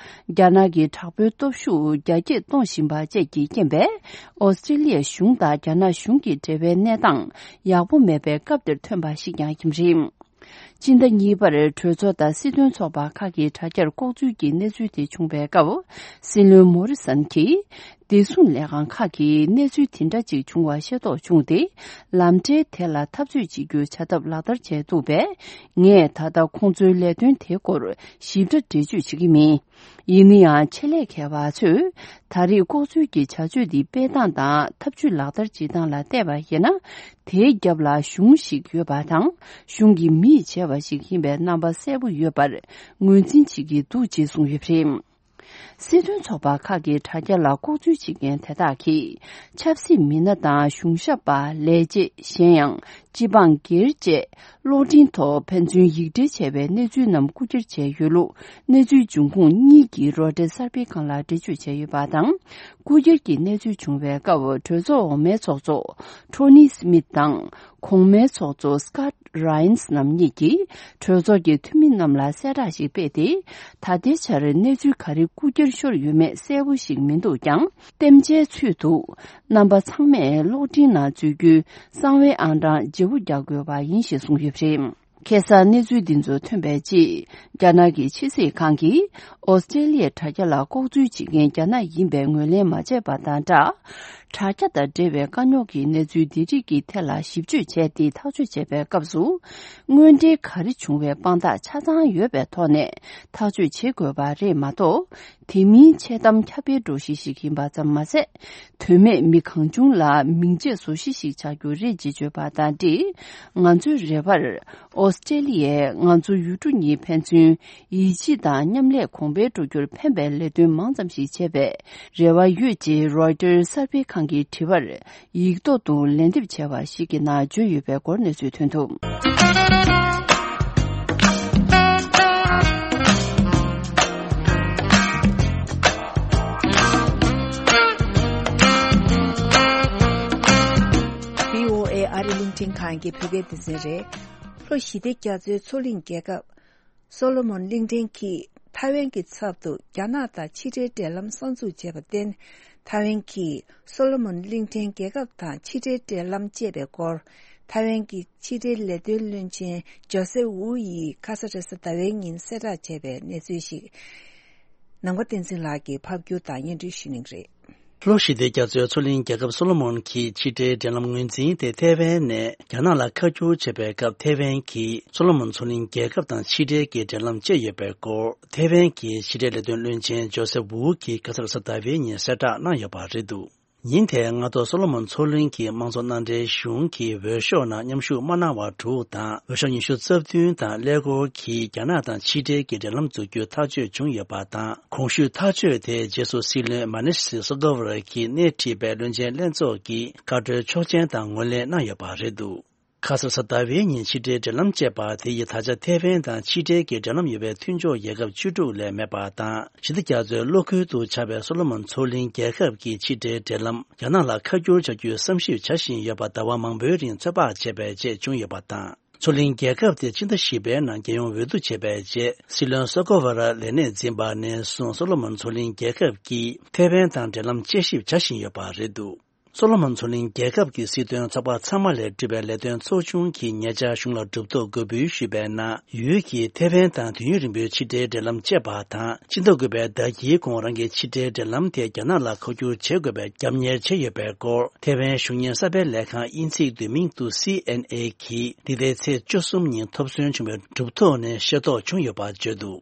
རྒྱ་ནག་གི་དྲག་པོའི་སྟོབས་ཤུགས་རྒྱ་སྐྱེད་གཏོང་བཞིན་པ་བཅས་ཀྱི་རྐྱེན་པས། ཨོ་སི་ཀྲེ་ལི་ཡ་གཞུང་དང་རྒྱ་ནག་གཞུང་གི་འབྲེལ་བའི་གནས་སྟངས་ཡག་པོ་མེད་པའི་སྐབས་འདིར་ཐོན་པ་ཞིག་ཀྱང་ཡིན་པ་རེད། སྤྱི་ཟླ་གཉིས་པར་གྲོས་ཚོགས་དང་སྲིད་དོན་ཚོགས་པ་ཁག་གི་དྲ་རྒྱར་ལྐོག་འཛུལ་གྱི་གནས་ཚུལ་དེ་བྱུང་བའི་སྐབས། སྲིད་བློན་མོ་རི་སན་གྱིས། བདེ་སྲུང་ལས་ཁང་ཁག་གིས་གནས་ཚུལ་དེ་འདྲ་ཅིག་བྱུང་བ་ཤེས་རྟོགས་བྱུང་སྟེ། ལམ་འབྲས་དེ་ལ་འཐབ་རྩོད་བྱེད་རྒྱུའི་བྱ་ཐབས་ལག་བསྟར་བྱས་འདུག་པས། ངས་ད་ལྟ་ཁོང་ཚོའི་ལས་དོན་དེའི་སྐོར་ཞིབ་ཕྲ་འགྲེལ་བརྗོད་བྱེད་ཀྱི་མིན། ཡིན་ན་ཡང་ཆེད་ལས་མཁས་པ་ཚོས། ད་རེས་ལྐོག་འཛུལ་གྱི་བྱ་སྤྱོད་འདི་སྤེལ་སྟངས་དང་ཐབས་ཇུས་ལག་བསྟར་བྱེད་སྟངས་ལ་བལྟས་པ་ཡིན་ན། དེའི་རྒྱབ་ལ་གཞུང་ཞིག་ཡོད་པ་དང་། གཞུང་གི་མིས་བྱས་པ་ཞིག་ཡིན་པའི་རྣམ་པ་གསལ་པོ་ཡོད་པར་ངོས་འཛིན་བྱེད་ཀྱི་འདུག་ཅེས་གསུངས་ཡོད་པ་རེད། སྲིད་དོན་ཚོགས་པ་ཁག་གི་དྲ་རྒྱ་ལ་ལྐོག་འཛུལ་བྱེད་མཁན་དེ་དག་གིས། ཆབ་སྲིད་མི་སྣ་དང་གཞུང་ཞབས་པ། ལས་བྱེད། གཞན་ཡང་། སྤྱི་འབངས་སྒེར་བཅས་གློག་འཕྲིན་ཐོག་ཕན་ཚུན་ཡིག་འབྲེལ་བྱས་པའི་གནས་ཚུལ་རྣམས་རྐུ་འཁྱེར་བྱས་ཡོད་ལུགས། གནས་ཚུལ་འབྱུང་ཁུངས་གཉིས་ཀྱིས་རོའི་ཊར་གསར་སྤེལ་ཁང་ལ་འགྲེལ་བརྗོད་བྱས་ཡོད་པ་དང་། རྐུ་འཁྱེར་གྱི་གནས་ཚུལ་བྱུང་བའི་སྐབས། གྲོས་ཚོགས་འོག་མའི་ཚོགས་གཙོ་ཊོ་ནི་སི་མིད་དང་། གོང་མའི་ཚོགས་གཙོ་སི་ཀཱད་རཱ་ཡན་སི་རྣམ་གཉིས་ཀྱིས་གྲོས་ཚོགས་ཀྱི་འཐུས་མི་རྣམས་ལ་གསལ་བསྒྲགས་ཤིག་སྤེལ་ཏེ། ད་ལྟའི་ཆར་གནས་ཚུལ་ག་རེ་རྐུ་འཁྱེར་ཤོར་ཡོད་མེད་གསལ་པོ་ཞིག་མི་འདུག་ཀྱང་། བསྟན་བྱའི་ཚུལ་དུ། རྣམ་པ་ཚང་མས་གློག་འཕྲིན་ནང་འཛུལ་རྒྱུའི་གསང་བའི་ཨང་གྲངས་བརྗེ་པོ་རྒྱག་དགོས་པ་ཡིན་ཞེས་གསུངས་ཡོད་པ་རེད། ཁ་སང་གནས་ཚུལ་འདི་ཚོ་ཐོན་པའི་རྗེས། རྒྱ་ནག་གི་ཕྱི་སྲིད་ཁང་གིས་ཨོ་སི་ཀྲེ་ལི་ཡའི་དྲ་རྒྱ་ལ་ལྐོག་འཛུལ་བྱེད་མཁན་རྒྱ་ནག་ཡིན་པའི་ངོས་ལེན་མ་བྱས་པ་དང་སྦྲགས། དྲ་རྒྱ་དང་འབྲེལ་བའི་དཀའ་རྙོག་གི་གནས་ཚུལ་འདི་རིགས་ཀྱི་ཐད་ལ་ཞིབ་དཔྱོད་བྱས་ཏེ་ཐག་གཅོད་བྱེད་པའི་སྐབས་སུ། དངོས་འབྲེལ་ག་རེ་བྱུང་བའི་དཔང་རྟགས་ཆ་ཚང་ཡོད་པའི་ཐོག་ནས་ཐག་གཅོད་བྱེད་དགོས་པ་རེད་མ་གཏོགས། དེ་མིན་འཆལ་གཏམ་ཁྱབ་སྤེལ་འགྲོ་གཞི་ཞིག་ཡིན་པ་ཙམ་མ་ཟད། དོན་མེད་མི་གང་བྱུང་ལ་མིང་ཆད་བཟོ་གཞི་ཞིག་ཆགས་རྒྱུ་རེད་ཅེས་བརྗོད་པ་དང་འབྲེལ། ང་ཚོའི་རེ་བར། ཨོ་སི་ཀྲེ་ལི་ཡས་ང་ཚོ་ཡུལ་གྲུ་གཉིས་ཕན་ཚུན་ཡིད་ཆེས་དང་མཉམ་ལས་གོང་འཕེལ་འགྲོ་རྒྱུར་ཕན་པའི་ལས་དོན་མང་ཙམ་ཞིག་བྱེད་པའི་རེ་བ་ཡོད་ཅེས་རོའི་ཊར་གསར་སྤེལ་ཁང་གིས་དྲི་བར་ཡིག་ཐོག་ཏུ་ལན་འདེབས་བྱས་པ་ཞིག་གི་ནང་བརྗོད་ཡོད་པའི་སྐོར་གནས་ཚུལ་ཐོན་འདུག་བྷི་ཨོ་ཨེ་ཨ་རི་རླུང་འཕྲིན་ཁང་གི་བོད་སྐད་སྡེ་ཚན་རེད། ལྷོ་ཞི་བདེ་རྒྱ་མཚོའི་མཚོ་གླིང་རྒྱལ་ཁབ། སོ་ལོ་མོན་གླིང་ཕྲན་གྱིས་ཐའེ་ཝན་གྱི་ཚབ་ཏུ་རྒྱ་ནག་དང་ཕྱི་འབྲེལ་འབྲེལ་ལམ་གསར་འཛུགས་བྱས་པར་བརྟེན། ཐའེ་ཝན་གྱིས་སོ་ལོ་མོན་གླིང་ཕྲན་རྒྱལ་ཁབ་དང་ཕྱི་འབྲེལ་འབྲེལ་ལམ་བཅད་པའི་སྐོར། ཐའེ་ཝན་གྱི་ཕྱི་འབྲེལ་ལས་དོན་བློན་ཆེན་ཇོ་སེ་ཝུའུ་ཡིས་ཁ་ས་རེས་གཟའ་ཟླ་བའི་ཉིན་གསལ་བསྒྲགས་བྱས་པའི་གནས་ཚུལ་ཞིག་ནང་པ་བསྟན་འཛིན་ལགས་ཀྱིས་ཕབ་སྒྱུར་དང་སྙན་སྒྲོན་ཞུ་གནང་གི་རེད། ལྷོ་ཞི་བདེ་རྒྱ་མཚོའི་མཚོ་གླིང་རྒྱལ་ཁབ་སོ་ལོ་མོན་གྱི་ཕྱི་འབྲེལ་འབྲེལ་ལམ་ངོས་འཛིན་དེ་ཐའེ་ཝན་ནས་རྒྱ་ནག་ལ་ཁ་བསྒྱུར་བྱས་པའི་སྐབས། ཐའེ་ཝན་གྱིས་སོ་ལོ་མོན་མཚོ་གླིང་རྒྱལ་ཁབ་དང་ཕྱི་འབྲེལ་གྱི་འབྲེལ་ལམ་བཅད་ཡོད་པའི་སྐོར། ཐའེ་ཝན་གྱི་ཕྱི་འབྲེལ་ལས་དོན་བློན་ཆེན་ཇོ་སེ་ཝུའུ་གིས་ཁ་སང་གཟའ་ཟླ་བའི་ཉིན་གསལ་བསྒྲགས་གནང་ཡོད་པ་རེད་འདུག་ཉིན་དེའི་སྔ་དྲོ་སོ་ལོ་མོན་མཚོ་གླིང་གི་དམངས་གཙོ་མནའ་འབྲེལ་གཞུང་གིས་འོས་ཤོག་ནང་མཉམ་ཞུགས་མ་གནང་བ་དྲུག་དང་། འོས་ཤོག་ཉི་ཤུ་རྩ་བདུན་དང་ཀླད་ཀོར་གྱིས་རྒྱ་ནག་དང་ཕྱི་འབྲེལ་གྱི་འབྲེལ་ལམ་འཛུགས་རྒྱུ་ཐག་གཅོད་བྱུང་ཡོད་པ་དང་། གོང་ཞུས་ཐག་གཅོད་དེའི་རྗེས་སུ་སྲིད་བློན་མ་ནི་སི་སོ་ཀོ་ཝ་ར་གིས་སྣེ་ཁྲིད་པའི་བློན་ཆེན་ལྷན་ཚོགས་ཀྱིས་བཀའ་འཁྲོལ་ཆོག་མཆན་དང་ངོས་ལེན་གནང་ཡོད་པ་རེད་འདུག་ཁ་སང་གཟའ་ཟླ་བའི་ཉིན་ཕྱི་འབྲེལ་འབྲེལ་ལམ་བཅད་པ་དེ་ཡིས་ད་ཆ་ཐའེ་ཝན་དང་ཕྱི་འབྲེལ་གྱི་འབྲེལ་ལམ་ཡོད་པའི་མཐུན་ཕྱོགས་རྒྱལ་ཁབ་བཅུ་དྲུག་ལས་མེད་པ་དང་། ཞི་བདེ་རྒྱ་མཚོའི་གློག་ཁུལ་དུ་ཆགས་པའི་སོ་ལོ་མོན་མཚོ་གླིང་རྒྱལ་ཁབ་ཀྱི་ཕྱི་འབྲེལ་འབྲེལ་ལམ་རྒྱ་ནག་ལ་ཁ་བསྒྱུར་བྱ་རྒྱུའི་བསམ་ཞིབ་བྱ་བཞིན་ཡོད་པ་ཟླ་བ་མང་པོའི་རིང་ཚོད་དཔག་བྱས་པའི་རྗེས་བྱུང་ཡོད་པ་དང་། མཚོ་གླིང་རྒྱལ་ཁབ་དེ་ཕྱི་ཟླ་བཞི་པའི་ནང་རྒྱལ་ཡོངས་འོས་བསྡུ་བྱས་པའི་རྗེས། སྲིད་བློན་སོ་ཀོ་ཝ་ར་ལས་གནས་འཛིན་པ་ནས་བཟུང་སོ་ལོ་མོན་མཚོ་གླིང་རྒྱལ་ཁབ་ཀྱིས་ཐའེ་ཝན་དང་འབྲེལ་ལམ་དཔྱད་ཞིབ་བྱ་བཞིན་ཡོད་པ་རེད་འདུག་སོ་ལོ་མོན་མཚོ་གླིང་རྒྱལ་ཁབ་ཀྱི་སྲིད་དོན་ཚོགས་པ་ཚང་མ་ལས་གྲུབ་པའི་ལས་དོན་ཚོགས་ཆུང་གིས་ཉེ་ཆར་གཞུང་ལ་གྲུབ་ཐོབ་འགོད་འབུལ་ཞུས་པའི་ནང་། ཡུལ་གྱིས་ཐའེ་ཝན་དང་དུས་ཡུན་རིང་པོའི་ཕྱི་འབྲེལ་འབྲེལ་ལམ་བཅད་པ་དང་། སྤྱི་ཟླ་དགུ་པའི་ཟླ་དཀྱིལ་གོང་རང་གི་ཕྱི་འབྲེལ་འབྲེལ་ལམ་དེ་རྒྱ་ནག་ལ་ཁ་བསྒྱུར་བྱེད་དགོས་པའི་རྒྱབ་གཉེར་བྱས་ཡོད་པའི་སྐོར། ཐའེ་ཝན་གཞུང་གཉེར་གསར་པའི་ལས་ཁང་དབྱིན་ཚིག་བསྡུས་མིང་དུ་སི་ཨེན་ཨེ་གིས་འདི་ཟླའི་ཚེས་བཅུ་གསུམ་ཉིན་ཐོབ་ཚོད་བྱུང་བའི་གྲུབ་ཐོབ་ནས་ཤེས་རྟོགས་བྱུང་ཡོད་པ་བརྗོད་འདུག་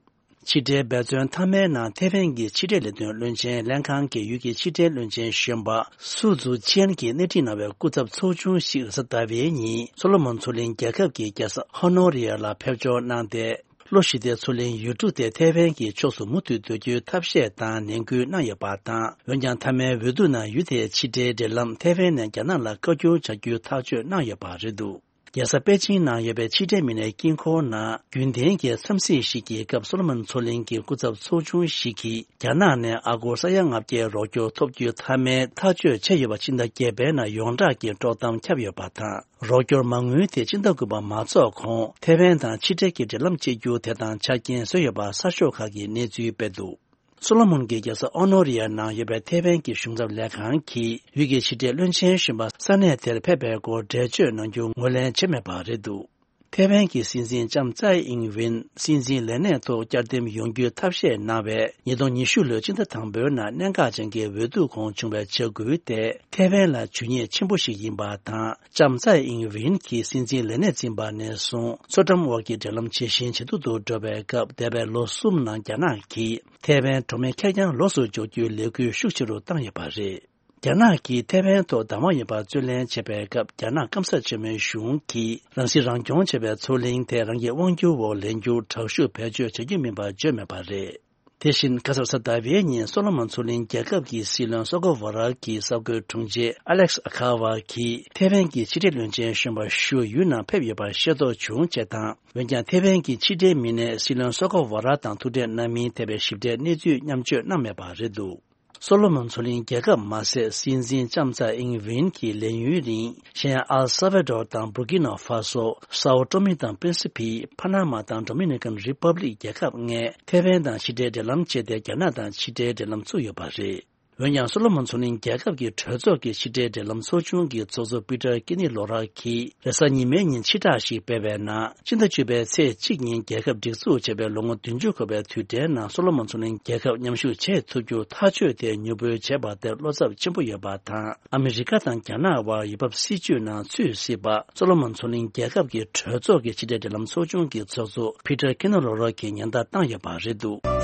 ཕྱི་འབྲེལ་འབད་བརྩོན་མཐའ་མའི་ནང་ཐའེ་ཝན་གྱི་ཕྱི་འབྲེལ་ལས་དོན་བློན་ཆེན་ལྷན་ཁང་གི་ཡུལ་གྱི་ཕྱི་འབྲེལ་བློན་ཆེན་གཞོན་པ་སུ་ཛུ་ཅན་གྱིས་སྣེ་ཁྲིད་གནང་བའི་སྐུ་ཚབ་ཚོགས་ཆུང་ཞིག་གཟའ་ཟླ་བའི་ཉིན་སོ་ལོ་མོན་མཚོ་གླིང་རྒྱལ་ཁབ་ཀྱི་རྒྱལ་ས་ཧོ་ནོ་རི་ཡ་ལ་ཕེབས་འབྱོར་གནང་སྟེ། ལོ་ཤི་ཏའི་མཚོ་གླིང་ཡུལ་གྲུ་དེ་ཐེ་ཝན་གྱི་ཕྱོགས་སུ་མུ་མཐུད་སྡོད་རྒྱུའི་ཐབས་ཤེས་དང་ནན་སྐུལ་གནང་ཡོད་པ་དང་། འོན་ཀྱང་མཐའ་མའི་འོས་བསྡུ་ནང་ཡུལ་དེའི་ཕྱི་འབྲེལ་འབྲེལ་ལམ་ཐེ་ཝན་ནས་རྒྱ་ནག་ལ་བཀའ་བཀྱོན་བྱ་རྒྱུའི་ཐག་གཅོད་གནང་ཡོད་པ་རེད་འདུག་རྒྱལ་ས་པེ་ཅིང་ནང་ཡོད་པའི་ཕྱི་འབྲེལ་མི་སྣའི་དཀྱིལ་འཁོར་ནང་རྒྱུན་ལྡན་གྱི་འཚམས་གཟིགས་ཤིག་གི་སྐབས། སོ་ལོ་མོན་མཚོ་གླིང་གི་སྐུ་ཚབ་ཚོགས་ཆུང་ཞིག་གིས་རྒྱ་ནག་ནས་ཨ་སྒོར་ས་ཡ་ལྔ་བརྒྱའི་རོགས་སྐྱོར་ཐོབ་རྒྱུའི་མཐའ་མའི་ཐག་གཅོད་བྱས་ཡོད་པ། ཕྱི་ཟླ་བརྒྱད་པའི་ནང་ཡོངས་གྲགས་ཀྱི་དཀྲོག་གཏམ་ཁྱབ་ཡོད་པ་དང་། རོགས་སྐྱོར་མ་དངུལ་དེ་སྤྱི་ཟླ་དགུ་པ་མ་རྫོགས་གོང་ཐེ་ཝན་དང་ཕྱི་འབྲེལ་གྱི་འབྲེལ་ལམ་བཅད་རྒྱུ་དེ་དང་ཆ་རྐྱེན་བཟོས་ཡོད་པ་གསར་ཤོག་ཁག་གིས་གནས་ཚུལ་སྤེལ་འདུག་སོ་ལོ་མོན་གྱི་རྒྱལ་ས་ཨོ་ནོ་རི་ཡ་ནང་ཡོད་པའི་ཐེ་ཝན་གྱི་གཞུང་ཚབ་ལས་ཁང་གིས་ཡུལ་གྱི་ཕྱི་འབྲེལ་བློན་ཆེན་གཞོན་པ་ས་གནས་དེར་ཕེབས་པའི་སྐོར་འགྲེལ་བརྗོད་གནང་རྒྱུ་ངོས་ལེན་བྱས་མེད་པ་རེད་འདུག་ཐེ་ཝན་གྱི་སྲིད་འཛིན་ལྕམ་ཙའེ་ཨིང་ཝིན་སྲིད་འཛིན་ལས་གནས་ཐོག་བསྐྱར་འདེམས་ཡོང་རྒྱུའི་ཐབས་ཤེས་གནང་བའི་ཉིས་སྟོང་ཉི་ཤུ་ལོའི་ཕྱི་ཟླ་དང་པོའི་ནང་གནད་འགག་ཅན་གྱི་འོས་བསྡུ་ཁོངས་བྱུང་བའི་བྱ་འགུལ་དེ་ཐེ་ཝན་ལ་ཇུས་ཉེས་ཆེན་པོ་ཞིག་ཡིན་པ་དང་། ལྕམ་ཙའེ་ཨིང་ཝིན་གྱིས་སྲིད་འཛིན་ལས་གནས་འཛིན་པ་ནས་བཟུང་མཚོ་འགྲམ་དབར་གྱི་འབྲེལ་ལམ་ཇེ་ཞན་ཇེ་སྡུག་ཏུ་འགྲོ་བའི་སྐབས། འདས་པའི་ལོ་གསུམ་ནང་རྒྱ་ནག་གིས་ཐེ་ཝན་གྲོང་མི་ཁེར་རྐྱང་ལོགས་སུ་འཇོག་རྒྱུའི་ལས་འགུལ་ཤུགས་ཆེ་རུ་བཏང་ཡོད་པ་རེད། རྒྱ་ནག་གིས་ཐེ་ཝན་ཐོག་བདག་དབང་ཡོད་པར་རྩོད་ལེན་བྱེད་པའི་སྐབས། རྒྱ་ནག་སྐམ་ས་ཆེན་མོའི་གཞུང་གིས་རང་སྲིད་རང་སྐྱོང་བྱེད་པའི་མཚོ་གླིང་དེ་རང་གི་དབང་སྒྱུར་འོག་ལེན་རྒྱུར་དྲག་ཤུགས་བེད་སྤྱོད་བྱ་རྒྱུ་མིན་པ་བརྗོད་མེད་པ་རེད། དེ་བཞིན་ཁ་སང་གཟའ་ཟླ་བའི་ཉིན་སོ་ལོ་མོན་མཚོ་གླིང་རྒྱལ་ཁབ་ཀྱི་སྲིད་བློན་སོ་ཀོ་ཝ་ར་གྱི་གསར་འགོད་དྲུང་ཆེ་ཨ་ལེག་སི་ཨ་ཁ་ཝ་གིས་ཐེ་ཝན་གྱི་ཕྱི་འབྲེལ་བློན་ཆེན་གཞོན་པ་ཞུ་ཡུལ་ནང་ཕེབས་ཡོད་པར་ཤེས་རྟོགས་བྱུང་ཅེས་དང་། འོན་ཀྱང་ཐེ་ཝན་གྱི་ཕྱི་འབྲེལ་མི་སྣས་སྲིད་བློན་སོ་ཀོ་ཝ་ར་དང་ཐུག་འཕྲད་གནང་མིན་ཐད་པའི་ཞིབ་ཕྲའི་གནས་ཚུལ་མཉམ་སྤྱོད་གནང་མེད་པ་རེད་འདུག་སོ་ལོ་མོན་མཚོ་གླིང་རྒྱལ་ཁབ་མ་ཟད། སྲིད་འཛིན་ལྕམ་ཚ་ཨིང་ཝིན་གྱི་ལས་ཡུན་རིང་གཞན་ཨལ་སཱ་ཝེ་ཌོར་དང་བུར་ཀི་ནོ་ཧྥ་སོ། སའོ་ཏོ་མི་དང་པིན་སི་ཕི། ཕ་ན་མ་དང་ཌོ་མི་ནི་ཀན་རི་པབ་ལིག་རྒྱལ་ཁབ་ལྔས་ཐེ་ཝན་དང་ཕྱི་འབྲེལ་འབྲེལ་ལམ་བཅད་དེ། རྒྱ་ནག་དང་ཕྱི་འབྲེལ་འབྲེལ་ལམ་བཙུགས་ཡོད་པ་རེད། འོན་ཀྱང་། སོ་ལོ་མོན་མཚོ་གླིང་རྒྱལ་ཁབ་ཀྱི་གྲོས་ཚོགས་ཀྱི་ཕྱི་འབྲེལ་འབྲེལ་ལམ་ཚོགས་ཆུང་གི་ཚོགས་གཙོ་པི་ཏར་ཀི་ནི་ལོ་ར་གིས་རེས་གཟའ་ཉི་མའི་ཉིན་ཕྱིར་བསྒྲགས་ཤིག་སྤེལ་བའི་ནང་། སྤྱི་ཟླ་བཅུ་པའི་ཚེས་གཅིག་ཉིན་རྒྱལ་ཁབ་སྒྲིག་འཛུགས་བྱས་པའི་ལོ་ངོ་བདུན་ཅུ་འཁོར་བའི་དུས་དྲན་ནང་། སོ་ལོ་མོན་མཚོ་གླིང་རྒྱལ་ཁབ་མཉམ་ཞུགས་བྱེད་ཐུབ་རྒྱུར་ཐག་གཅོད་དེ་མྱུར་པོའི་བྱས་པ་དེར་བློ་འཚབ་ཆེན་པོ་ཡོད་པ་དང་། ཨ་མི་རི་ཀ་དང་རྒྱ་ནག་དབར་འོས་འབབ་སྲིད་ཇུས་ནང་ཚུད་སྲིད་པ། སོ་ལོ་མོན་མཚོ་གླིང་རྒྱལ་ཁབ་ཀྱི་གྲོས་ཚོགས་ཀྱི་ཕྱི་འབྲེལ་འབྲེལ་ལམ་ཚོགས་ཆུང་གི་ཚོགས་གཙོ་པི་ཏར་ཀི་ནོ་ལོ་རོ་གིས་ཉེན་བརྡ་བཏང་ཡོད་པ་རེད་འདུག་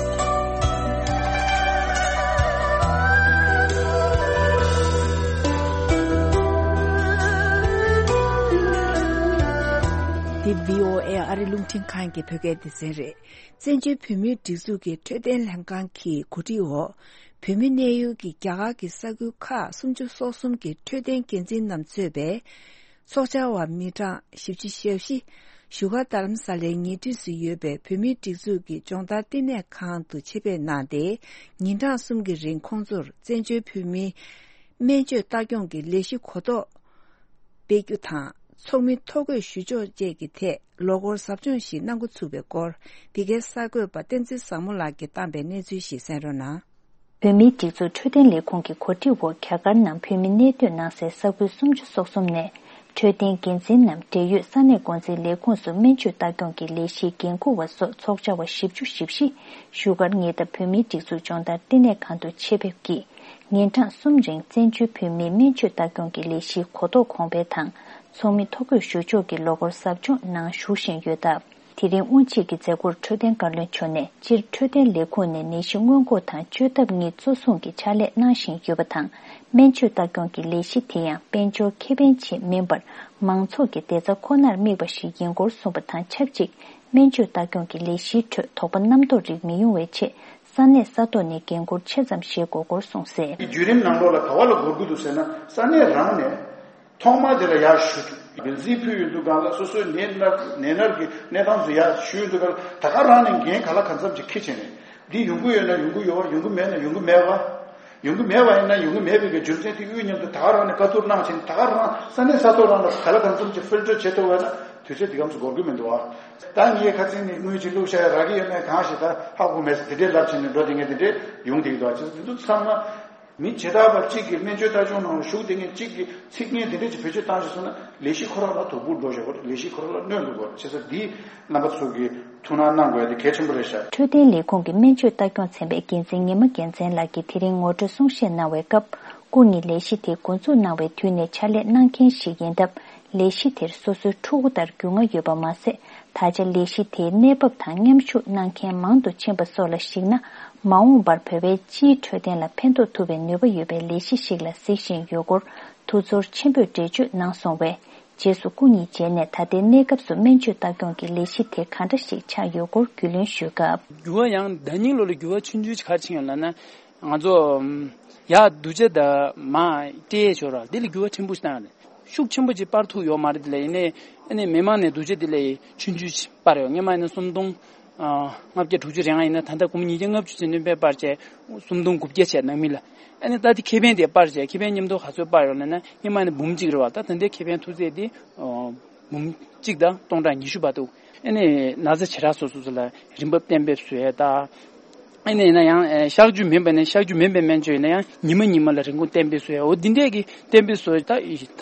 འདི་བྷི་ཨོ་ཨེ་ཨ་རི་རླུང་འཕྲིན་ཁང་གི་བོད་སྐད་སྡེ་ཚན་རེད། བཙན་བྱོལ་བོད་མིའི་སྒྲིག་འཛུགས་ཀྱི་འཕྲོད་བསྟེན་ལྷན་ཁང་གི་གོ་སྒྲིག་འོག་བོད་མི་གནས་ཡུལ་གྱི་རྒྱ་གར་གྱི་ས་ཁུལ་ཁག་སུམ་ཅུ་སོ་གསུམ་གྱི་འཕྲོད་བསྟེན་འགན་འཛིན་རྣམས་གཙོས་པའི་ཚོགས་བཅར་བ་མི་གྲངས་བཞི་བཅུ་ཞེ་བཞི། བཞུགས་སྒར་རྡ་རམ་ས་ལའི་ཉེ་འཁྲིས་སུ་ཡོད་པའི་བོད་མིའི་སྒྲིག་འཛུགས་ཀྱི་སྦྱོང་བརྡར་བསྟི་གནས་ཁང་དུ་ཆེད་ཕེབས་གནང་སྟེ། ཉིན་གྲངས་གསུམ་གྱི་རིང་ཁོང་ཚོར་བཙན་བྱོལ་བོད་མིའི་སྨན་བཅོས་ལྟ་སྐྱོང་གི་ལས་གཞི་གོ་རྟོགས་སྤེལ་རྒྱུ་དང་། ཚོགས་མི་ཐོ་འགོད་ཞུ་ཕྱོགས་བཅས་ཀྱི་ཐད་ལོ་འཁོར་ཟབ་སྦྱོང་ཞིག་གནང་འགོ་ཚུགས་པའི་སྐོར། འདི་གའི་གསར་འགོད་པ་བསྟན་འཛིན་བཟང་མོ་ལགས་ཀྱིས་བཏང་པའི་གནས་ཚུལ་ཞིག་གསན་རོགས་གནང་། བོད་མིའི་སྒྲིག་འཛུགས་འཕྲོད་བསྟེན་ལས་ཁུངས་ཀྱི་གོ་སྒྲིག་འོག་རྒྱ་གར་ནང་བོད་མི་གནས་སྡོད་གནང་སའི་ས་ཁུལ་སུམ་ཅུ་སོ་གསུམ་ནས་འཕྲོད་བསྟེན་འགན་འཛིན་ནམ་འབྲེལ་ཡོད་ས་གནས་འགོ་འཛིན་ལས་ཁུངས་སུ་སྨན་བཅོས་ལྟ་སྐྱོང་གི་ལས་གཞིའི་འགན་འཁུར་བ་སོགས་ཚོགས་བཅར་བ་བཞི་བཅུ་ཞེ་བཞི་བཞུགས་སྒར་ཉེ་འདབས་བོད་མིའི་སྒྲིག་འཛུགས་སྦྱོང་བརྡར་བསྟི་གནས་ཁང་དུ་ཆེད་ཕེབས་ཀྱིས། ཉིན་གྲངས་གསུམ་རིང་བཙན་བྱོལ་བོད་མིའི་སྨན་བཅོས་ལྟ་སྐྱོང་གི་ལས་གཞིའི་གོ་རྟོགས་གོང་འཕེལ་དང་། ཚོགས་མི་ཐོ་འགོད་ཞུ་ཕྱོགས་ཀྱི་ལོ་འཁོར་ཟབ་སྦྱོང་ནང་ཞུགས་བཞིན་ཡོད་སྟབས། དེ་རིང་དབུ་འབྱེད་ཀྱི་མཛད་སྒོར་འཕྲོད་བསྟེན་བཀའ་བློན་མཆོག་ནས། སྤྱིར་འཕྲོད་བསྟེན་ལས་ཁུངས་ནས་ནད་གཞི་སྔོན་འགོག་དང་བཅོས་ཐབས་གཉིས་གཙོ་བཟུང་གིས་ཕྱག་ལས་གནང་བཞིན་ཡོད་པ་དང་། སྨན་བཅོས་ལྟ་སྐྱོང་གི་ལས་གཞི་དེ་ཡང་དཔལ་འབྱོར་ཁེ་ཕན་ཆེད་མིན་པར། མང་ཚོགས་ཀྱི་བདེ་རྩ་ཁོ་ནར་དམིགས་པ་ཞིག་ཡིན་སྐོར་གསུངས་པ་དང་ཆབས་ཅིག་སྨན་བཅོས་ལྟ་སྐྱོང་གི་ལས་གཞིའི་ཁྲོད་དོགས་པ་རྣམ་རྟོག་རིགས་མི་ཡོང་བའི་ཆེད། ས་གནས་ས་ཐོག་ནས་འགན་འཁུར་ཆེ་ཙམ་བཞེས་དགོས་སྐོར་གསུངས་གསལ། བརྒྱུད་རིམ་ནང་ལོགས་ལ་ག་བ་ལ་འགོར་གྱི་འདུག་ཟེར་ན། ས་གནས་རང་ནས་ཐོག་མ་དེ་ལ་ཡར་ཞུ། འགན་འཛིན་ཕུལ་ཡོང་དུས་སྒང་ལ་སོ་སོའི་ནད་མནར་ནད་མནར་གྱི་གནས་སྟངས་ཚོ་ཡར་ཞུ་ཡོང་དུས་སྒང་ལ། ད་ག་རང་ནས་འགན་ག་ལ་གང་འཚམ་ཅིག་འཁྱེར་བྱས་ནས། འདི་ཡོང་གི་ཡོད་ན་ཡོང་གི་ཡོད་པ། ཡོང་གི་མེད་ན་ཡོང་གི་མེད་པ། ཡོང་གི་མེད་པ་ཡིན་ན་ཡོང་གི་མེད་པའི་གི་རྒྱུ་མཚན་དེ་དབུས་མཉམ་དུ་ད་ག་རང་ནས་བཀའ་བསྡུར་གནང་བྱས་ནས། ད་ག་རང་ས་གནས་ས་ཐོག་རང་ལ་ག་ལ་གང་འཚམ་ཅིག་ཕིལ་ཊར་བྱེད་ཐུབ་པ་ན་དུས་ཚོད་འདི་གམ་སུ་འགོར་གི་མི་འདུག་བ། ད་ངས་ཁ་སང་ནས་དངུལ་ཅིག་བླུགས་བཞག་ཡ་རག་གི་ཡོད་མེད་གང་ཞིག་ད་ཧ་གོ་མེད་ཟེར། དེ་འདྲའི་ལབ་བྱས་ནས་འགྲོ་བསྡད་མཁན་དེ་འདྲས་ཡོང་བསྡད་ཀྱི་འདུག་བ། བྱས་ཙང་དེ་ཚོ་ཚང་མ། མི་བྱེ་བྲག་པ་གཅིག་གིས་སྨན་བཅོས་ལྟ་སྐྱོང་ནང་ལ་ཞུགས་བསྡད་མཁན་གཅིག་གིས་ཚིག་ངན་འདི་འདྲ་ཅིག་བེད་སྤྱོད་བཏང་ཞིག་སོང་ན། ལས་གཞི་ཁོ་རང་ལ་དོ་ཕོག་འགྲོ་བཞག་པ་རེད། ལས་གཞི་ཁོ་རང་ལ་གནོད་འགྲོ་གི་རེད། བྱས་ཙང་འདི་རྣམ་པ་ཚོ་གིས་ཐུགས་སྣང་གནང་དགོས་ཡ་དེ་གལ་ཆེན་པོ་རེད་ཤག་འཕྲོད་བསྟེན་ལས་ཁུངས་ཀྱི་སྨན་བཅོས་ལྟ་སྐྱོང་ཚན་པའི་འགན་འཛིན་ཉི་མ་རྒྱལ་མཚན་ལགས་ཀྱིས་དེ་རིང་ངོ་སྤྲོད་གསུང་བཤད་གནང་བའི་སྐབས། སྐུ་ཉིད་ལས་གཞི་དེ་འགོ་འཛུགས་གནང་བའི་དུས་ནས་ཕྱག་ལས་གནང་མཁན་ཞིག་ཡིན་སྟབས། ལས་གཞི་དེར་སོ་སོའི་ཕྲུ་གུ་ལྟར་རྒྱུས་མངའ་ཡོད་པ་མ་ཟད། ད་ཆ་ལས་གཞི་དེའི་གནས་བབ་དང་མཉམ་ཞུགས་གནང་མཁན་མང་དུ་ཕྱིན་པ་སོགས་ལ་གཞིགས་ན། མ་འོངས་པར་བོད་པའི་སྤྱིའི་འཕྲོད་བསྟེན་ལ་ཕན་ཐོགས་ཐུབ་པའི་ནུས་པ་ཡོད་པའི་ལས་གཞི་ཞིག་ལ་གཟིགས་བཞིན་ཡོད་སྐོར་ཐུགས་ཚོར་ཆེན་པོས་འགྲེལ་བརྗོད་གནང་སོང་བས། རྗེས་སུ་སྐུ་ཉིད་མཇལ་ནས་ད་ལྟའི་གནས་སྐབས་སུ་སྨན་བཅོས་ལྟ་སྐྱོང་གི་ལས་གཞི་དེ་ག་འདྲ་ཞིག་ཆགས་ཡོད་སྐོར་རྒྱུས་ལོན་ཞུས་སྐབས། འགྱུར་བ་ཡང་ཟླ་ཉིན་ལོ་ལ་འགྱུར་བ་ཆུང་ཆུང་ཞིག་ག་རེ་ཕྱིན་ཡོད་ལབ་ན། ང་ཚོ་ཡར་སྡུག་ཅག་དང་མར་སྤྲད་ཡས་ཞོར་ར་འདི་ལ་འགྱུར་བ་ཕྲན་བུ་ཞིག་བཏང་ཡོད་རེད། ཤུགས་ཆེན་པོ་ཅིག་སྤར་ཐུབ་ཡོད་མ་རེད། དེ་ལ་ཡིན་ནའི་ཨ་ནི་མི་མང་ནས་སྡུག་ཅག་དེ་ལ་ཆུང་ཆུང་ཅིག་སྤར་ཡོད། སྔོན་མ་ཡིན་ན་སུམ་སྟོང་ལྔ་བརྒྱ་དྲུག་ཅུ་རེ་ལྔ་ཡིན་ན། ད་ལྟ་སྒོར་མོ་ཉིས་བརྒྱ་ལྔ་བཅུ་ཙམ་སྟོན་པས་སྤར་བྱས་སུམ་སྟོང་དགུ་བརྒྱ་བྱས་ནང་མི་ལ། ཨ་ནི་ད་དེ་ཁེ་ཕན་དེ་སྤར་བྱས་ཁེ་ཕན་མཉམ་དུ་ག་ཚོད་སྤར་ཡོད་ལབ་ན། སྔོན་མ་ནི་འབུམ་གཅིག་རེད་བ། ད་ད་ལྟའི་ཁེ་ཕན་ཐོབ་ཚད་དེ་འབུམ་གཅིག་དང་སྟོང་ཕྲག་ཉི་ཤུ་བར་འདུག་ཨ་ནི་ན་ཚ་བྱེ་བྲག་སོ་སོ་སོ་ལ་རིན་འབབ་གཏན་འབེབས་བཟོ་ཡས་དང་། ཨ་ནི་ཡིན་ན་ཡང་ཨེ་གཤག་བཅོས་མིན་པ་ནས་གཤག་བཅོས་མིན་པའི་སྨན་བཅོས་ཡིན་ན་ཡང་ཉི་མ་ཉི་མ་ལ་རིན་གོང་གཏན་འབེབས་བཟོ་ཡ། འོ་འདི་འདྲས་ཀྱི་གཏན་འབེབས་བཟོ་ད་ད་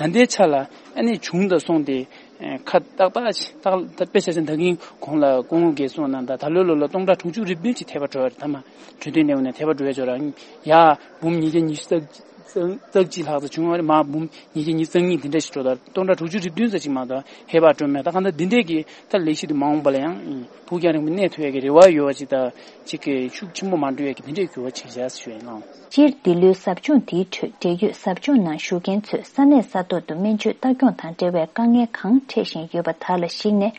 ལྟའི་ཆ་ལ་ཨ་ནི་བྱུང་དང་སོང་སྟེ་ཨེ་ཁ་ཏག་ཏག་ཅིག་ཏག་ད་དཔེ་ཆ་ཆ་ད་གིན་གོང་ལ་སྐུ་ངོ་རྒྱལ་གསུངས་གནང་ད་ད་ལོའི་ལོ་ལ་སྟོང་ཕྲག་དྲུག་ཅུ་རེ་བདུན་ཅིག་ཐེབས་པ་འགྲོ་ཡ་རེད། ད་མ་འཕྲོད་བསྟེན་ལས་ཁུངས་ནས་ཐེབས་པ་འགྲོ་ཡ་ཅོ་ར་ཡ་འབུམ་ཉིས་བརྒྱ་ཉི་ཤུ་རྩ་རྩ་གཅིག་ལྷག་ཙམ་བྱུང་བ་རེད། མ་འབུམ་ཉིས་བརྒྱ་ཉི་ཤུ་རྩ་གཉིས་དེ་འདྲ་ཞིག་འགྲོ་ད་སྟོང་ཕྲག་དྲུག་ཅུ་རེ་བདུན་ཙམ་ཅིག་མ་གཏོགས་ཧེ་བག་སྤྲོད་མེད། ད་གང་ལྟར་འདི་འདྲས་ཀྱི་ད་ལས་གཞི་དེ་མ་འོངས་པ་ལ་ཡང་། ཕུགས་རྒྱང་རིང་པོ་གནས་ཐུབ་ཡས་ཀྱི་རེ་བ་ཡོད་པ་ཅིག་དང་གཅིག་གི་ཤུགས་ཆེན་པོ་མ་འགྲོ་ཡས་ཀྱི་དེ་འདྲས་འགྱུར་བ་ཕྱིན་བཞག་ཞུ་ཡས་གནང་། སྤྱིར་འདི་ལོའི་ཟབ་སྦྱོང་དེའི་ཁྲོད་འབྲེལ་ཡོད་ཟབ་སྦྱོང་ནང་ཞུགས་མཁན་ཚོས་ས་གནས་ས་ཐོག་ཏུ་སྨན་བཅོས་ལྟ་སྐྱོང་དང་འབྲེལ་བའི་དཀའ་ངལ་གང་འཕྲད་བཞིན་ཡོད་པ་དག་ལ་གཞིགས་ནས།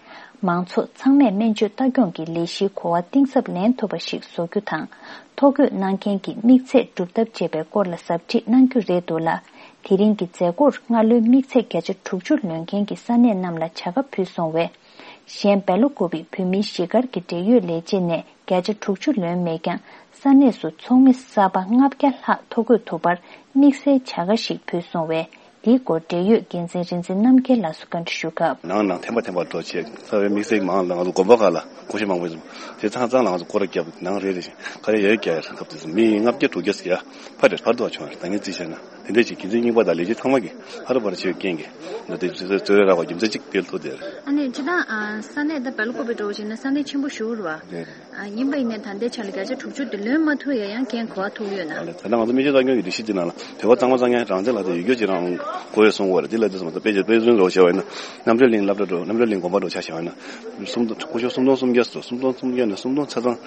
མང་ཚོགས་ཚང་མས་སྨན་བཅོས་ལྟ་སྐྱོང་གི་ལས་གཞིའི་གོ་བ་གཏིང་ཟབ་ལེན་ཐུབ་པ་ཞིག་བཟོ་རྒྱུ་དང་། ཐོ་འགོད་གནང་མཁན་གྱི་དམིགས་ཚད་སྒྲུབ་ཐབས་བཅས་པའི་སྐོར་ལ་ཟབ་ཁྲིད་གནང་རྒྱུ་རེད་འདུག་ལ། དེ་རིང་གི་མཛད་སྒོར་སྔ་ལོའི་དམིགས་ཚད་བརྒྱ་ཆ་དྲུག་ཅུ་ལོན་མཁན་གྱི་ས་གནས་རྣམས་ལ་བྱ་དགའ་ཕུལ་སོང་བས། གཞན་སྦེལ་ཀོབ་བོད་མིའི་གཞིས་སྒར་གྱི་འབྲེལ་ཡོད་ལས་བྱེད་ནས་བརྒྱ་ཆ་དྲུག་ཅུ་ལོན་མེད་ཀྱང་། ས་གནས་སུ་ཚོགས་མི་གསར་པ་ལྔ་བརྒྱ་ལྷག་ཐོ་འགོད་ཐུབ་པར་དམིགས་བསལ་བྱ་དགའ་ཞིག་ཕུལ་སོང་བས། དེའི་སྐོར་འབྲེལ་ཡོད་འགན་འཛིན་རིག་འཛིན་རྣམ་རྒྱལ་ལགས་སུ་བཀའ་འདྲི་ཞུ་སྐབས། ནང་ནང་ཐེམ་པ་ཐེམ་པ་འགྲོ་བྱས་རྩ་བའི་དམིགས་བསལ་མང་ལ་ང་ཚོ་དགོན་པ་ཁག་ལ་སྐུ་ཞབས་མང་པོ་ཡོད། དེ་ཚང་ཚང་ལ་ང་ཚོ་སྐོར་ར་བརྒྱབ་ནང་རེ་རེ་བཞིན་ག་རེ་ཡོད་རྒྱ་ཡར་ཐབས་དེ་ཚོ་མི་ལྔ་བརྒྱ་དྲུག་བརྒྱ་ཟེར་ཡ་ཕར་རེ་ཕར་དུ་བ་བྱུང་བ་རེད། ད་ངས་རྩིས་བྱས་ན། དེ་འདྲ་ཞིག་འགན་འཛིན་རྙིང་པ་དང་ལས་བྱེད་ཚང་མ་གིས་ཧ་ར་པ་ར་བྱེད་པའི་རྐྱེན་གྱིས། ང་ཚོའི་གཙོས་རེ་རག་པ་རྒྱུ་མཚན་གཅིག་དེ་ལ་ཐུག་བསྡད་རེད། ཨ་ནི་སྤྱིར་བཏང་ཨ་ས་གནས་ད་སྦེལ་ཀོབ་པའི་འགྲོ་བ་བྱས་ན་ས་གནས་ཆེན་པོ་ཞིག་རེད་བ། རེད་རེད། ཨ་ཡིན་པ་ཡིན་ནའི་ད་ལྟའི་ཆ་ལ་བརྒྱ་ཆ་དྲུག་ཅུ་དེ་ལོན་མ་ཐུབ་ཡ་ཡང་རྐྱེན་གོ་བ་ཐུག་ཡོད་ན། ཨ་ལས་ད་ལྟ་ང་ཚོ་སྨན་བཅོས་ལྟ་སྐྱོང་གི་སྒྲིག་གཞི་དེ་ནང་ལ་བོད་པ་གཙང་མ་གཙང་རྐྱང་རང་བཙན་ལག་དེབ་ཡོད་རྒྱུ་ཅིག་རང་དགོས་ཡོད་གསུང་གི་ཡོད་རེད། དེ་ལ་དེ་ཚོ་མ་གཏོགས་དཔེ་ཆ་དཔེ་མཚོན་རོགས་བྱས་པ་ཡིན་ན་རྣམ་གྲོལ་གླིང་སློབ་གྲྭ་འགྲོ་རྣམ་གྲོལ་གླིང་དགོན་པ་འགྲོ་ཆ་བཞག་པ་ཡིན་ན། སུམ་སྟོང་སྐུ་ཞབས་སུམ་སྟོང་སུམ་བརྒྱ་སོ་སུམ་སྟོང་སུམ་བརྒྱ་ནས་སུམ་སྟོང་ཆ་ཚང་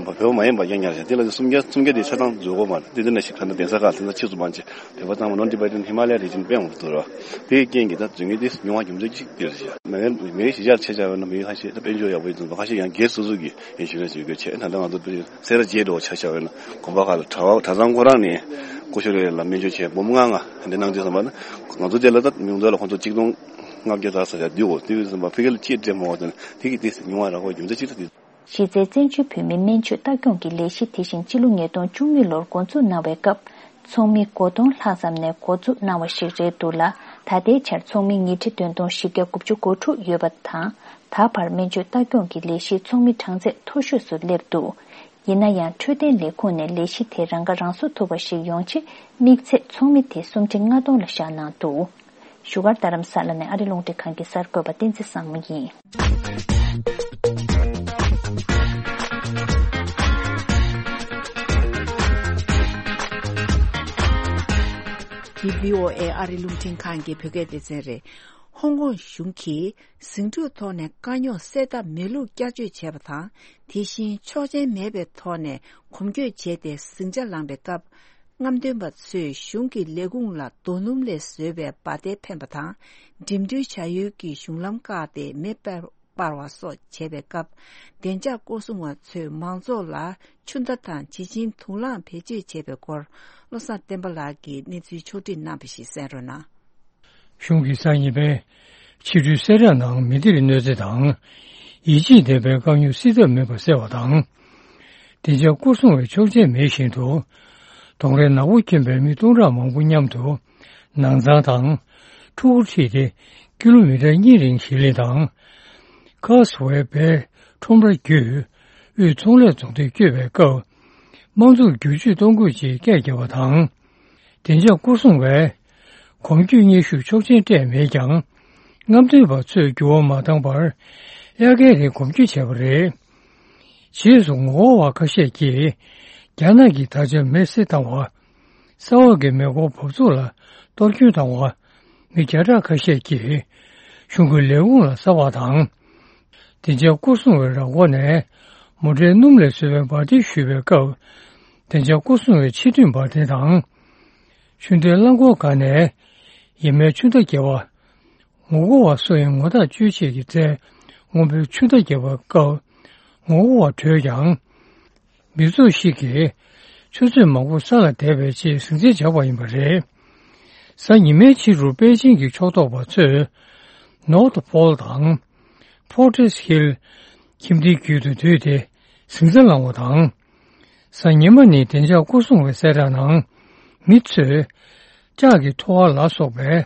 བོད་པ་མ་ཡིན་པ་རྐྱང་རྐྱང་རེད། དེ་ལ་སུམ་བརྒྱ་སུམ་བརྒྱ་དེ་ཆ་ཚང་འཛུལ་དགོས་མ་རེད། དེ་འདི་ནས་ཞིག་ད་ལྟ་གདན་ས་ཁག་དེ་ཚོ་ཕྱིས་སུ་མ་བྱས་བོད་པ་ཚང་མ་ནོར་ཊི་བེ་ཊན་ཧི་མ་ལ་ཡ་རི་ཇན་དཔེ་འོང་དུ་ར། དེའི་རྐྱེན་གྱིས་ད་རྫུན་གྱི་དེ་ཉུང་བ་རྒྱུ་མཚན་གཅིག་དེ་རེད་ཤག་མི་མི་གཞིས་ཆགས་ཆ་བཞག་པ་ཡིན་ན་མི་ཁ་ཤས་ད་དཔལ་འབྱོར་ཡག་པོ་ཡིན་ཙང་ཁ་ཤས་ཡང་སྒེར་སོ་སོ་གི་ཨིན་ཤུ་རན་སི་ཡོད་དགོས་བྱས། ད་ལྟ་ང་ཚོ་སེ་ར་བྱེས་འགྲོ་བ་ཆ་བཞག་པ་ཡིན་ན་དགོན་པ་ཁག་ལ་གྲྭ་པ་གྲྭ་ཚང་ཁོ་རང་ནས་སྐུ་ཞབས་རེ་ལ་སྨན་བཅོས་བྱས་འབུམ་ལྔ་ལྔ་དེ་གནང་རྗེས་ཙམ་པ་ན་ང་ཚོ་དེ་ལ་ད་ཉུང་མཐའ་ལ་ཁོང་ཚོ་གཅིག་སྟོང་ལྔ་བརྒྱ་ཙམ་ཡར་བསྡུས་འོ་དེ་བས་ཙམ་པ་ཕ་གི་ལ་ཅིག་སྤྲད་མ་འོ་དེ་ནི་དེ་གི་དེ་ཉུང་བ་རག་པ་རྒྱུ་མཚན་གཅིག་ད་དེ། གཞི་རྩའི་བཙན་བྱོལ་བོད་མིའི་སྨན་བཅོས་ལྟ་སྐྱོང་གི་ལས་གཞི་དེ་བཞིན་སྤྱི་ལོ་ཉིས་སྟོང་བཅུ་གཉིས་ལོར་འགོ་འཛུགས་གནང་བའི་སྐབས། ཚོགས་མི་དགུ་སྟོང་ལྷག་ཙམ་ནས་འགོ་འཛུགས་གནང་བ་ཞིག་རེད་འདུག་ལ། ད་ལྟའི་ཆར་ཚོགས་མི་ཉིས་ཁྲི་བདུན་སྟོང་བཞི་བརྒྱ་དགུ་བཅུ་གོ་དྲུག་ཡོད་པ་དང་། ད་བར་སྨན་བཅོས་ལྟ་སྐྱོང་གི་ལས་གཞིའི་ཚོགས་མི་གྲངས་ཚད་མཐོ་ཤོས་སུ་སླེབས་འདུག་ཡིན་ན་ཡང་འཕྲོད་བསྟེན་ལས་ཁུངས་ནས་ལས་གཞི་དེ་རང་ཁ་རང་གསོ་ཐུབ་པ་ཞིག་ཡོང་ཆེད་དམིགས་ཚད་ཚོགས་མི་དེ་སུམ་ཁྲི་ལྔ་སྟོང་ལ་བཞག་གནང་འདུག་བཞུགས་སྒར་རྡ་རམ་ས་ལ་ནས་ཨ་རི་རླུང་འཕྲིན་ཁང་གི་གསར་འགོད་པ་བསྟན་འཛིན་བཟང་མོ་ཡིན། འདི་བྷི་ཨོ་ཨེ་ཨ་རི་རླུང་འཕྲིན་ཁང་གི་བོད་སྐད་སྡེ་ཚན་རེད། ཧོང་ཀོང་གཞུང་གིས་ཟིང་འཁྲུག་ཐོག་ནས་དཀའ་རྙོག་སེལ་ཐབས་མེད་ལུགས་བསྐྱར་བཅོས་བྱས་པ་དང་། དེ་བཞིན་ཆོག་མཆན་མེད་པའི་ཐོག་ནས་གོམ་བགྲོད་བྱས་ཏེ་ཟིང་ཆ་ལངས་པའི་སྐབས། རྔམ་སྟོན་པ་ཚོས་གཞུང་གི་ལས་ཁུངས་ལ་རྡོ་སྣུམ་ལས་བཟོས་པའི་འབར་མདེལ་འཕེན་པ་དང་། འགྲིམ་འགྲུལ་བྱ་ཡུལ་གྱི་གཞུང་ལམ་བཀག་སྟེ་མེ་སྤར་སྤར་བ་སོགས་བྱས་པའི་སྐབས། བདེ་འཇགས་སྐོར་སྲུང་བ་ཚོས་མང་ཚོགས་ལ་ཆུ་མདའ་དང་བྱི་ཆིང་དུག་རླངས་བེད་སྤྱོད་བྱས་པའི་སྐོར། བློ་བཟང་བསྟན་པ་ལགས་ཀྱིས་གནས་ཚུལ་ཕྱོགས་སྒྲིག་གནང་བ་ཞིག་གསན་རོགས་གནང་། གཞུང་གིས་གཟའ་ཉི་མའི་ཕྱི་དྲོའི་གསལ་བསྒྲགས་ནང་མི་སྡེར་གནོད་འཚེ་དང་། ཡིད་ཆེས་ལྡན་པའི་དཀའ་རྙོག་སེལ་ཐབས་མེད་པ་གསལ་བ་དང་། བདེ་འཇགས་སྐོར་སྲུང་བས་ཆོག་མཆན་མེད་བཞིན་དུ། གདོང་རས་ནག་པོ་གྱོན་པའི་མི་སྟོང་ཕྲག་མང་པོ་མཉམ་དུ་ནང་ཚང་དང་ཕྲུ་གུ་ཁྲིད་དེ་ཀི་ལོ་མི་ཊར་གཉིས་རིང་ཞིང་ལས་དང་། ཁཱ་སི་ཝེ་བའི་ཁྲོམ་ར་བརྒྱུད་དབུས་ཚོང་ལས་རྫོང་དུ་བསྐྱོད་པའི་སྐབས། དམངས་གཙོར་བསྒྱུར་བཅོས་གཏོང་དགོས་ཅེས་སྐད་བརྒྱབ་པ་དང་། བདེ་འཇགས་སྐོར་སྲུང་བས་གོམ་བགྲོད་སྙན་ཞུར་ཆོག་མཆན་སྤྲད་མེད་ཀྱང་། རྔམ་སྟོན་པ་ཚོས་འགྱུར་བ་མ་བཏང་བར་དབྱར་ཁའི་རིང་གོམ་བགྲོད་བྱས་པ་རེད། རྗེས་སུ་ངོ་རྒོལ་བ་ཁ་ཤས་ཀྱིས་རྒྱ་ནག་གི་དར་ཆ་མེ་བསྲེགས་བཏང་བ། ས་འོག་གི་མེ་འཁོར་འབབ་ཚུགས་ལ་གཏོར་སྐྱོན་བཏང་བ། མི་བརྒྱ་ཕྲག་ཁ་ཤས་ཀྱིས་གཞུང་གི་ལས་ཁུངས་ལ་ཟ་བ་དང་། བདེ་འཇགས་སྐོར་སྲུང་བའི་ར་སྐོར་ནས་མོ་ཊའི་སྣུམ་ལས་བཟོས་པའི་འབར་མདེལ་གཞུས་པའི་སྐབས། བདེ་འཇགས་སྐོར་སྲུང་བའི་ཆེས་མཐུན་འབར་མདེལ་དང་། ཆུ་འདྲེན་རླངས་འཁོར་ཁག་ནས་ཡེ་མའི་ཆུ་མདའ་བརྒལ་བ། ངོ་རྒོལ་བ་སུ་ཡིན་ངོ་ཐག་གཅོད་ཆེད་ཀྱི་རྩལ་སྔོན་པོའི་ཆུ་མདའ་བརྒྱབ་པའི་སྐབས་ངོ་རྒོལ་བ་བྲོས་ཀྱང་། མི་ཚོགས་ཤིག་གིས་ཆུ་ཚོད་མང་པོ་ས་ལ་བསྡད་པའི་རྗེས་ཟིང་ཆ་བཞག་པ་ཡིན་པ་རེད། གཟའ་ཉི་མའི་ཕྱི་དྲོ་པེ་ཅིང་གི་ཕྱོགས་གཏོགས་པ་ཚོས་North Pole་དང་Fortress Hill་ཁྱིམ་སྡེའི་རྒྱུད་དུ་བསྡུས་ཏེ་ཟིང་ཆ་བསླངས་པ་དང་། གཟའ་ཉི་མ་ནི་བདེ་འཇགས་སྐོར་སྲུང་བའི་གསལ་བསྒྲགས་ནང་མི་ཚོས་ལྕགས་ཀྱི་ཐོ་བ་ལ་སོགས་པའི་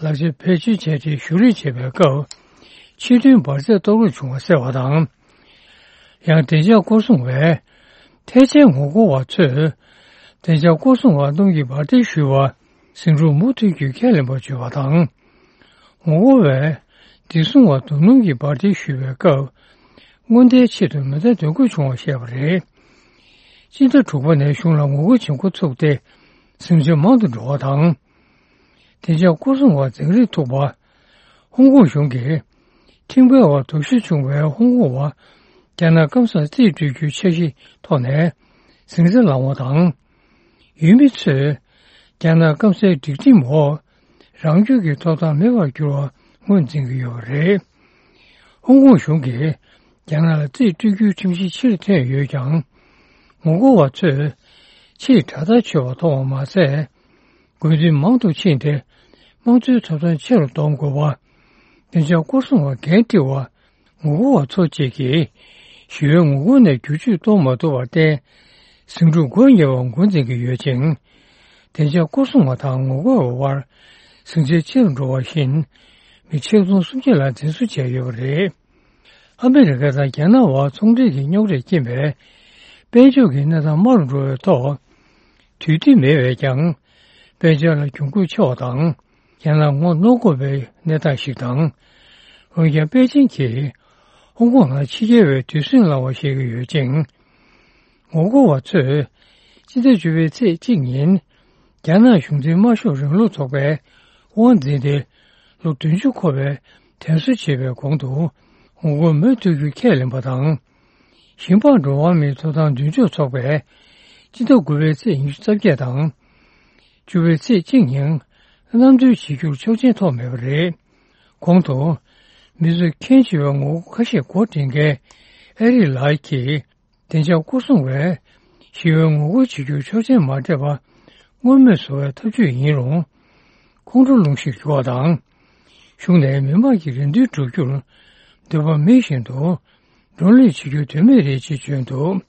ལག་ཆ་བེད་སྤྱོད་བྱས་ཏེ་གཞུ་རེས་བྱེད་པའི་སྐབས་ཕྱི་ཐོན་འབར་རྫས་གཏོར་བརླག་བྱུང་བ་གསལ་བ་དང་། ཡང་བདེ་འཇགས་སྐོར་སྲུང་བས་ཐལ་ཆའི་ངོ་རྒོལ་བ་ཚོས་བདེ་འཇགས་སྐོར་སྲུང་བ་རྣམས་ཀྱིས་འབར་མདེལ་གཞུས་པ་ཟིང་འཁྲུག་མུ་མཐུད་རྒྱུ་ཁས་ལེན་པར་བརྗོད་པ་དང་། ངོ་རྒོལ་བས་བདེ་སྲུང་བ་རྡོ་སྣུམ་གྱི་འབར་མདེལ་གཞུས་པའི་སྐབས་སྔོན་བརྡའི་ཆེད་དུ་མེ་མདའ་འདོན་དགོས་བྱུང་བ་བཤད་པ་རེད། སྤྱི་ཟླ་དྲུག་པ་ནས་གཞུང་ལ་ངོ་རྒོལ་བྱེད་འགོ་ཚུགས་ཏེ་ཟིང་ཆ་མང་དུ་འགྲོ་བ་དང་། བདེ་འཇགས་སྐོར་སྲུང་བ་འཛིང་རེས་ཐུག་པ། ཧོང་ཀོང་གཞུང་གིས་ཁྲིམས་འགལ་བ་དོགས་གཞི་བྱུང་བའི་ཧོང་ཀོང་བ་རྒྱ་ནག་སྐམ་སར་རྩིས་སྤྲོད་རྒྱུའི་འཆར་གཞིའི་ཐོག་ནས་ཟིང་ཆ་བསླངས་པ་དང་། ཡུལ་མི་ཚོས་རྒྱ་ནག་སྐམ་སའི་སྒྲིག་ཁྲིམས་འོག་རང་སྐྱོང་གི་ཐོབ་ཐང་མེད་པར་གྱུར་བ་ངོས་འཛིན་གྱི་ཡོད་པ་རེད། ཧོང་ཀོང་གཞུང་གིས་རྒྱ་ནག་ལ་རྩིས་སྤྲོད་རྒྱུའི་ཁྲིམས་གཞི་ཕྱིར་འཐེན་ཡོད་ཀྱང་། ངོ་རྒོལ་བ་ཚོས་ཕྱིར་དྲག་ཐག་ཆོད་པ་མཐོང་བ་མ་ཟད། དགོས་འདུན་མང་དུ་ཕྱིན་ཏེ། དམངས་གཙོའི་ཐོབ་ཐང་ཆེ་རུ་གཏོང་དགོས་པ། བདེ་འཇགས་སྐོར་སྲུང་བ་འགན་དཀྲི་བ། ངོ་རྒོལ་བ་ཚོ་བཅས་ཀྱིས་ཞི་བའི་ངོ་རྒོལ་ནས་བསྒྱུར་བཅོས་གཏོང་མ་ཐུབ་པར་བརྟེན། ཟིང་འཁྲུག་འགོ་ཉེ་བ་འགོ་འཛིན་གྱི་ཡོད་ཅིང་། བདེ་འཇགས་སྐོར་སྲུང་བ་དང་ངོ་རྒོལ་བ་དབར་ཟིང་ཆ་ཆེ་རུ་འགྲོ་བ་བཞིན། མི་ཆིག་སྟོང་སུམ་བརྒྱ་ལ་འཛིན་བཟུང་བྱས་ཡོད་པ་རེད། ཨ་མི་རི་ཀ་དང་རྒྱ་ནག་དབར་ཚོང་འབྲེལ་གྱི་རྙོག་དྲས་རྐྱེན་པས། དཔལ་འབྱོར་གྱི་གནས་སྟངས་དམའ་རུ་འགྲོ་བའི་ཐོག་དུས་བདེ་མེད་པས་ཀྱང་། དཔལ་འབྱོར་ལ་གྱོང་གུད་ཆེ་བ་དང་། རྒྱ་ནག་ངོ་གནོང་དགོས་པའི་གནས་སྟངས་ཤིག་དང་། འོན་ཀྱང་པེ་ཅིང་གིས་ཧོང་ཀོང་ནང་ཕྱི་རྒྱལ་བའི་དུས་ཟིང་བསླངས་པ་ཞིག་ཡོད་ཅིང་། ངོ་རྒོལ་བ་ཚོས་སྤྱི་ཟླ་བཅུ་པའི་ཚེས་གཅིག་ཉིན། རྒྱ་ནག་གཞུང་འཛིན་དམར་ཤོག་རིང་ལུགས་ཚོགས་པའི་དབང་འཛིན་ཏེ། ལོ་བདུན་ཅུ་འཁོར་བའི་དྲན་གསོ་བྱེད་པའི་གོང་དུ་ངོ་རྒོལ་མུ་མཐུད་རྒྱུ་ཁས་ལེན་པ་དང་། ཞིང་པ་འགྲོ་བ་མིའི་ཐོབ་ཐང་མདུན་སྐྱོད་ཚོགས་པས་སྤྱི་ཟླ་དགུ་པའི་ཚེས་ཉི་ཤུ་རྩ་བརྒྱད་དང་། བཅུ་པའི་ཚེས་གཅིག་ཉིན་གནམ་གྲུའི་བྱེད་རྒྱུར་ཆོག་མཆན་ཐོབ་མེད་པ་རེད། གོང་དུ་མི་ཚོས་ཁྱོན་ཆེ་བའི་ངོ་རྒོལ་ཁ་ཤས་འགོ་འདྲེན་མཁན་ཨེ་རིག་ལགས་ཀྱིས། བདེ་འཇགས་སྐོར་སྲུང་བས་ཞི་བའི་ངོ་རྒོལ་བྱེད་རྒྱུར་ཆོག་མཆན་མ་སྤྲད་པ་མངོན་མེད་བཟོ་བའི་ཐབས་ཇུས་ཡིན་རུང་། ཁོང་ཁྲོ་སློང་གཞིར་གྱུར་བ་དང་། གཞུང་ནས་མི་མང་གི་རེ་འདུན་སྒྲུབ་རྒྱུར་འདོད་པ་མེད་བཞིན་དུ་བགྲོ་གླེང་བྱེད་རྒྱུ་དོན་མེད་རེད་ཅེས་བརྗོད་འདུག།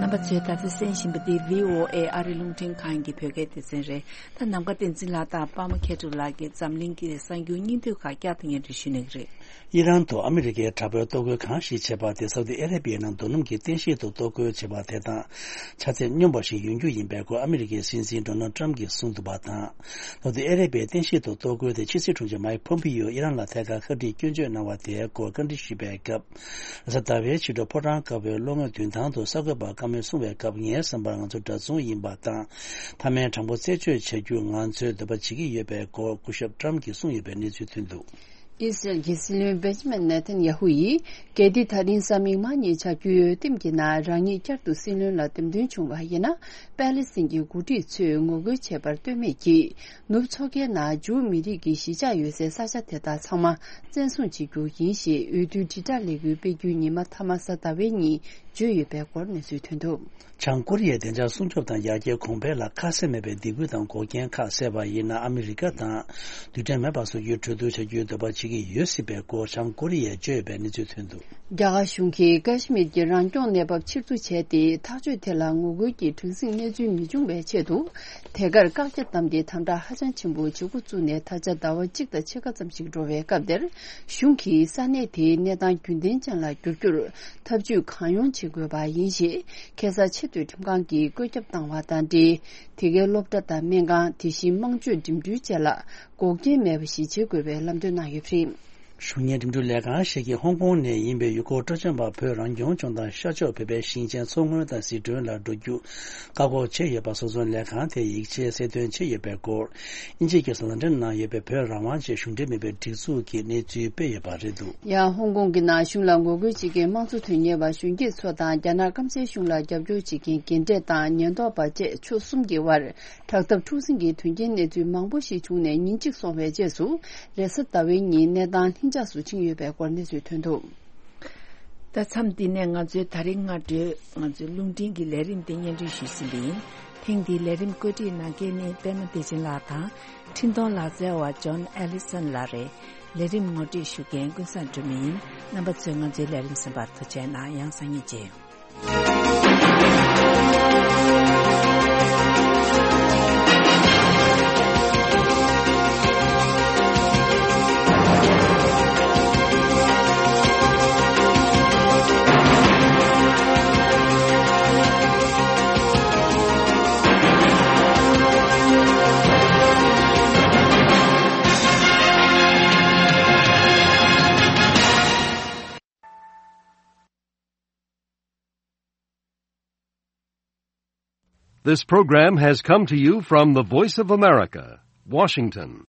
རྣམ་པ་ཚོས་ད་ལྟ་གསན་བཞིན་པ་འདི་བྷི་ཨོ་ཨེ་ཨ་རི་རླུང་འཕྲིན་ཁང་གི་བོད་སྐད་སྡེ་ཚན་རེད། ད་ནམ་མཁའ་བསྟན་འཛིན་ལགས་དང་པདྨ་མཁས་གྲུབ་ལགས་ཀྱིས་འཛམ་གླིང་གི་གསར་འགྱུར་སྙིང་བསྡུས་ཁག་བསྐྱར་དུ་སྙན་སྒྲོན་ཞུ་གནང་གི་རེད། ཨི་རན་དུ་ཨ་མི་རི་ཀའི་དྲག་པོའི་གཏོར་རྒོལ་གང་ཞིག་བྱས་པ་དེ་སའུ་ཏི་ཨ་རེ་བྷི་ཡའི་ནང་རྡོ་སྣུམ་གྱི་རྟེན་གཞི་དུ་གཏོར་རྒོལ་བྱས་པ་དེ་དང་ཆ་ཚད་སྙོམས་པ་ཞིག་ཡོང་རྒྱུ་ཡིན་པའི་སྐོར་ཨ་མི་རི་ཀའི་སྲིད་འཛིན་ཌོ་ནལ་ཊམ་གྱིས་གསུངས་འདུག་པ་དང་། སའུ་ཏི་ཨ་རེ་བྷི་ཡའི་རྟེན་གཞི་དུ་གཏོར་རྒོལ་དེ་ཕྱི་སྲིད་དྲུང་ཆེ་མཱིག་ཕོམ་པིའོ་ཨི་རན་ལ་ཐད་ཀར་ཁ་བྲིས་སྐྱོན་བརྗོད་གནང་བ་དེའི་སྐོར་བཀའ་འདྲི་ཞུས་པའི་སྐབས། རེས་གཟའ་ཟླ་བའི་ཕྱི་དྲོ་ཕོ་བྲང་དཀར་པོའི་གློག་བརྙན་མདུན་ཐང་དུ་གསར་འགོད་པ་ཀ་མོས་གསུངས་པའི་སྐབས། ངའི་བསམ་པར་ང་ཚོ་འདྲ་མཚུངས་ཡིན་པ་དང་། མཐའ་མའི་དྲང་པོ་རྩད་གཅོད་བྱ་རྒྱུར་ང་ཚོས་འདོད་པ་བྱེད་ཀྱི་ཡོད་པའི་སྐོར་སྐུ་ཞབས་ཊམ་གྱིས་གསུངས་ཡོད་པའི་གནས་ཚུལ་ཐོན་འདུག། ཨི་སི་རལ་གྱི་སྲིད་བློན་བེན་ཇི་མིན་ནེ་ཐན་ཡ་ཧུ་ཡིས། གལ་ཏེ་ད་རིང་གཟའ་མིག་དམར་ཉིན་བྱ་རྒྱུའི་འོས་འདེམས་ཀྱི་ནང་རང་ཉིད་བསྐྱར་དུ་སྲིད་བློན་ལ་འདེམས་ཐོན་བྱུང་བ་ཡིན་ན། པེ་ལི་སི་ཐན་གྱི་འགོ་ཁྲིད་ཚོས་ངོ་རྒོལ་བྱས་པར་ལྟོས་མེད་ཀྱིས། ནུབ་མཚོ་ཁའི་ནང་ཇུའུ་མི་རིགས་ཀྱི་གཞིས་ཆགས་ཡོད་སའི་ས་ཆ་དེ་དག་ཚང་མ་བཙན་བཟུང་བྱེད་རྒྱུ་ཡིན་ཞེས་འོས་བསྡུའི་དྲིལ་བསྒྲགས་ལས་འགུལ་སྤེལ་རྒྱུའི་ཉི་མ་མཐའ་མ་གཟའ་ཟླ་བའི་ཉིན་བརྗོད་ཡོད་པའི་སྐོར་གནས་ཚུལ་ཐོན་འདུག། བྱང་ཀོ་རི་ཡའི་བདེ་འཇགས་སྲུང་སྐྱོབ་དང་ཡར་རྒྱས་གོང་འཕེལ་ལ་ཁ་གསལ་མེད་པའི་སྡིགས་སྐུལ་དང་འགོག་རྐྱེན་ཁག་བསལ་བ་ཡིན་ན། ཨ་མི་རི་ཀ་དང་རྡུལ་ཕྲན་མེད་པ་བཟོ་རྒྱུའི་གྲོས་བསྡུར་བྱ་རྒྱུའི་འདོད་པ་བྱེད་ཀྱི་ཡོད་སྲིད་པའི་སྐོར་བྱང་ཀོ་རི་ཡས་བརྗོད་ཡོད་པའི་གནས་ཚུལ་ཐོན་འདུག། རྒྱ་གར་གཞུང་གིས་ཀ་ཤི་མིར་གྱི་རང་སྐྱོང་གནས་བབ་ཕྱིར་བསྡུ་བྱས་ཏེ། ཐག་གཅོད་དེ་ལ་ངོ་རྒོལ་གྱི་གྲངས་སྲིད་གནས་ཚུལ་མི་འབྱུང་བའི་ཆེད་དུ། དེ་གར་བཀག་རྒྱ་བསྡམས་ཏེ་དམ་དྲག་ཧ་ཅང་ཆེན་པོ་བྱེད་འགོ་བཙུགས་ནས་ད་ཆ་ཟླ་བ་གཅིག་དང་ཕྱེད་ཀ་ཙམ་ཞིག་འགྲོ་བའི་སྐབས་དེར། གཞུང་གིས་ས་གནས་དེའི་གནས་སྟངས་རྒྱུན་ལྡན་ཅན་ལ་བསྒྱུར་རྒྱུར་ཐབས་ཇུས་གང་ཡོང་བྱེད་དགོས་པ་ཡིན་ཞེས། ཁེ་ས་ཆེས་མཐོའི་ཁྲིམས་ཁང་གིས་བཀོད་ཁྱབ་བཏང་བ་དང་འབྲེལ། དེ་གའི་སློབ་གྲྭ་དང་སྨན་ཁང་། དེ་བཞིན་དམངས་སྤྱོད་འགྲིམ་འགྲུལ་བཅས་ལ་འགོག་རྐྱེན་མེད་པ་ཞིག་བྱེད་དགོས་པའི་ལམ་སྟོན་གནང་ཡོད་པ་རེད། གཞུང་གཉེར་འགྲིམ་འགྲུལ་ལས་ཁང་ཞིག་གིས་ཧོང་ཀོང་ནས་ཡིན་པའི་ཡུལ་སྐོར་སྤྲོ་འཆམ་པ་བོད་རང་སྐྱོང་ལྗོངས་དང་ཤར་ཕྱོགས་བོད་པའི་ཞིང་ཆེན་མཚོ་སྔོན་དང་ཟི་ཁྲོན་ལ་འགྲོ་རྒྱུ་བཀག་འགོག་བྱས་ཡོད་པ་སོགས་ཚོ་ལས་ཁང་དེས་ཡིག་ཆའི་གསལ་སྟོན་བྱས་ཡོད་པའི་སྐོར། དབྱིན་ཇི་སྐད་གསལ་སྟོན་གནང་ཡོད་པའི་བོད་རང་དབང་ཆེད་གཞུང་འབྲེལ་མིན་པའི་སྒྲིག་འཛུགས་ཀྱིས་གནས་ཚུལ་སྤེལ་ཡོད་པ་རེད་འདུག། ཡང་ཧོང་ཀོང་གི་ནང་གཞུང་ལ་ངོ་རྒོལ་བྱེད་མཁན་དམངས་གཙོ་དོན་གཉེར་བ་གཞོན་སྐྱེས་ཚོ་དང་རྒྱ་ནག་སྐམ་སའི་གཞུང་ལ་རྒྱབ་སྐྱོར་བྱེད་མཁན་རྒན་གྲས་དང་ཉེན་རྟོག་པ་བཅས་ཕྱོགས་གསུམ་གྱི་དབར་དྲག་འཐབ་འཁྲུག་ཟིང་གི་དོན་རྐྱེན་གནས་ཚུལ་མང་པོ་ཞིག་བྱུང་ནས་ཉིན་གཅིག་སོང་བའི་རྗེས་སུ། རེས་གཟའ་ཟླ་བའི་ཉིན་གནས་སྟངས་ལྷིང་འཇགས་སུ་ཕྱིན་ཡོད་པའི་སྐོར་གནས་ཚུལ་ཐོན་འདུག། ད་མཚམས་འདི་ནས་ང་ཚོའི་ད་རིང་སྔ་དྲོའི་ང་ཚོའི་རླུང་འཕྲིན་གྱི་ལས་རིམ་དེ་སྙན་སྒྲོན་ཞུས་ཟིན་པ་ཡིན། ཐེངས་འདིའི་ལས་རིམ་བཀོད་སྒྲིག་གནང་མཁན་ནི་པད་མ་བདེ་ཆེན་ལགས་དང་། འཕྲིན་གཏོང་ལག་རྩལ་བ་ཇོན་ཨེ་ལི་སན་ལགས་རེད། ལས་རིམ་ངོ་སྤྲོད་ཞུ་མཁན་ཀུན་བཟང་སྒྲོལ་མ་ཡིན། རྣམ་པ་ཚོས་ང་ཚོའི་ལས་རིམ་གསན་པར་ཐུགས་རྗེ་གནང་། ཡང་སང་ཉིན་མཇལ་ཡོང་། This program has come to you from the Voice of America, Washington.